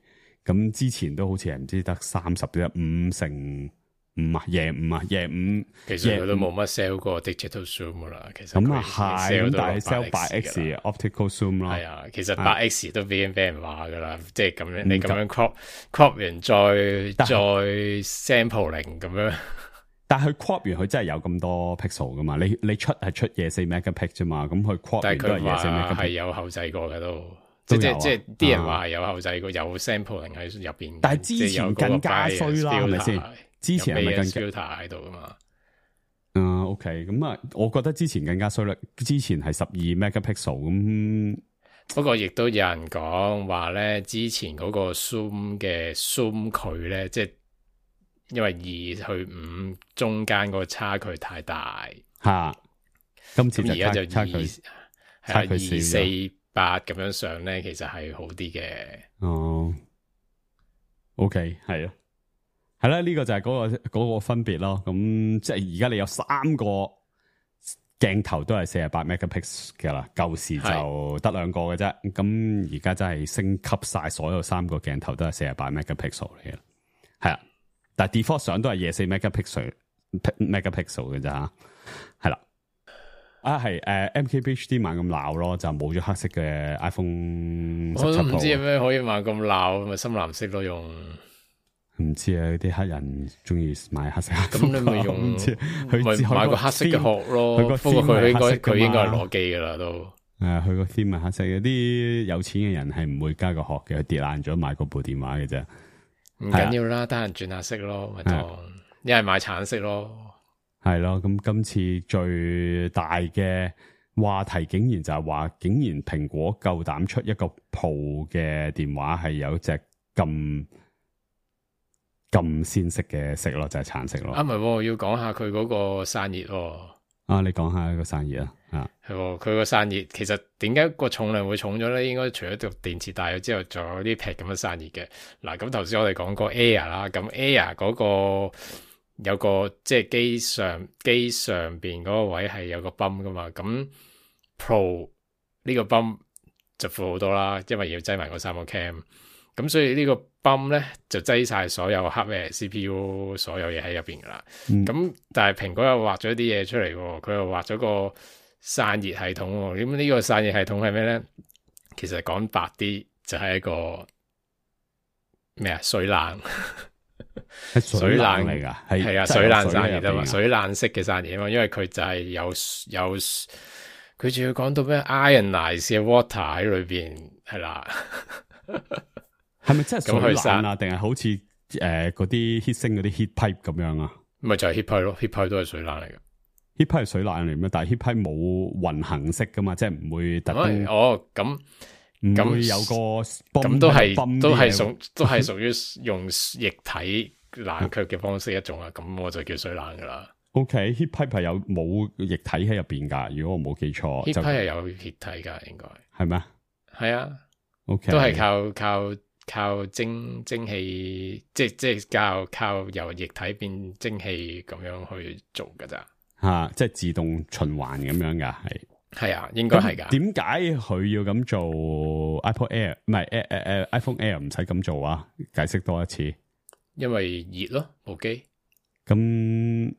咁，之前都好似係唔知得30啫，5乘5啊，夜5，其實佢都冇乜 sell 過 digital zoom 噶啦。其實咁啊係，但係 sell 8x optical zoom 咯。係啊，其實 8x 都俾人話噶啦，即係咁樣你咁樣 crop 完再 sampling 咁樣。但係佢 crop 完佢真係有咁多 pixel 噶嘛？你出係出24 megapixel 啫嘛？咁佢 crop 完都係24 megapixel，係有後製過嘅都。即係啲人話係有後製個有 sampling 喺入邊，但係之前更加衰啦，係咪先？之前係咪更加 filter 喺度噶嘛？OK， 咁啊，我覺得之前更加衰啦。之前係12 megapixel 咁。不過亦都有人講話咧，之前嗰個 zoom 嘅 zoom 距咧，即係因為2去5中間嗰個差距太大吓。今次而家就差距248咁樣上咧，其實係好啲嘅。哦，OK， 係啊，係啦，呢個就係嗰個分別咯。咁即係而家你有3個鏡頭都係48 megapixel 嘅啦，舊時就得2個嘅啫。咁而家真係升級晒，所有3個鏡頭都係48 megapixel 嚟嘅，係啊。但係 default 相都係24 megapixel 嘅咋，係啦。係MKBHD 猛咁鬧咯，就冇咗黑色嘅 iPhone 17 Pro。我都唔知有咩可以猛咁鬧，咪深藍色咯用。唔知啊，啲黑人中意買黑色。咁你咪用，咪買個黑色嘅殼咯。不過佢應該係攞機噶啦都。佢個 theme 係黑色嘅，啲有錢嘅人係唔會加個殼嘅，跌爛咗買嗰部電話嘅啫。唔緊要啦，得閒轉下色咯，咪當一係買橙色咯。係咯，咁今次最大嘅話題竟然就係話，竟然蘋果夠膽出一個 Pro 嘅電話係有隻咁鮮色嘅色咯，就係橙色咯。唔係，要講下佢嗰個散熱。你講下個散熱啊。係佢個散熱，其實點解個重量會重咗咧？應該除咗個電池大咗之後，仲有啲劈咁樣散熱嘅。嗱，咁頭先我哋講過 Air 啦，咁 Air 嗰個有個即係機上邊嗰個位係有個泵噶嘛，咁 Pro 呢個泵就闊好多啦，因為要擠埋嗰3個 cam， 咁所以呢個泵咧就擠晒所有 hardware CPU 所有嘢喺入邊噶啦。咁但係蘋果又畫咗啲嘢出嚟，佢又畫咗個散熱系統。咁呢個散熱系統係咩咧？其實講白啲就係一個咩啊？水冷。水冷嚟噶，係啊，水冷散熱啊嘛，水冷式嘅散熱啊嘛，因為佢就係有佢仲要講到咩 ionize 嘅 water 喺裏邊，係啦，係咪真係水冷啊？定係好似嗰啲 heat 升嗰啲 heat pipe 咁樣啊？咪就係 heat pipe 咯，heat pipe 都係水冷嚟嘅。heat pipe 係水冷嚟咩？但係 heat pipe 冇運行式噶嘛，即係唔會特登。咁會有個咁都係屬於用液體冷卻嘅方式一種啊，咁我就叫水冷噶啦。OK，heat pipe 係有冇液體喺入邊噶？如果我冇記錯， heat pipe 係有液體噶，應該係咩？係啊 ，OK， 都係靠蒸汽，即係靠由液體變蒸汽咁樣去做噶咋？即係自動循環咁樣噶，係啊，應該係噶。點解佢要咁做 iPod Air 唔係iPhone Air 唔使咁做啊？解釋多一次。因為熱咯，部機。咁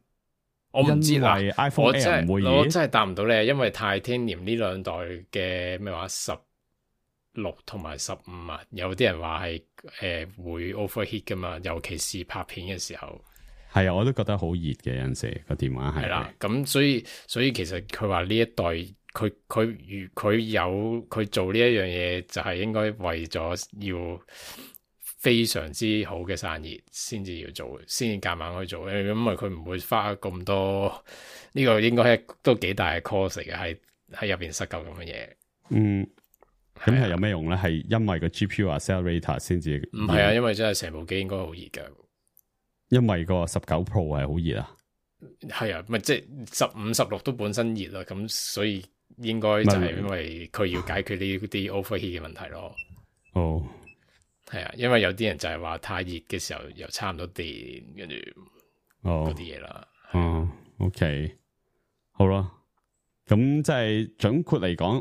我唔知啦。iPhone Air 唔會熱，我真係答唔到你，因為 Titanium 呢2代嘅咩話16同埋15啊，有啲人話係會 overheat 噶嘛，尤其是拍片嘅時候。係啊，我都覺得好熱嘅，有陣時個電話係啦。咁所以其實佢話呢一代佢做呢一樣嘢，就係應該為咗要非常之好嘅散熱先至要做，先至夾硬去做。因為佢唔會花咁多，呢個應該係都幾大嘅 cost 嚟嘅，喺入邊塞夠咁嘅嘢。咁係有咩用咧？係因為個 GPU accelerator 先至？唔係啊，因為真係成部機應該好熱噶。因為個19 Pro 係好熱啊。係啊，咪即係15、16都本身熱啦，咁所以應該就係因為佢要解決呢啲 overheat 嘅問題咯。係啊，因為有啲人就係話太熱嘅時候又差唔多電，跟住嗰啲嘢啦。OK， 好啦，咁即係總括嚟講，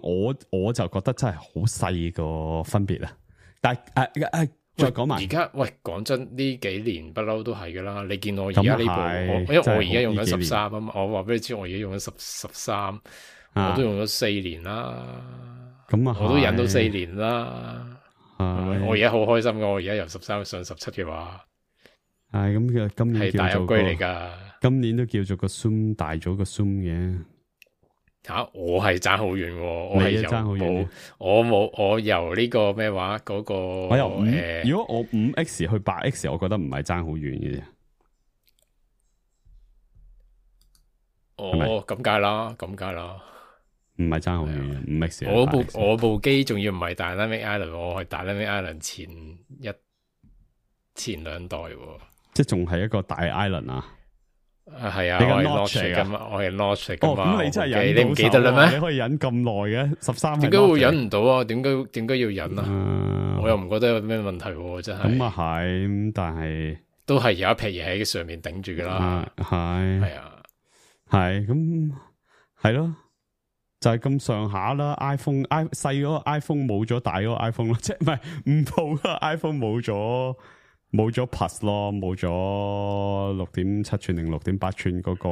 我就覺得真係好細個分別啊。但係再講埋而家，講真，呢幾年不嬲都係噶啦。你見我而家呢部，因為我而家用緊13啊嘛。我話俾你知，我而家用緊13，我都用咗4年啦。咁啊，我都忍到4年啦。我而家好開心噶，我而家由13上17嘅話，係咁嘅。今年係大upgrade嚟噶。今年都叫做個 Zoom 大咗個 Zoom 嘅。我係爭好遠喎，我係爭好遠。我由呢個咩話嗰個，我由如果我5X 去8X，我覺得唔係爭好遠嘅啫。咁梗係啦，唔係爭好遠嘅5X。我部機仲要唔係 Dynamic Island， 我係 Dynamic Island 前2代喎，即係仲係一個大 Island 啊！係啊，你個我係 Notch 嚟㗎嘛，我係 Notch 噶嘛。咁你真係忍到手，你唔記得啦咩？你可以忍咁耐嘅13，點解會忍唔到啊？點解要忍啊？我又唔覺得有咩問題喎，真係。咁啊係，但係都係有一撇嘢喺上面頂住噶啦。係啊，係咁係咯，就係咁上下啦。iPhone 細嗰個 iPhone 冇咗大嗰個 iPhone 咯，即係唔係5 Pro 嗰個 iPhone 冇咗 Plus 咯，冇咗6.7寸定6.8寸嗰個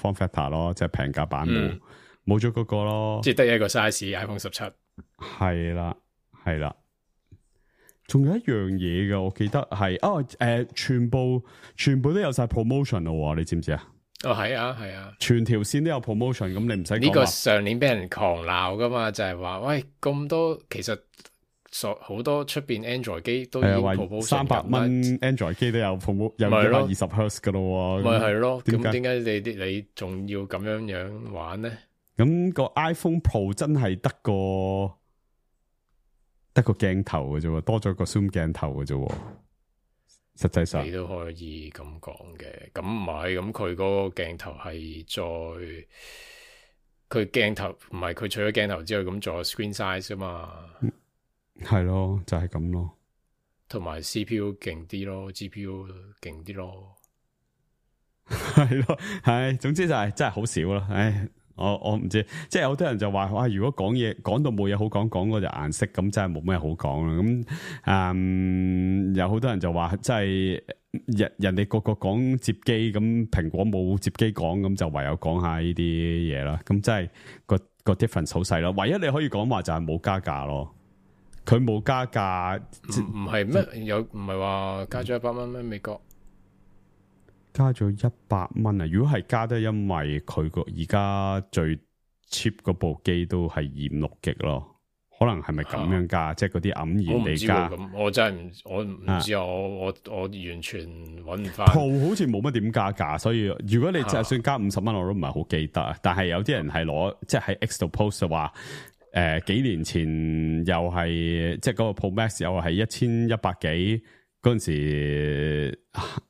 Form Factor 咯，即係平價版冇咗嗰個咯，即係得一個 size iPhone 17。係啦，仲有一樣嘢嘅，我記得係全部都有晒 promotion 咯，你知唔知啊？係啊，全條線都有 promotion，咁你唔使呢個上年俾人狂鬧噶嘛，就係話喂咁多其實。好多出邊 Android 機都已經 promotion 300蚊 Android 機都有 promotion， 有120 Hz 噶咯，咪係咯？咁點解你仲要咁樣玩咧？咁個 iPhone Pro 真係得個鏡頭嘅啫，多咗個 zoom 鏡頭嘅啫。實際上你都可以咁講嘅，咁唔係咁佢嗰個鏡頭係佢鏡頭唔係佢除咗鏡頭之外，咁仲有 screen size 啊嘛。係咯，就係咁咯，同埋 CPU 勁啲咯 ，GPU 勁啲咯，係咯，係，總之就係真係好少啦。唉，我唔知，即係有啲人就話哇，如果講到冇嘢好講嗰隻顏色，咁真係冇咩好講啦。咁有好多人就話，即係人哋個講摺機，咁蘋果冇摺機講，咁就唯有講下呢啲嘢啦。咁真係個 difference 好細咯。唯一你可以講話就係冇加價咯。佢冇加價，唔係咩？有唔係話加咗100蚊咩？美國加咗100蚊啊！如果係加得，因為佢個而家最 cheap 嗰部機都係256G咯，可能係咪咁樣加？即係嗰啲黯然地加。咁我真係我唔知啊！我完全揾唔翻。Pro 好似冇乜點加價，所以如果你就算加50蚊，我都唔係好記得。但係有啲人係攞即係喺 X 度 post 就話。幾年前又係即係嗰個 Pro Max 又係1100幾嗰陣時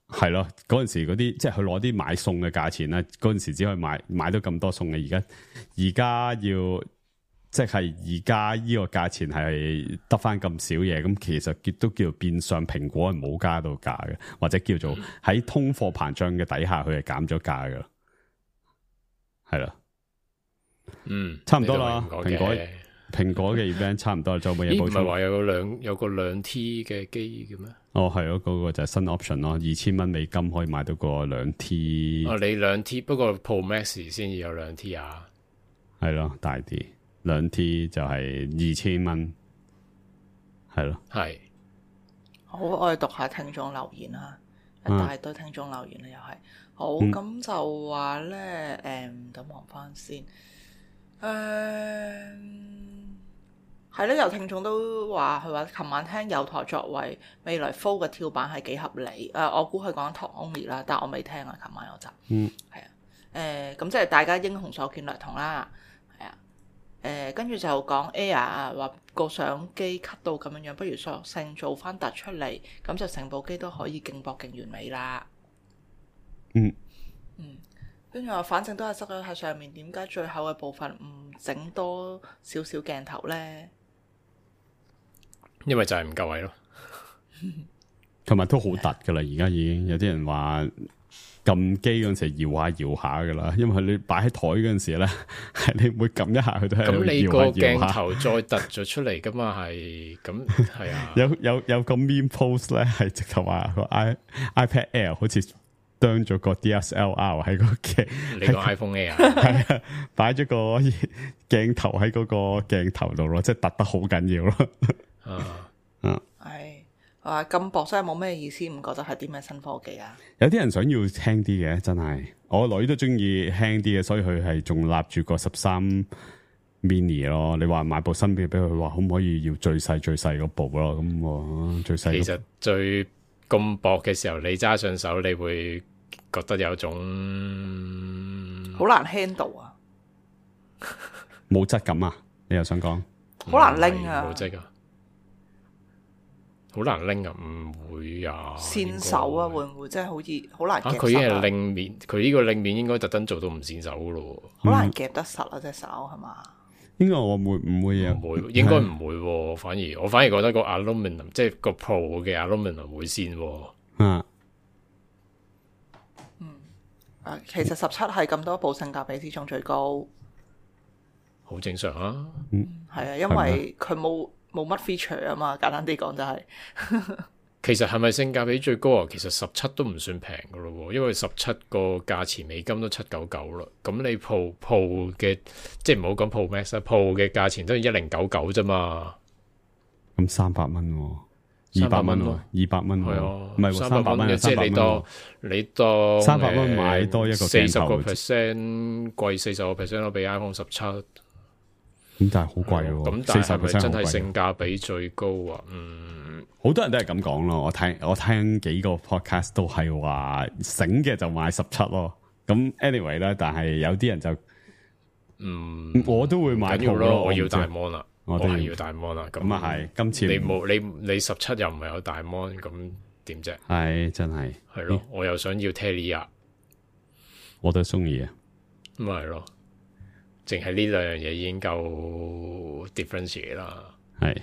係咯，嗰陣時嗰啲即係佢攞啲買餸嘅價錢啦，嗰陣時只可以買到咁多餸嘅，而家要即係而家呢個價錢係得翻咁少嘢，咁其實都叫做變相蘋果係冇加到價嘅，或者叫做喺通貨膨脹嘅底下佢係減咗價嘅，係啦。差唔多啦。蘋果嘅 event 差唔多，就冇嘢補充。唔係話有個2T 嘅機嘅咩？係咯，嗰個就係新 option 咯，2000蚊美金可以買到個2T。你2T，不過 Pro Max 先至有2T 啊。係咯，大啲2T 就係2000蚊，係咯。係。好，我哋讀下聽眾留言啦，一大堆聽眾留言啦，又係。好，咁就話咧，等望翻先。係咧，有聽眾都話佢話，琴晚聽有台作為未來 Fold 嘅跳板係幾合理。我估佢講 Talk Only 啦，但我未聽啊，琴晚有集。係啊，咁即係大家英雄所見略同啦。係啊，跟住就講 Air 話個相機 cut 到咁樣，不如索性做翻突出嚟，咁就成部機都可以勁薄勁完美啦。跟住話，反正都係塞咗喺上面，點解最後嘅部分唔整多少少鏡頭咧？因為就係唔夠位咯，同埋都好突噶啦。而家已經有啲人話撳機嗰陣時搖下搖下噶啦，因為你擺喺台嗰陣時咧，係你每撳一下佢都係咁你個鏡頭再突咗出嚟噶嘛？係咁係啊。有個 meme post 咧，係直頭話個 iPad Air 好似當咗個 DSLR 喺個鏡，你個 iPhone Air 係啊，擺咗個鏡頭喺嗰個鏡頭度咯，即係突得好緊要咯。係咁薄真係冇咩意思，唔覺得係啲咩新科技啊？有啲人想要輕啲嘅，真係我女都中意輕啲嘅，所以佢係仲立住個13 mini 咯。你話買部新嘅俾佢，話可唔可以要最細嗰部咯？咁我最細。其實最咁薄嘅時候，你揸上手，你會覺得有種好難 handle 啊，冇質感啊？你又想講？好難拎啊，冇質啊，好難拎啊，唔會啊，線手啊，會唔會真係好似好難夾實啊？佢已經係令面，佢呢個令面應該特登做到唔線手噶咯，好難夾得實啊隻手係嘛？應該我唔會啊，唔會，應該唔會喎。我反而覺得個 aluminum 即係個 Pro 嘅 aluminum 會線喎。其實17係咁多部性價比之中最高，好正常啊。係啊，因為佢冇乜 feature 啊嘛，簡單啲講就係。其實係咪性價比最高啊？其實17都唔算平噶咯，因為17個價錢美金都799啦。咁你 Pro 嘅，即係唔好講 Pro Max 啦，Pro 嘅價錢都係1099啫嘛。咁300蚊，200蚊，200蚊，係啊，唔係300蚊嘅，即係你當300蚊買多一個鏡頭40%貴40%咯，比 iPhone 17。咁但係好貴喎。咁但係係咪真係性價比最高啊？好多人都係咁講咯。我聽幾個 podcast 都係話醒嘅就買17咯。咁 anyway 咧，但係有啲人就我都會買 Pro 咯。我要大 mon 啦，我係要大 mon 啦。咁啊係，今次你17又唔係有大 mon，咁點啫？係真係係咯，我又想要 Telia，我都中意啊。咁咪係咯，淨係呢兩樣嘢已經夠 difference 啦。係。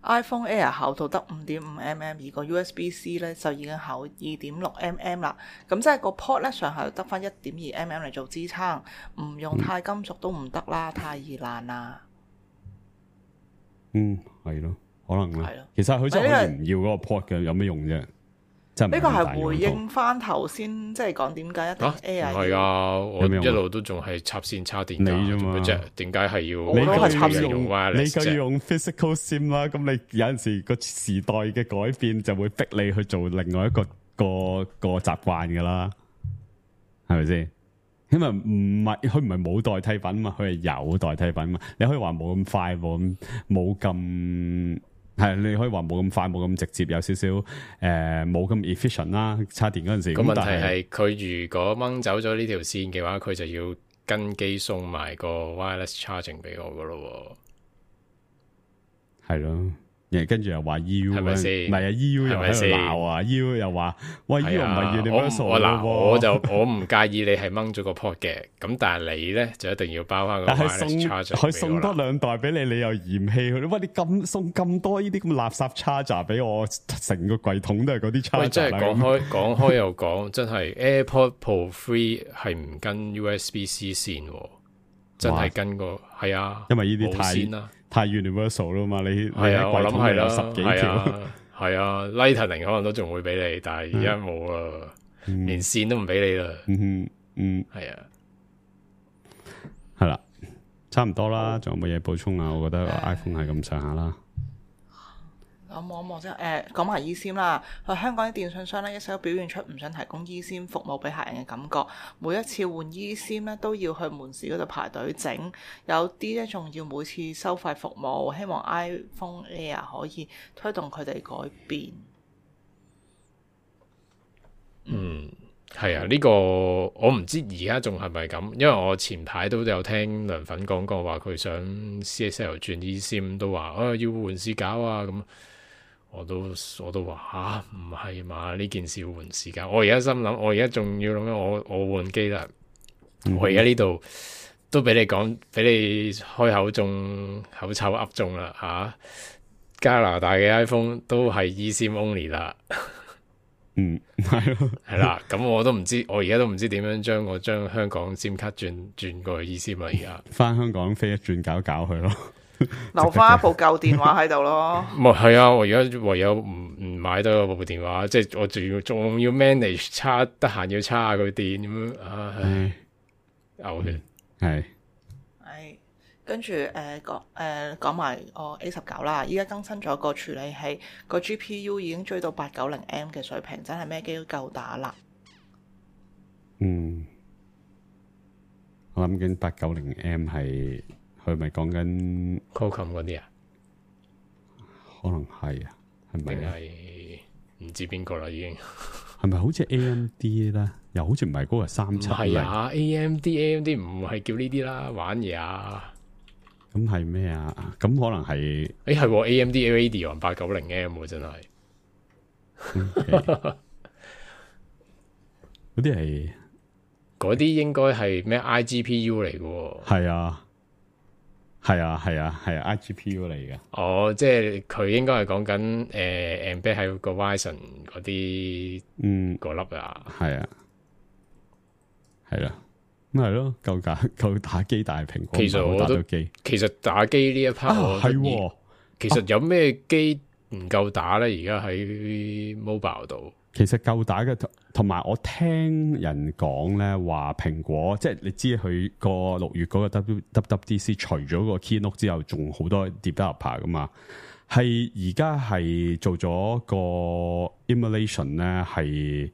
iPhone Air 厚度得5.5mm，而個 USB-C 咧就已經厚2.6mm 啦。咁即係個 port 咧上下得翻1.2mm 嚟做支撐，唔用鈦金屬都唔得啦，太易爛啦。係咯，可能啦。係咯，其實佢真係可以唔要嗰個 port 嘅，有咩用啫？呢個係回應翻頭先，即係講點解一定 Air 係啊，我一路都仲係插線插電你啫嘛，點解係要？我都係插線用 wireless 你夠要用 physical sim 啦，咁你有陣時個時代嘅改變就會逼你去做另外一個習慣噶啦，係咪先？因為佢唔係冇代替品嘛，佢係有代替品嘛。你可以話冇咁快，冇咁。係，你可以話冇咁快，冇咁直接，有少少冇咁 efficient 啦。插電嗰陣時，個問題係佢如果掹走咗呢條線嘅話，佢就要跟機送埋個 wireless charging 俾我噶咯。係咯，跟住又話 EU 係咪先？唔係啊 EU 又喺度鬧啊 EU 又話喂 EU 唔係 universal 我唔介意你係掹咗個 port 嘅，咁但係你咧就一定要包翻個 wireless charger 佢送多2袋俾你，你又嫌棄佢，喂，你送咁多呢啲咁垃圾 charger 俾我，成個櫃桶都係嗰啲 charger。喂，真係講開又講，真係 AirPod Pro 3係唔跟 USB-C 線，真係跟個係啊，因為呢啲太 universal 啦嘛，你係啊，我諗係啦10幾條，係啊 Lightning 可能都仲會俾你，但係而家冇啦，連線都唔俾你啦。係啊，係啦，差唔多啦，仲有冇嘢補充啊？我覺得 iPhone 係咁上下啦。我望一望先，講埋 eSIM 啦。香港啲電信商咧一直都表現出唔想提供 eSIM 服務俾客人嘅感覺。每一次換 eSIM 咧都要去門市嗰度排隊整，有啲咧仲要每次收費服務。希望 iPhone Air 可以推動佢哋改變。係啊，呢個我唔知而家仲係咪咁，因為我前排都有聽梁粉講過話，佢想 CSL 轉 eSIM 都話要換市搞啊咁。我都話唔係嘛，呢件事要換時間。我而家心諗，我而家仲要諗緊我換機啦。我而家呢度都俾你講，俾你開口中口臭噏中啦吓。加拿大嘅 iPhone 都係 eSIM only 啦。係咯，係啦。咁我都唔知，我而家都唔知點樣將香港 SIM 卡轉過去 eSIM 啦。而家翻香港飛一轉搞佢咯。留翻一部舊電話喺度咯。係啊，我而家唯有唔買多部電話，即係我仲要 manage 叉，得閒要叉下佢電咁樣，唉，嘔血。係。跟住講埋我 A19啦，依家更新咗個處理器，個 GPU 已經追到890M 嘅水平，真係咩機都夠打啦。我諗緊890M 係佢咪講緊 Qualcomm 嗰啲啊？可能係啊，係咪啊？係唔知邊個啦，已經係咪好似 AMD 咧？又好似唔係嗰個370。係啊，AMD 唔係叫呢啲啦，玩嘢啊！咁係咩啊？咁可能係係 AMD Radeon 890M 真係。嗰啲係嗰啲應該係咩 iGPU 嚟嘅？係啊，iGPU 嚟嘅。哦，即係佢應該係講緊embed 喺個 Ryzen 嗰啲嗰粒啊。係啊，係啦。咁係咯，夠打機，但係蘋果其實我都其實打機呢一 part 係，其實有咩機唔夠打咧？而家喺 mobile 度，其實夠打嘅，同埋我聽人講咧，話蘋果即係你知佢個6月嗰個 WWDC 除咗個 keynote 之後，仲好多 developer 噶嘛，係而家係做咗個 emulation 咧，係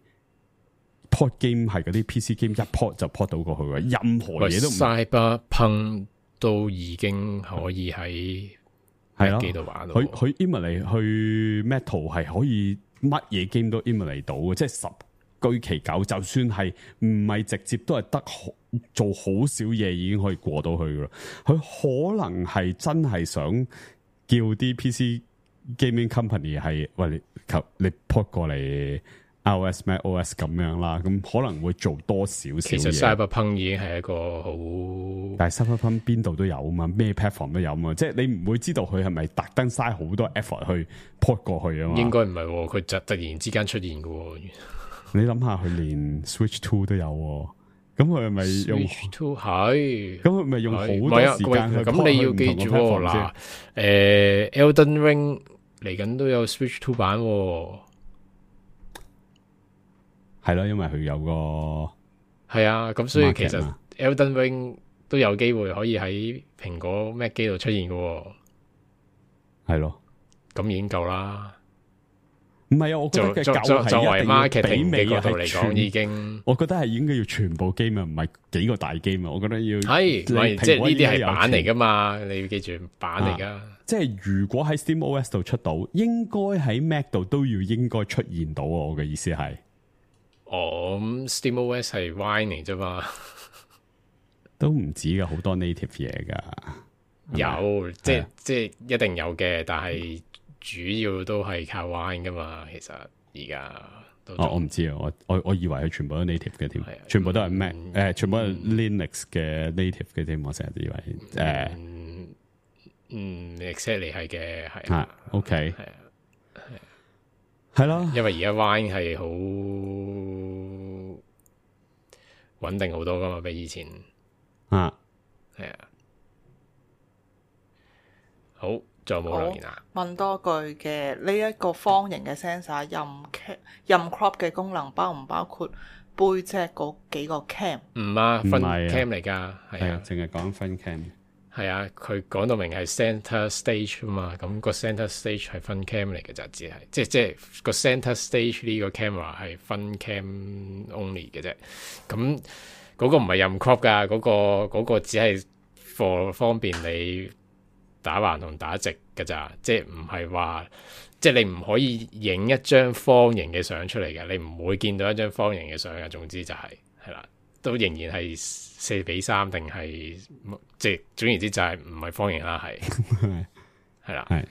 port game 係嗰啲 PC game 一 port 就 port 到過去嘅，任何嘢都唔。Cyberpunk 都已經可以喺機度玩到。佢 emulate 去 Metal 係可以乜嘢 game 都 emulate 到嘅，即係10居其九，就算係唔係直接都係得做好少嘢已經可以過到去嘅。佢可能係真係想叫啲 PC gaming company 係喂你 port 過嚟 iOS macOS 咁樣啦，咁可能會做多少少嘢。其實 Cyberpunk 已經係一個好，但係 Cyberpunk 邊度都有啊嘛，咩 platform 都有啊嘛，即係你唔會知道佢係咪特登嘥好多 effort 去 port 過去啊嘛。應該唔係，佢就突然之間出現嘅。你諗下，佢連 Switch 2都有，咁佢係咪用 Switch 2係？咁佢咪用好多時間去 port 咁你要記住嗱，Elden Ring 嚟緊都有 Switch 2版。係咯，因為佢有個係啊，咁所以其實 Elden Ring 都有機會可以喺蘋果 Mac 機度出現嘅，係咯，咁已經夠啦。唔係啊，我覺得嘅夠係作為一定要 marketing 媲美嘅角度嚟講，已經我覺得係應該要全部 game 啊，唔係幾個大 game 啊。我覺得要係，即係呢啲係版嚟噶嘛，你要記住版嚟噶。即係如果喺 SteamOS 度出到，應該喺 Mac 度都要應該出現到啊。我嘅意思係。咁 SteamOS 係 Wine 嚟啫嘛，都唔止噶，好多 native 嘢噶。有，即係一定有嘅，但係主要都係靠 Wine 噶嘛。其實而家都我唔知啊，我以為佢全部都 native 嘅添，全部都係 Mac，全部都係 Linux 嘅 native 嘅添。我成日都以為exactly 係嘅，係啊，OK，係啊。係咯，因為而家 Wine 係好穩定好多噶嘛，比以前係啊。好，仲有冇留言啊？問多句嘅呢一個方形嘅 sensor 任 crop 嘅功能包唔包括背脊嗰幾個 cam？唔啊，分係 cam 嚟噶，係啊，淨係講分 cam。係啊，佢講到明係 center stage 啊嘛，咁個 center stage 係分 cam 嚟嘅咋，只係即係個 center stage 呢個 camera 係分 cam only 嘅啫。咁嗰個唔係任 crop 噶，嗰個只係 for 方便你打橫同打直嘅咋，即係唔係話即係你唔可以影一張方形嘅相出嚟嘅，你唔會見到一張方形嘅相嘅。總之就係啦，都仍然係4:3定係即係總言之就係唔係方形啦，係係啦，係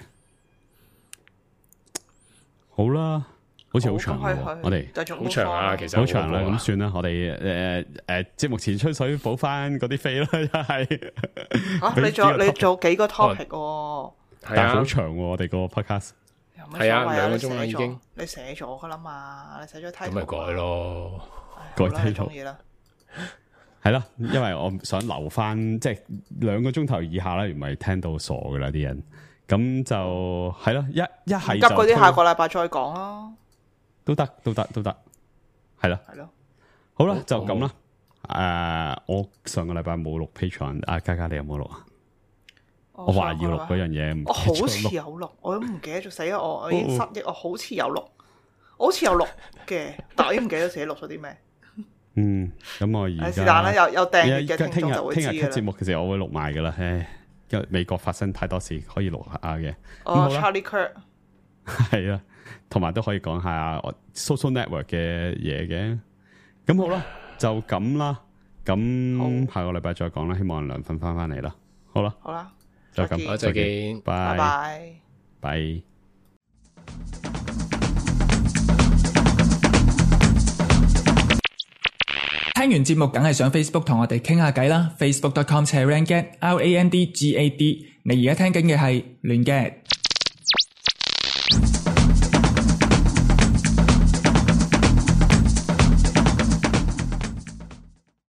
好啦，好似好長喎，我哋好長啊，其實好長啦，咁算啦，我哋節目前吹水補翻嗰啲飛啦，又係你做幾個 topic 喎？但係好長喎，我哋個 podcast 係啊，2個鐘啦已經，你寫咗噶啦嘛，你寫咗 title 咁咪改咯，改 title 意啦。係啦，因為我想留翻即係2個鐘頭以下啦，唔係聽到傻噶啦啲人，咁就係咯，一係就急嗰啲下個禮拜再講咯，都得，係咯，好啦，就咁啦。我上個禮拜冇錄 Patreon，嘉嘉你有冇錄啊？我話要錄嗰樣嘢，我好似有錄，我都唔記得咗，死啦！我已經失憶，我好似有錄，我好似有錄嘅，但我已經唔記得自己錄咗啲咩。咁我而家是但啦，有訂閱嘅聽眾就會知聽日節目嘅時候我會錄埋噶啦，因為美國發生太多事，可以錄下嘅。Charlie Kirk 係啊，同埋都可以講下我 social network 嘅嘢嘅。咁好啦，就咁啦。咁下個禮拜再講啦，希望梁粉翻嚟啦。好啦，就咁，再見，拜拜拜。聽完節目梗係上 Facebook 同我哋傾下偈啦，facebook.com/randgad，RANDGAD。你而家聽緊嘅係亂 gad。